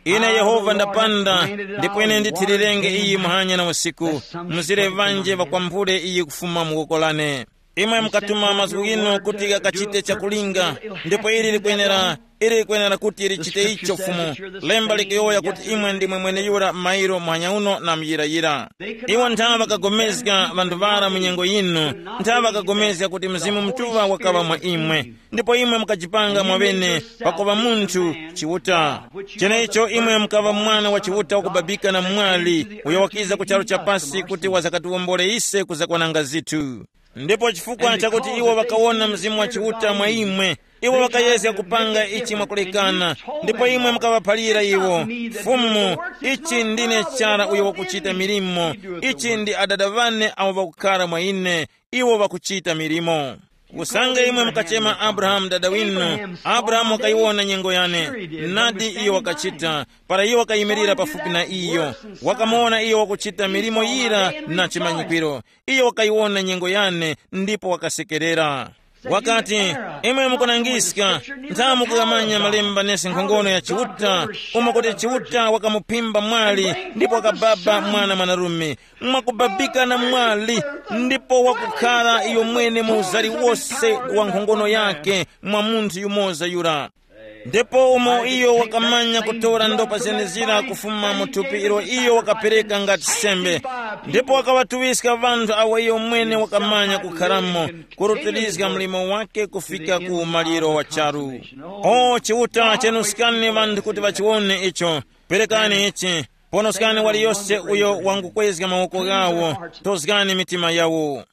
Ine Yehova ndapanda, ndipo ine ndithilirenge iyi muhanya na usiku, mzire ŵanje ŵakwambule iyi kufuma mu woko lane. Imwe mukatuma mazgu ghinu kuti ghakachite chakulinga, ndipo ili likwenera, ili likwenera kuti lichite icho Fumu. Lemba likuyowoya kuti imwe ndimwe mweneyura mairo muhanya uno na muyirayira. Iwo nthawe ŵakagomezga ŵanthu ŵara mu nyengo yinu, nthawe ŵakagomezga kuti Mzimu Mutuŵa wakaŵa mwa imwe. Ndipo imwe mukajipanga mwaŵene pakuŵa munthu Chiuta. Cheneicho imwe mukaŵa mwana wa Chiuta wakubabika na mwali uyo wakiza ku charu cha pasi kuti wazakatiwombole ise kuzakwananga zithu. Ndipo chifukwa chakuti iwo ŵakawona Mzimu wa Chiuta mwa imwe, iwo ŵakayezga kupanga ichi mwakulekana. Ndipo imwe mukaŵaphalira iwo, Fumu, ichi ndine chara uyo wakuchita milimo. Ichi ndi adada ŵane awo ŵakukhala mwa ine, iwo ŵakuchita milimo. Usange imwe mukachema Abrahamu dada winu, Abrahamu wakayiwona nyengo yane. Nadi iyo wakachita, para iyo wakayimirira pafupi na iyo, wakamuwona iyo wakuchita milimo yira na chimanyikwiro. Iyo wakayiwona nyengo yane, ndipo wakasekerera. Wakati, imwe mukunangiska, nthamu kukamanya malemba nesi nkhongono ya Chiuta, umo kuti Chiuta wakamuphimba mwali, ndipo wakababa mwana mwanarume, mwakubabika na mwali, ndipo wakukhara iyo mwene mu uzari wose wa nkhongono yake mwa munthu yumoza yura. Ndipo umo iyo wakamanya kutora ndopa zenezira kufuma mu thupi ilo iyo wakapereka ngati sembe, ndipo wakaŵatuŵiska ŵanthu awo iyo mwene wakamanya kukharamo, kurutilizga mlimo wake kufika ku umaliro wa charu. O Chiuta, chenuskani ŵanthu kuti ŵachiwone icho. Perekani ichi. Ponoskani waliyose uyo wangukwezga mawoko ghawo, tozgani mitima yawo.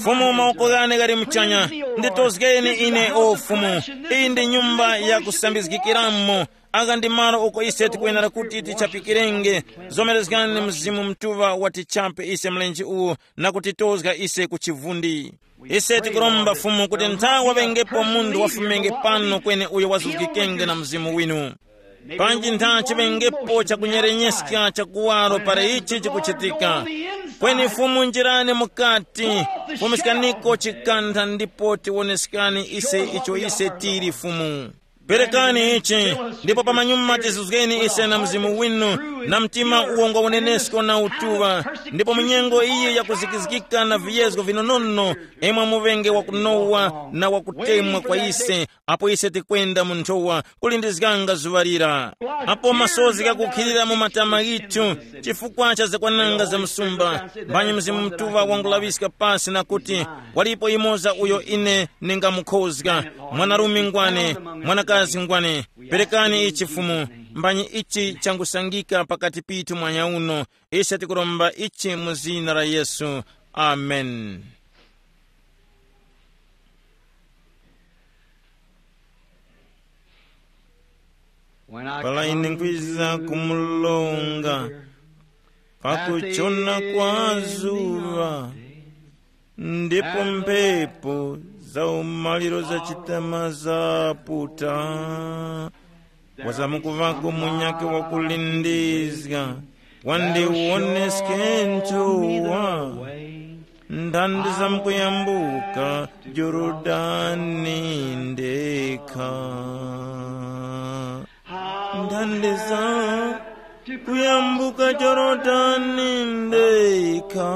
Fumu, mawoko ghane ghali muchanya, nditozgeni ine o Fumu. Iyi ndi nyumba ya kusambizgikiramo. Agha ndi malo uko ise tikwenera kuti tichapikirenge. Zomerezgani Mzimu Mutuŵa watichape ise mlenje uwu na kutitozga ise ku chivundi. Ise tikuromba Fumu kuti nthawe wengepo munthu wafumenge pano kwene uyo wazuzgikenge na Mzimu winu. Panji ntha chiŵengepo chakunyerenyeska cha kuwaro para ichi chikuchitika. Kweni Fumu, njirani mukati, fumiskaniko chikantha ndipo tiwoneskani ise icho ise tili Fumu. Perekani ichi, ndipo pamanyuma tizuzgeni ise na mzimu winu, na mtima uwo ngwa unenesko na utuŵa, ndipo munyengo iyi yakuzikizgika na viyezgo vinonono, imwe muŵenge wakunowa na wakutemwa kwa ise, apo ise tikwenda mu nthowa kulindizganga zuŵa lira. Apo masozi ghakukhilira mu matama ghithu, chifukwa cha zakwananga za msumba, mbani Mzimu Mutuŵa wangulaŵiska pasi na kuti, walipo yumoza uyo ine ningamukhozga, mwanarume ngwane, mwanakazi ngwane. Perekani ichi Fumu, mbani ichi changusangika pakati pithu mwanya uno. Ise tikuromba ichi mu zina la Yesu. Amen. Para ine nkwiza kumulonga pakuchona kwa zuŵa, ndipo mphepo za umaliro za chitama zaputa, wazamkuvako munyakhe wakulindizga, wandiwoneske nthowa. Ndandi zamkuyambuka Jorodani ndekha. Ndandi zamkuyambuka Jorodani ndekha.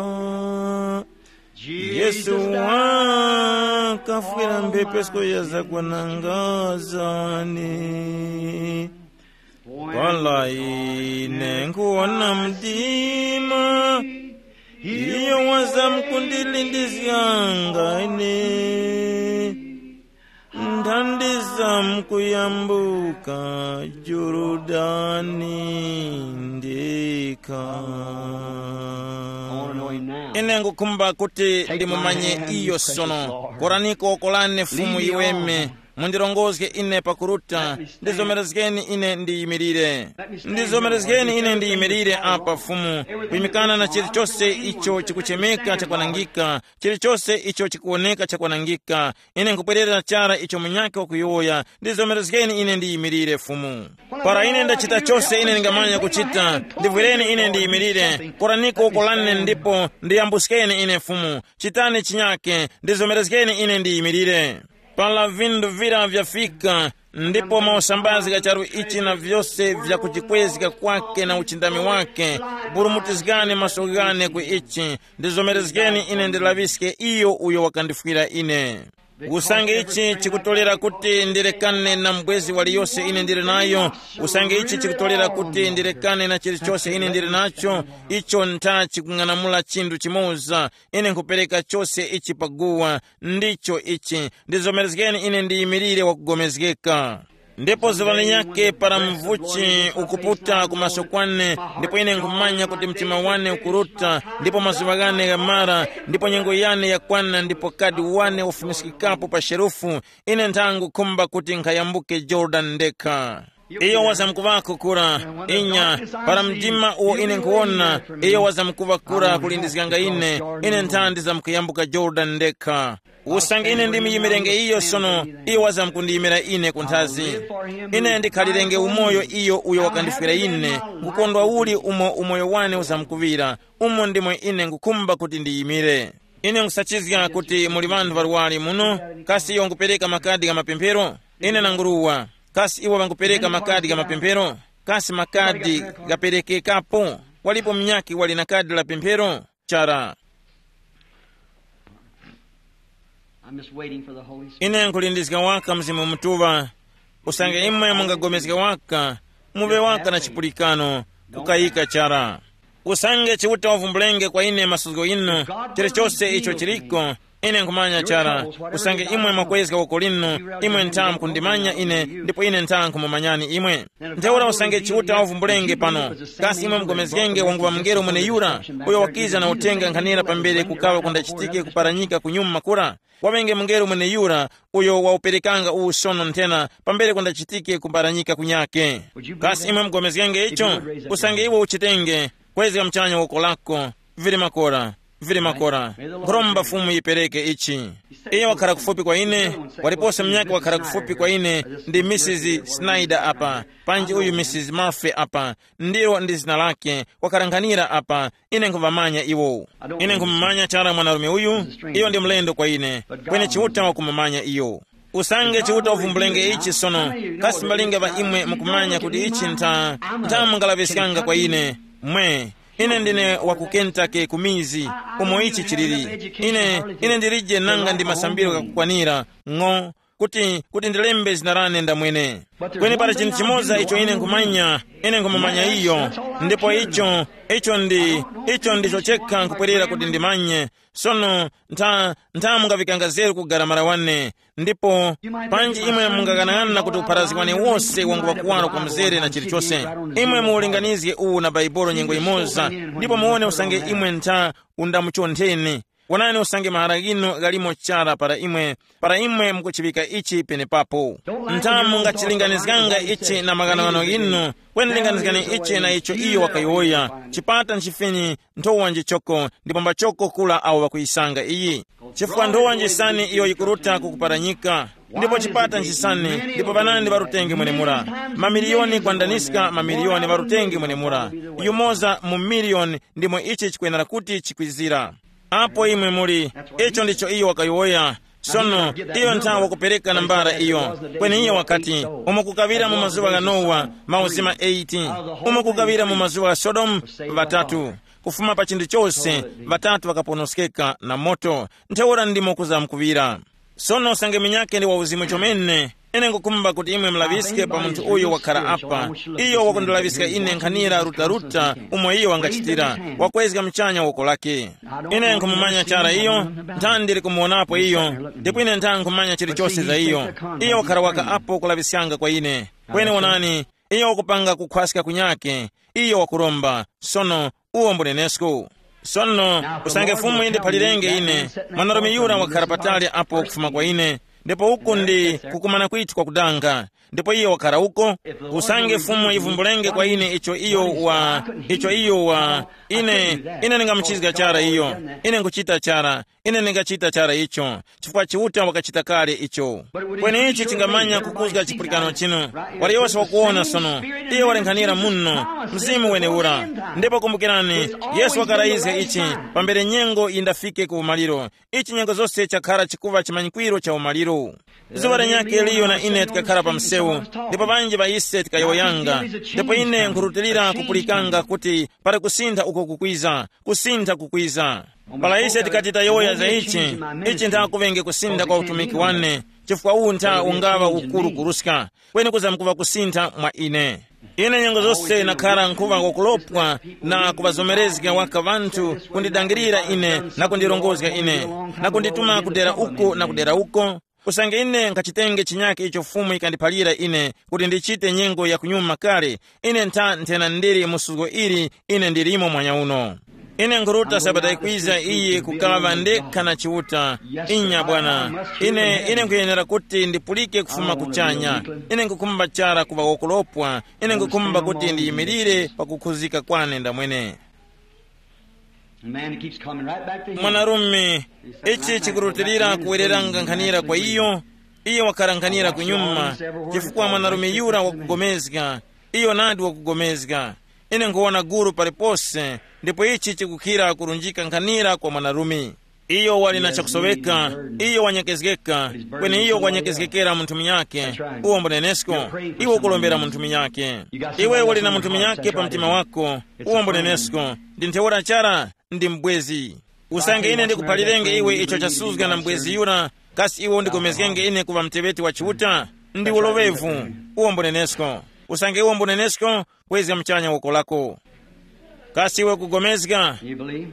Yesu wakafwira mphepesko ya zakwananga zane. Para ine nkuwona mdima, iyo wazamkundilindizganga ine. Ndandi zamkuyambuka Jorodani ndekha. Ine ngukhumba kuti ndimumanye iyo sono. Koraniko kolane Fumu iweme, mundilongozge ine pakuruta, ndizomerezgeni ine ndiyimirire. Ndizomerezgeni ine ndiyimirire apa Fumu, kuyimikana na chilichose icho chikuchemeka chakwanangika, chilichose icho chikuwoneka chakwanangika. Ine nkubwerera chara icho munyakhe wakuyowoya, ndizomerezgeni ine ndiyimirire Fumu. Para ine ndachita chose ine ndingamanya kuchita, ndivwireni ine ndiyimirire, koraniko uko lane ndipo ndiyambuskeni ine Fumu. Chitani chinyake, ndizomerezgeni ine ndiyimirire. Para vindu vira vyafika, ndipo mausambazi gha charu ichi na vyose vyakujikwezga kwake na uchindami wake, burumutizgani maso ghane ku ichi, ndizomerezgeni ine ndilaŵiske iyo uyo wakandifwira ine. Usange ichi chikutolera kuti ndirekane na mbwezi waliyose ine ndili nayo, usange ichi chikutolera kuti ndirekane na chilichose ine ndili nacho, icho ntha chikung'anamula chinthu chimoza. Ine nkhupereka chose ichi paguwa, ndicho ichi, ndizomerezgeni ine ndiyimirire wakugomezgeka. Ndipo zuŵa linyakhe para mvuchi ukuputa ku maso kwane, ndipo ine nkhumanya kuti mtima wane ukuruta, ndipo mazuŵa ghane ghamara, ndipo nyengo yane yakwana, ndipo kadi wane wafumiskikapo pa sherufu, ine nthangu khumba kuti nkhayambuke Jorodani ndekha. Iyo wazamkuŵako kura, inya, para mdima uwo ine nkhuwona, iyo wazamkuŵa kura kulindizganga ine, ine nthandi zamkuyambuka Jorodani ndekha. Usange ine ndimuyimire iyo sono, iyo wazamkundiyimira ine kunthazi. Ine ndikhalirenge umoyo iyo uyo wakandifwira ine, kukondwa uli umo umoyo wane uzamkuŵira, umo ndimwe ine ngukhumba kuti ndiyimire. Ine nkusachizga kuti muli ŵanthu ŵarwari muno, kasi iwo ngupereka makadi gha mapemphero? Ine nanguruwa, kasi iwo ŵangupereka makadi gha mapemphero? Kasi makadi ghaperekekapo? Walipo munyakhe wali na kadi la pemphero? Chara. I'm just waiting for the Holy Spirit. Ine nkulindizga waka Mzimu Mutuŵa. Usange imwe mungagomezga waka, muŵe waka na chipulikano, kukayika chara. Usange Chiuta wavumbulenge kwa ine masuzgo inu, chilichose icho chiliko, ine nkhumanya chara. Usange imwe mwakwezga woko linu, imwe ntha mukundimanya ine, ndipo ine ntha nkhumumanyani imwe. Ntheura usange Chiuta wavumbulenge pano, kasi imwe mugomezgenge wanguŵa mungelo mweneyura, uyo wakiza na uthenga nkhanira pambere kukaŵa kundachitike kuparanyika kunyuma kura? Waŵenge mungelo mweneyura uyo wawuperekanga uwu sono nthena pambere kundachitike kuparanyika kunyake. Kasi imwe mugomezgenge icho? Usange iwe uchitenge, kwezga muchanya woko lako. Vili makora, vili makora. Nkhuromba Fumu yipereke ichi. Iye wakhala kufupi kwa ine, waliponse munyakhe wakhala kufupi kwa ine, ndi Misisi Snyder apa, panji uyu Misisi Murphy apa, ndilo ndi zina lake, wakhala nkhanira apa. Ine nkhumumanya iwo. Ine nkhumumanya chara mwanarume uyu, iyo ndi mlendo kwa ine, kweni Chiuta wakumumanya iyo. Usange Chiuta uvumbulenge ichi sono, kasi mbalinga ŵa imwe mukumanya kuti ichi ntha, ntha mungalaŵiskanga kwa ine? Mwe, ine ndine wa ku Kentucky ku mizi, umo ichi chiliri. Ine, ine ndilije nanga ndi masambiro ghakukwanira, ng'o, kuti, kuti ndilembe zina lane ndamwene. Kweni pali chinthu chimoza icho ine nkhumanya, ine nkhumumanya iyo, ndipo icho, icho ndi, icho ndicho chekha nkhupwerera kuti ndimanye. Sono ntha, ntha mungaŵikanga zeru ku garamara wane, ndipo panji imwe mungaghanag'ana kuti upharazgi wane wose wanguŵa kuwaro kwa mzere na chilichose. Imwe muulinganizge uwu na Baibolo nyengo imoza, ndipo muwone usange imwe ntha undamuchontheni. Wonani usange mahara ghinu ghalimo chara para imwe, para imwe mukuchiŵika ichi penepapo. Ntha mungachilinganizganga ichi na maghanoghano ghinu, kweni linganizgani ichi na icho iyo wakayowoya. Chipata nchifinyi, nthowa njichoko, ndipo mbachoko kula awo ŵakuyisanga iyi. Chifukwa nthowa njisani iyo yikuruta ku kuparanyika, ndipo chipata nchisani, ndipo panandi ŵarutenge mwenemura. Mamiliyoni kwandaniska mamiliyoni ŵarutenge mwenemura. Yumoza mu miliyoni ndimo ichi chikwenera kuti chikwizira. Apo imwe muli, icho ndicho iyo wakayowoya. Sono, iyo nthawi wakupereka nambala iyo, kweni iyo wakati, umo kukaŵira mu mazuŵa gha Nowa, mauzima eighty, umo kukaŵira mu mazuŵa gha Sodomu, ŵatatu, kufuma pa chinthu chose, ŵatatu ŵakaponoskeka na moto. Ntheura ndimo kuzamkuŵira. Sono usange minyake ndi wa uzimu chomene, ine ngukumba kuti imwe mulaŵiske pa munthu uyo wakhara apa. Iyo wakundulaŵiska ine nkhanira rutaruta umo iyo wangachitira, wakwezga mchanya woko lake. Ine nkhumumanya chara iyo, ntha ndili kumuwonapo iyo, ndipo ine ntha nkhumanya chilichose za iyo. Iyo wakhara waka apo kulaŵiskanga kwa ine. Kweni wonani, iyo wakupanga kukhwaska kunyake, iyo wakuromba. Sono, uwo mbunenesko. Sono, usange Fumu yindiphalirenge ine, mwanarume yura wakhara patali apo kufuma kwa ine, ndipo uku ndi kukumana kwithu kwakudanga. Ndipo iyo wakhara uko, usange Fumu yivumbulenge kwa ine icho iyo wa, icho iyo wa, ine, ine ndingamuchizga chara iyo, ine nkuchita chara, ine ndingachita chara icho, chifukwa Chiuta wakachita kale icho. Kweni ichi chingamanya kukuzga chipulikano chinu. Waliyose wakuwona sono, iyo walenkhanira muno, mzimu wenewura. Ndipo kumbukirani, Yesu wakarayizga ichi, pambere nyengo yindafike ku umaliro. Ichi nyengo zose chakhara chikuva chimanyikwiro cha umaliro. Zuŵa lenyake liyo na ine tikakhara pa msewu, ndipo ŵanji ŵa ise tikayowoyanga, ndipo ine nkhurutilira kupulikanga kuti pali kusintha uko kukwiza, kusintha kukwiza. Para ise tikati tayowoya za ichi, ichi ntha kuŵenge kusintha kwa utumiki wane, chifukwa uwu ntha ungaŵa ukuru kuruska, kweni kuzamkuŵa kusintha mwa ine. Ine nyengo zose nakhara nkhuŵa wakulopwa na kuŵazomerezga waka ŵanthu kundidangirira ine na kundirongozga ine, na kundituma kudera uko na kudera uko. Usange ine nkhachitenge chinyake icho Fumu yikandiphalira ine kuti ndichite nyengo ya kunyuma kale, ine ntha nthena ndili mu suzgo ili ine ndilimo mwanya uno. Ine nkhuruta sabata yikwiza iyi kukaŵa ndekha na Chiuta. Inya bwana, ine ine nkhuyenera kuti ndipulike kufuma kuchanya. Ine nkhukhumba chara kuŵa wokolopwa. Ine nkhukhumba kuti ndiyimirire pakukhuzika kwane ndamwene. And man, it keeps coming right back to him. Mwanarume, ichi chikurutilira kuwereranga nkhanira kwa iyo. Iyo wakhala nkhanira kunyuma, chifukwa mwanarume yura wakugomezga. Iyo nadi wakugomezga. Ine nkhuwona guru palipose, ndipo ichi chikukhira kurunjika nkhanira kwa mwanarume. Iyo wali na chakusoweka, iyo wanyekezgeka, kweni iyo wanyekezgekera munthu munyakhe. Uwo mbunenesko, iwe ukulombera munthu munyakhe. Iwe wali na munthu munyakhe pa mtima wako, uwo mbunenesko, ndi ntheura chara, ndi mbwezi. Usange ine ndikuphalirenge iwe icho chasuzga na mbwezi yura, kasi iwe undigomezgenge ine kuŵa muteŵeti wa Chiuta? Ndi uloŵevu, uwo mbunenesko. Usange iwe mbunenesko, kwezga muchanya woko lako. Kasi iwe kugomezga?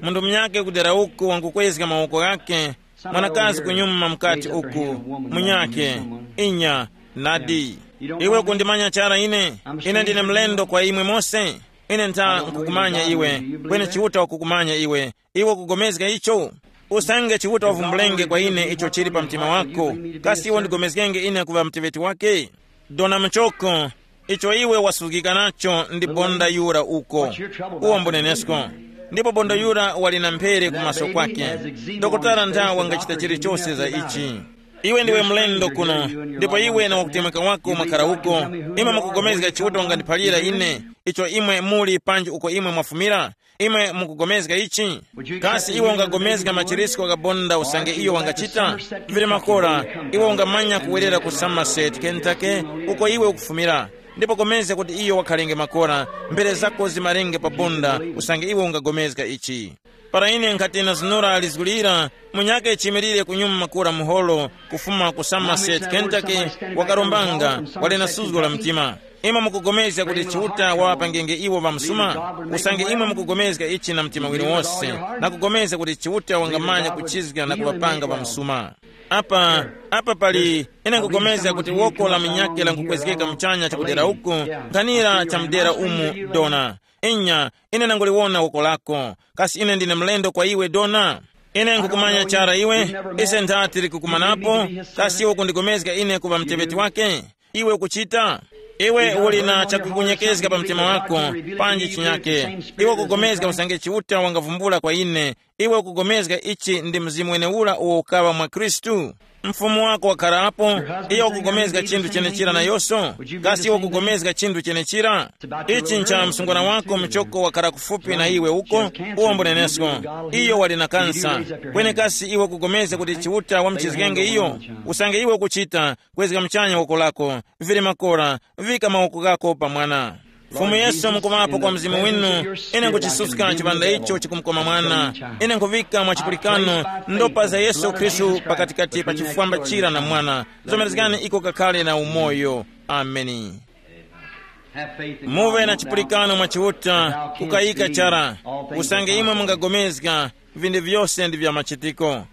Munthu munyakhe kudera uku wangukwezga mawoko ghakhe, mwanakazi kunyuma mukati uku, munyakhe, inya, nadi. Iwe kundimanya chara ine? Ine ndine mlendo kwa imwe mose. Ine ntha nkukumanya iwe, kweni Chiuta wakukumanya iwe. Iwe ukugomezga icho? Usange Chiuta wavumbulenge kwa ine icho chili pa mtima wako, kasi iwe undigomezgenge ine kuŵa muteŵeti wake? Dona muchoko, icho iwe wasuzgika nacho ndi bonda yura uko. Uwo mbunenesko. Ndipo bonda yura wali na mphere kumaso kwake. Dokotala ntha wangachita chilichose za ichi. Iwe ndiwe mlendo kuno, ndipo iwe na wakutemweka wako mwakhala uko. Imwe mukugomezga Chiuta wangandiphalira ine, icho imwe muli panji uko imwe mwafumira? Imwe mukugomezga ichi? Kasi iwe ungagomezga machirisko gha bonda usange iyo wangachita? Vili makora, iwe ungamanya kuwerera ku Somerset, Kentucky, uko iwe ukufumira, ndipo gomezga kuti iyo wakhalenge makora, mbere zako zimarenge pa bonda usange iwe ungagomezga ichi. Para ine nkhati nazunura lizgu lira, munyakhe chimirire kunyuma makora muholo, kufuma ku Somerset, Kentucky, wakarombanga, wali na suzgo la mtima. Imwe mukugomezga kuti Chiuta waŵapangenge iwo ŵamsuma? Usange imwe mukugomezga ichi na mtima winu wose, na kugomezga kuti Chiuta wangamanya kuchizga na kuŵapanga ŵamsuma. Apa, apa pali, ine nkugomezga kuti woko la minyake lankukwezgeka muchanya chakudera uku, nkhanira cha mudera umu, dona. Inya, ine nanguliwona woko lako. Kasi ine ndine mlendo kwa iwe, dona? Ine nkukumanya chara iwe, ise ntha tili kukumanapo. Kasi iwe kundigomezga ine kuŵa mteŵeti wake? Iwe ukuchita? Iwe uli na chakukunyekezga pa mtima wako, panji chinyake. Iwe ukugomezga usange Chiuta wangavumbula kwa ine. Iwe ukugomezga ichi ndi Mzimu weneura uwo ukaŵa mwa Khristu? Mfumu wako wakharapo, iyo ukugomezga chinthu chenechira nayonso? Kasi iwe ukugomezga chinthu chenechira? Ichi ncha msungwana wako muchoko wakhara kufupi na iwe uko, uwo mbunenesko. Iyo wali na kansa. Kweni kasi iwe ukugomezga kuti Chiuta wamuchizgenge iyo? Usange iwe ukuchita, kwezga muchanya woko lako, vili makora, vika mawoko ghako pa mwana. Fumu Yesu, mukuŵapo kwa mzimu winu, ine nkuchisuska chipanda icho chikumkoma mwana. Ine nkuvika mwa chipulikano ndopa za Yesu Khristu pakatikati pa chifwamba chira na mwana. Zomerezgani iko kakhale na umoyo. Ameni. Muve na chipulikano mwa Chiuta, kukayika chara. Usange imwe mungagomezga, vinthu vyose ndi vya machitiko.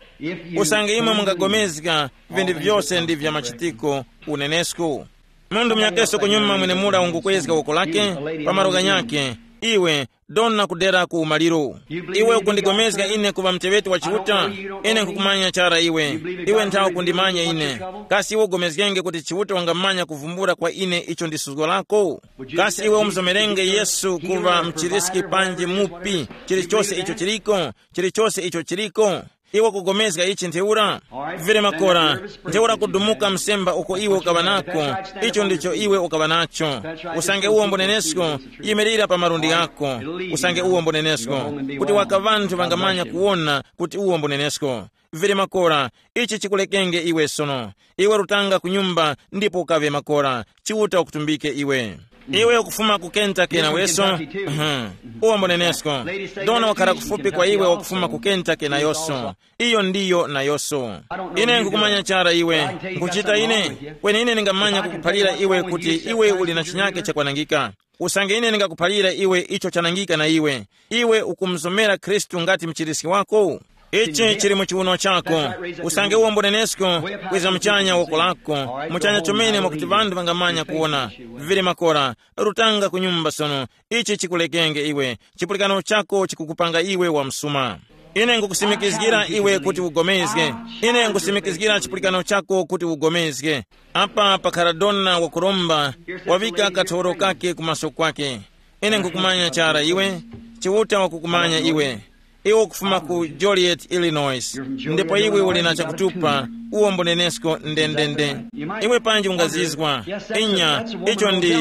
Usange imwe mungagomezga, vinthu vyose ndi vya machitiko. Unenesku. Munthu munyakeso kunyuma mwenemura ungukwezga woko lake, pa malo ghanyakhe, iwe, dona kudera ku umaliro. Iwe ukundigomezga ine kuŵa muteŵeti wa Chiuta? Ine nkukumanya chara iwe. Iwe nthawe ukundimanya ine. Kasi iwe ugomezgenge kuti Chiuta wangamanya kuvumbula kwa ine icho ndi suzgo lako? Kasi iwe umuzomerenge Yesu kuŵa mchiriski panji mupi, chilichose icho chiliko, chilichose icho chiliko? Iwe kugomezga ichi ntheura? Vere makora, ntheura kudumuka msemba uko iwe ukaŵa nako, icho ndicho iwe ukaŵa nacho. Usange uwo mbonenesko, yimirira pa malundi ghako. Usange uwo mbonenesko, kuti waka ŵanthu ŵangamanya kuwona kuti uwo mbonenesko. Vere makora, ichi chikulekenge iwe sono. Iwe rutanga ku nyumba ndipo ukaŵe makora. Chiuta ukutumbike iwe. Iwe ukufuma ku Kentucky naweso? Uwo mbonenesko. Dona wakhala kufupi kwa iwe wakufuma ku Kentucky nayoso. Iyo ndiyo nayoso. Ine nkukumanya chara iwe. Nkuchita ine. Kweni ine ningamanya kukuphalira iwe kuti iwe uli na chinyake chakwanangika. Usange ine ningakuphalira iwe icho chanangika na iwe, iwe ukumuzomera Khristu ngati mchiriski wako? Ichi chili mu chiwuno chako. Usange uwo mbonenesko, kwiza muchanya woko lako, muchanya chomene mwakuti ŵanthu ŵangamanya kuwona. Viviri makora, rutanga ku nyumba sono. Ichi chikulekenge iwe. Chipulikano chako chikukupanga iwe wa msuma. Ine ngukusimikizgira iwe kuti ugomezge. Ine ngusimikizgira chipulikano chako kuti ugomezge. Apa pakhala dona wakuromba, wavika kathoro kake kumaso kwake. Ine ngukumanya chara iwe, Chiuta wakukumanya iwe. Iwe ukufuma ku Joliet, Illinois, ndipo iwe uli na chakutupa, uwo mbunenesko ndendende. Iwe panji ungazizwa. Inya, icho ndi,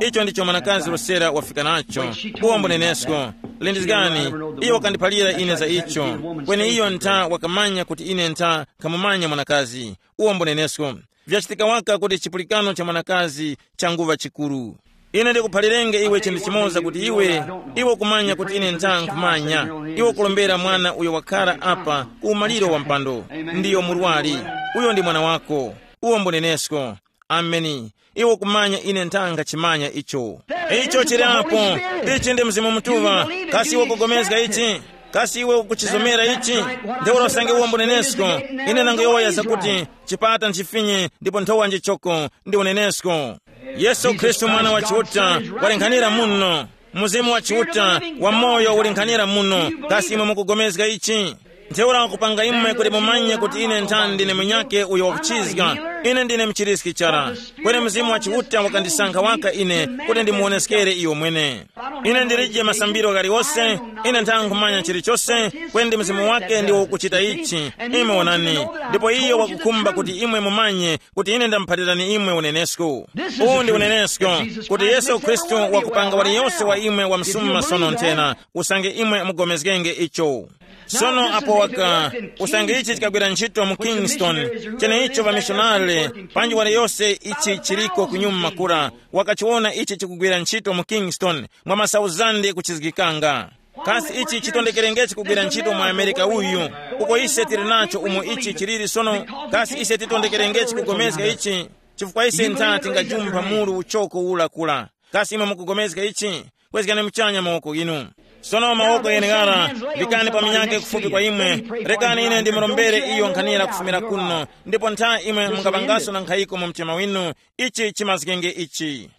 icho ndicho mwanakazi Rosera wafika nacho. Uwo mbunenesko. Lindizgani, iyo wakandiphalira ine za icho. Kweni iyo ntha wakamanya kuti ine ntha nkhamumanya mwanakazi. Uwo mbunenesko. Vyachitika waka kuti chipulikano cha mwanakazi changuŵa chikuru. Ine ndikuphalirenge iwe chinthu chimoza kuti iwe, iwe ukumanya kuti ine ntha nkhumanya. Iwe ukulombera mwana uyo wakhara apa ku umaliro wa mpando. Ndiyo murwari. Uyo ndi mwana wako. Uwo mbunenesko. Ameni. Iwe ukumanya ine ntha nkhachimanya icho. Icho chili apo. Ichi ndi Mzimu Mutuŵa. Kasi iwe ukugomezga ichi? Kasi iwe ukuchizomera ichi? Ntheura usange uwo mbunenesko. Ine nangoyowoya zakuti chipata nchifinye ndipo nthowa njichoko ndi unenesko. Yesu Khristu, Mwana wa Chiuta, walinghanira muno. Mzimu wa Chiuta wamoyo ulinghanira muno. Kasi imwe mukugomezga ichi? Ntheura wakupanga imwe kuti mumanye kuti ine nthani ndine munyakhe uyo wakuchizga. Ine ndine mchiriski chara. Kweni Mzimu wa Chiuta wakandisankha waka ine kuti ndimuwoneskere iyo mwene. Ine ndilije masambiro ghaliwose. Ine nthankhu manya chilichose. Kwendi mzimu wake ndiwo ukuchita ichi. Imwe wonani. Ndipo iyo wakukhumba kuti imwe mumanye kuti ine ndamuphalirani imwe unenesko. Uwu ndi unenesko, kuti Yesu Khristu wakupanga waliyose wa imwe wamsuma sono nthena, usange imwe mugomezgenge icho. Sono apo waka, usange ichi chikagwira ntchito mu Kingston, cheneicho vamishonare, panji waliyose ichi chiliko kunyuma kura, wakachiwona ichi chikugwira ntchito mu Kingston mwa masauzande kuchizgikanga. Kasi ichi chitondekerengechi kugwira ntchito mu Amerika uyu, uko ise tili nacho umo ichi chiliri sono? Kasi ise titondekerengechi kugomezga ichi? Chifukwa ise ntha tingajumpha muru uchoko ula kula. Kasi imwe mukugomezga ichi? Kwezgani muchanya mawoko inu. Sono mawoko yeneg'ara, vikani pa minyake kufupi kwa imwe. Rekani ine ndimurombere iyo nkhanira kufumira kuno, ndipo ntha imwe mungapangaso na nkhayiko mu mtima winu. Ichi chimazgenge ichi.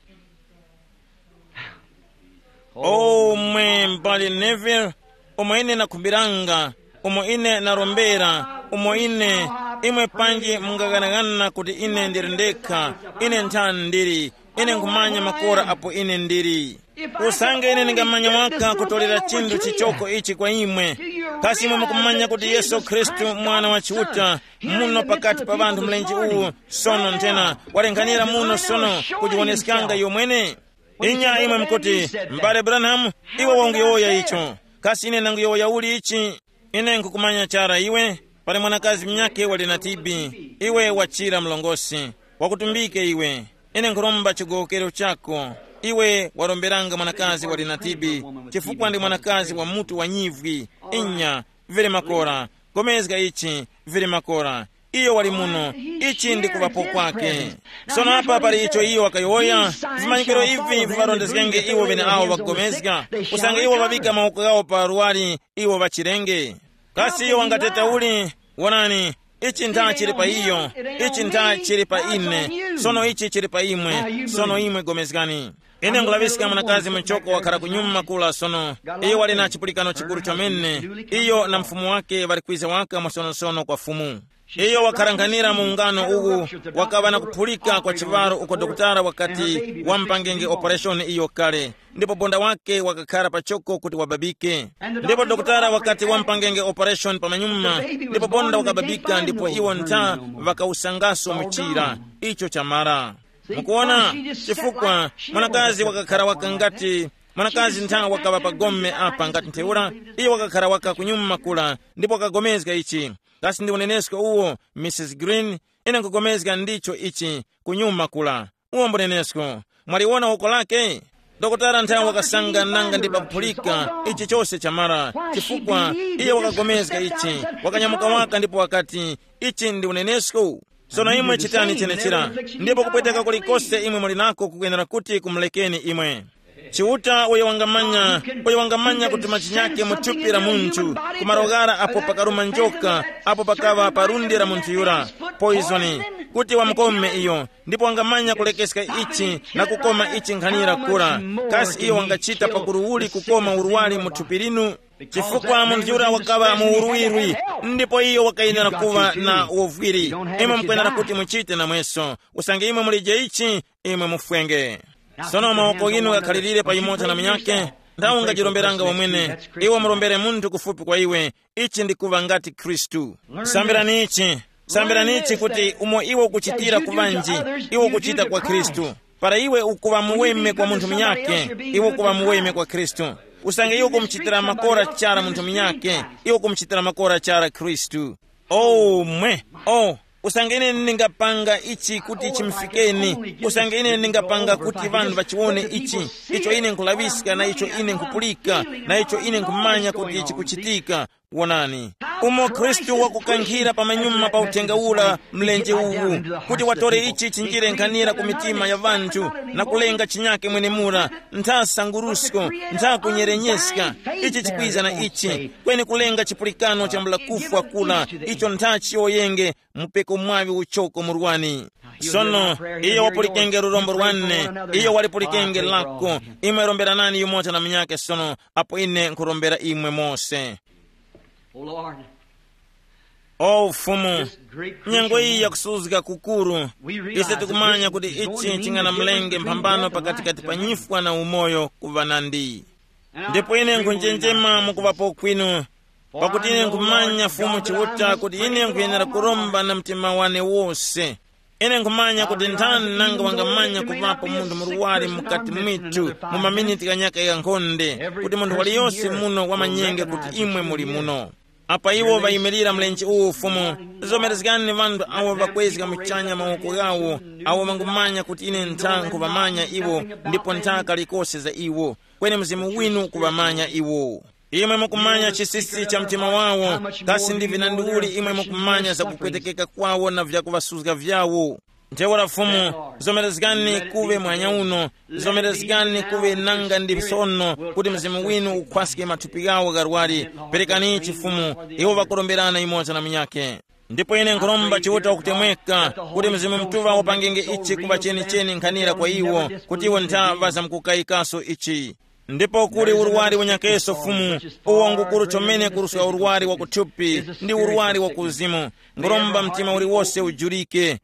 O mwe m'bale Neville, umo ine nakhumbiranga, umo ine narombera, umo ine, imwe panji mungaghanagana kuti ine ndili ndekha, ine nthani ndili, ine nkhumanya makora apo ine ndili. Usange ine ndingamanya waka kutolera chinthu chichoko ichi kwa imwe, kasi imwe mukumanya kuti Yesu Khristu mwana wa Chiuta, muno pakati pa ŵanthu mlenje uwu, sono nthena, walenghanira muno sono kujiwoneskanga iyo mwene? Inya imwe mukuti, m'bale Branham, iwe wanguyowoya icho. Kasi ine nanguyowoya uli ichi? Ine nkukumanya chara iwe. Pali mwanakazi mnyake wali na T B. Iwe wachira mlongosi. Wakutumbike iwe. Ine nkhuromba chigowokero chako. Iwe waromberanga mwanakazi wali na T B, chifukwa ndi mwanakazi wa mutu wa nyivwi. Inya, vere makora. Gomezga ichi, vere makora. Iyo wali muno. Ichi ndi kuŵapo kwake. Sono apa pali icho iyo wakayowoya. Vimanyikiro ivi viŵarondezgenge iwo ŵeneawo ŵakugomezga. Usange iwo ŵaŵika mawoko ghawo pa luwali, iwo ŵachirenge. Kasi iyo wangateta uli? Wonani, ichi ntha chili pa iyo. Ichi ntha chili pa ine. Sono ichi chili pa imwe. Sono imwe gomezgani. Ine nkulaŵiska mwanakazi muchoko wakhara kunyuma kula sono. Iyo wali na chipulikano chikuru chomene. Iyo na mfumu wake ŵali kwiza waka mwasonosono kwa Fumu. Iyo wakharanghanira mu ungano uwu, wakaŵa na kuphulika kwa chiŵaro uko dokotala wakati wamupangenge opereshoni iyo kale, ndipo bonda wake wakakhara pachoko kuti wababike. Ndipo dokotala wakati wamupangenge opereshoni pamanyuma, ndipo bonda wakababika ndipo iwo ntha ŵakawusangaso muchira. Icho chamara. Mukuona? Chifukwa mwanakazi wakakhara waka ngati, mwanakazi ntha wakaŵa pa gome apa ngati ntheura, iyo wakakhara waka kunyuma kula, ndipo wakagomezga ichi. Kasi ndi unenesko uwo, Mrs Green? Ine nkupulikana ndicho ichi, kunyuma kula. Uwo mbunenesko. Mwaliwona woko lake? Dokotala nthawe wakasanga nanga ndi pakuphulika, ichi chose chamara, chifukwa iye wakagomezga ichi, wakanyamuka waka ndipo wakati, ichi ndi unenesko. Sono imwe chitani chenechira, ndipo kupweteka kulikose imwe muli nako kukwenera kuti kumulekeni imwe. Chiuta uyo wangamanya, uyo wangamanya kuti machinyake mu thupi la munthu, kumarogara apo pakaruma njoka, apo pakaŵa pa lundi la munthu yura, poizoni, kuti wamukome iyo, ndipo wangamanya kulekeska ichi na kukoma ichi nkhanira kura. Kasi iyo wangachita pakuru uli kukoma urwari mu thupi linu? Chifukwa munthu yura wakaŵa mu urwirwi, ndipo iyo wakayenera kuŵa na uvwiri. Imwe mukwenera kuti muchite namweso, usange imwe mulije ichi, imwe mufwenge. Sono mawoko ghinu ghakhalirire pa yumoza na munyakhe, nthawe ungajiromberanga wamwene. Iwe murombere munthu kufupi kwa iwe. Ichi ndi kuŵa ngati Khristu. Sambirani ichi. Sambirani ichi kuti umo iwe ukuchitira ku ŵanji, iwe ukuchita kwa Khristu. Para iwe ukuŵa muweme kwa munthu munyakhe, iwe ukuŵa muweme kwa Khristu. Usange iwe ukumuchitira makora chara munthu munyakhe, iwe ukumuchitira makora chara Khristu. Oh mwe! Oh, usange ine ndingapanga ichi kuti chimufikeni, usange ine ndingapanga kuti ŵanthu ŵachiwone ichi, icho ine nkhulaŵiska na icho ine nkhupulika, na icho ine nkhumanya kuti chikuchitika. Wonani, umo Khristu wakukankhira pamanyuma pa uthenga ura mlenje uwu, kuti watore ichi chinjire nkhanira ku mitima ya ŵanthu, na kulenga chinyake mwenemura, ntha sangurusko, ntha kunyerenyeska. Ichi chikwiza na ichi, kweni kulenga chipulikano chambula kufwa kula, icho ntha chiyowoyenge, mupeko mwaŵi uchoko murwani. Sono, iyo wapulikenge lurombo lwane, iyo walipulikenge lako. Imwe romberanani yumoza na munyakhe sono, apo ine nkhurombera imwe mose. Oh Lord, O Fumu, nyengo iyi yakusuzga kukuru. Ise tikumanya kuti ichi chinganamulenge mphambano pakatikati pa nyifwa na umoyo kuŵa nandi. Ndipo ine nkhunjenjema mukuŵapo kwinu, pakuti ine nkhumanya Fumu Chiuta kuti ine nkhuyenera kuromba na mtima wane wose. Ine nkhumanya kuti nthani nanga wangamanya kuŵapo munthu murwari mukati mwitu mu maminiti ghanyaka ghankhonde, kuti munthu waliyose muno wamanyenge kuti imwe muli muno. Apa iwo ŵayimirira mlenje uwu Fumu, zomerezgani ŵanthu awo ŵakwezga muchanya mawoko ghawo, awo ŵangumanya kuti ine ntha nkhuŵamanya iwo, ndipo ntha kalikose za iwo, kweni Mzimu winu kuŵamanya iwo. Imwe mukumanya chisisi cha mtima wawo, kasi ndi vinandiuli imwe mukumanya za kupwetekeka kwawo na vyakuŵasuzga vyawo. Ntheura Fumu, zomerezgani kuŵe mwanya uno, zomerezgani kuŵe nanga ndi sono kuti Mzimu winu ukhwaske mathupi ghawo gharwari. Perekani chifumu, iwo ŵakuromberana yumoza na munyakhe. Ndipo ine nkhuromba Chiuta wakutemweka kuti Mzimu Mutuŵa wapangenge ichi kuŵa chenicheni nkhanira kwa iwo, kuti iwo ntha ŵazamkukayikaso ichi. Ndipo kuli urwari unyakeso Fumu, uwo ngukuru chomene kuruska urwari wa kuthupi ndi urwari wa kuzimu. Nguromba mtima uliwose ujurike.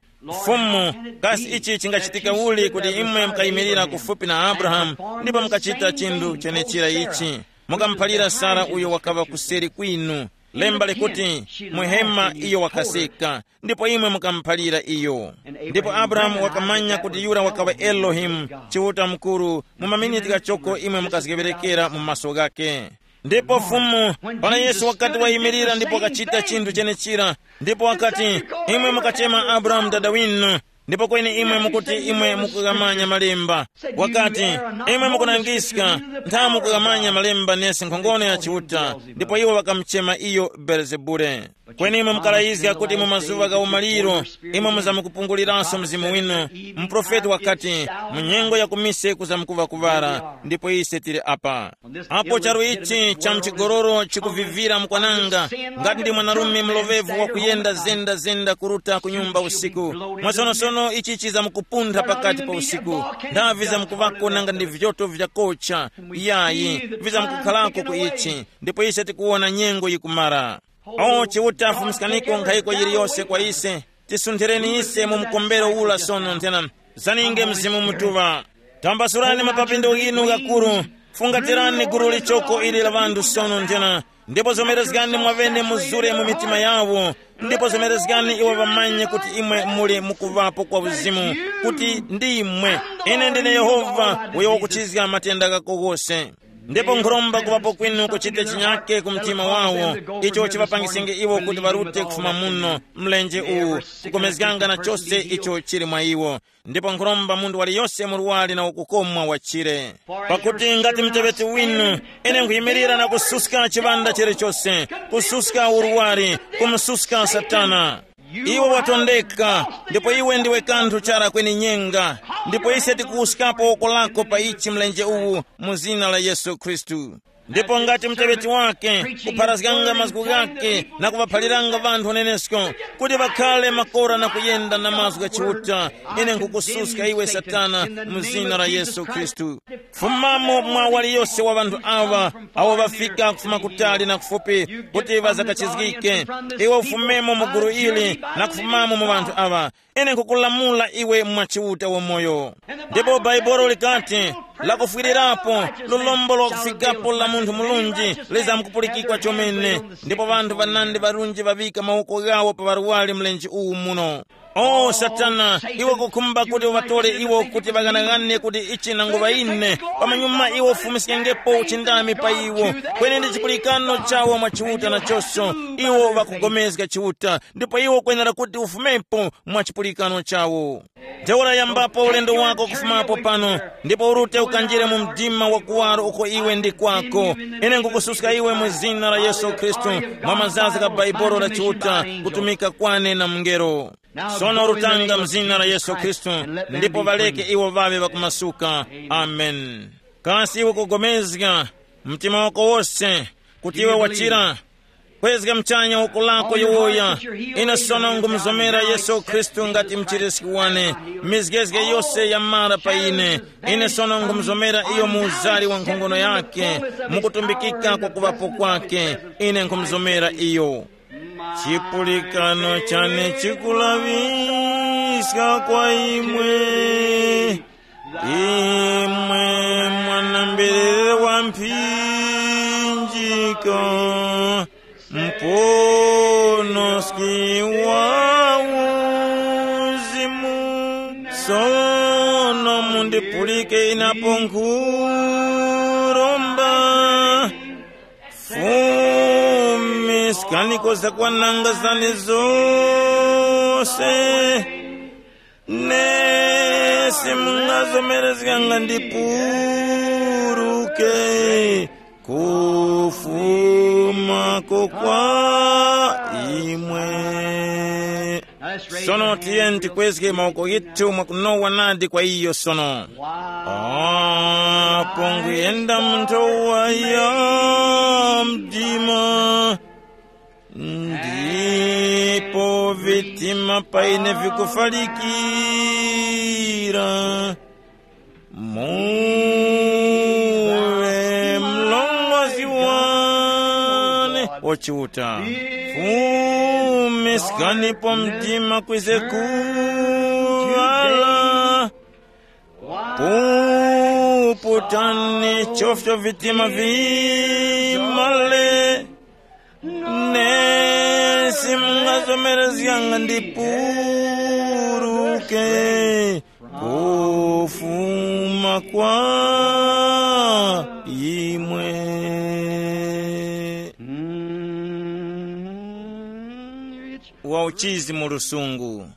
Fumu, kasi ichi chingachitika uli kuti imwe mukayimirira kufupi na Abrahamu ndipo mukachita chinthu chenechira ichi? Mukamuphalira Sara uyo wakaŵa kuseri kwinu. Lemba likuti, muhema iyo wakaseka, ndipo imwe mukamuphalira iyo. Ndipo Abrahamu wakamanya kuti yura wakaŵa Elohimu, Chiuta mukuru, mu maminiti ghachoko imwe mukazgeŵerekera mu maso ghake. Ndipo Fumu, para Yesu wakati wayimirira ndipo wakachita chinthu chenechira, ndipo wakati, imwe mukachema Abrahamu dada winu, ndipo kweni imwe mukuti imwe mukughamanya malemba. Wakati, imwe mukunangiska, ntha mukughamanya malemba nesi nkhongono ya Chiuta. Ndipo iwo ŵakamuchema iyo Belezebule. Kweni imwe mukalayizga kuti mu mazuŵa gha umaliro imwe muzamkupunguliranso mzimu winu. Muprofeti wakati, mu nyengo ya kumise kuzamkuŵa kuŵala, ndipo ise tili apa. Apo charu ichi cha mchigororo chikuvivira mukwananga, ngati ndi mwanarume mulovevu wakuyenda zenda zenda kuruta ku nyumba usiku, mwasonosono ichi chizamkupuntha pakati pa usiku. Ndavi zamkuvako nanga ndi vyoto vyakocha, yayi, vizamkukhalako ku ichi. Ndipo ise tikuwona nyengo yikumara. O Chiuta, fumuskaniko nkhayiko yiliyose kwa ise. Tisunthireni ise mu mkombero ula sono nthena. Zaninge Mzimu Mutuŵa. Tambasurani mapapindo ghinu ghakuru. Fungatirani gulu lichoko ili la ŵanthu sono nthena. Ndipo zomerezgani mwaŵene muzure mu mitima yawo. Ndipo zomerezgani iwo ŵamanye kuti imwe muli mukuŵapo kwa uzimu, kuti ndimwe. Ine ndine Yehova uyo wakuchizga matenda ghako ghose. Ndipo nkhuromba kuŵapo kwinu kuchite chinyake ku mtima wawo, icho chiŵapangisenge iwo kuti ŵarute kufuma muno, mlenje uwu, kukomezganga na chose icho chili mwa iwo. Ndipo nkhuromba munthu waliyose murwari na wakukomwa wachire. Pakuti ngati mteŵeti winu, ine nkhuyimirira na kususka chiŵanda chilichose, kususka urwari, kumususka Satana. Iwe watondeka, ndipo iwe ndiwe kanthu chara kweni nyenga. Ndipo ise tikuwuskapo woko lako pa ichi mlenje uwu, mu zina la Yesu Khristu. Ndipo ngati mteŵeti wake, kupharazganga mazgu ghake na kuŵaphaliranga ŵanthu unenesko, kuti ŵakhale makora na kuyenda na mazgu gha Chiuta, ine nkhukususka iwe Satana, mu zina la Yesu Khristu. Fumamo mwa waliyose wa ŵanthu awa, awo ŵafika kufuma kutali na kufupi, kuti ŵazakachizgike. Iwe ufumemo mu gulu ili na kufumamo mu ŵanthu awa. Ine nkhukulamula iwe mwa Chiuta wamoyo. Ndipo Bhaibuli likati, lakufwirirapo, lulombo lwakufikapo la munthu murunji lizamkupulikikwa chomene. Ndipo ŵanthu ŵanandi ŵarunji ŵaŵika mawoko ghawo pa ŵarwari mlenje uwu muno. O Satana, iwe kukhumba kuti uŵatore iwo kuti ŵaghanagane kuti ichi nanguŵa ine, pamanyuma iwe ufumiskengepo uchindami pa iwo. Kweni ndi chipulikano chawo mwa Chiuta nachoso, iwo ŵakugomezga Chiuta, ndipo iwe ukwenera kuti ufumepo mwa chipulikano chawo. Ntheura yambapo ulendo wako kufumapo pano, ndipo urute ukanjire mu mdima wa kuwaro uko iwe ndi kwako. Ine nkukususka iwe mu zina la Yesu Khristu, mwa mazazi gha Bhaibuli la Chiuta, kutumika kwane na mungelo. Sono rutanga mzina la Yesu Khristu, ndipo ŵaleke iwo ŵaŵe ŵakumasuka. Amen. Kasi iwe kugomezga mtima wako wose kuti iwe wachira? Kwezga mchanya woko lako yowoya. Ine sono ngumuzomera Yesu Khristu ngati mchiriski wane. Mizgezge yose yamara pa ine. Ine sono ngumuzomera iyo mu uzari wa nkhongono yake, mukutumbikika kwa kuŵapo kwake. Ine nkhumuzomera iyo. Chipulikano chane chikulaŵiska kwa imwe, imwe mwanamberere wa mphinjika, mponoski wa uzimu. Sono mundipulike inapo nkhuromba, fumiskani zakwananga zane zose. Nesi mungazomerezganga ndipuruke kufuma ko kwa imwe. Sono tiyeni tikwezge mawoko ghetu mwakunowa nadi kwa iyo sono. Apo nguyenda mu nthowa ya mdima, ndipo vitima paine vikufalikira, muwe mlongozi wane ochiuta. Fumiskanipo mdima kwize kuŵala, puputani chofcho vitima vimale. Nesi mungazomerezganga ndipuruke kufuma kwa imwe. Wa uchizi mu lusungu.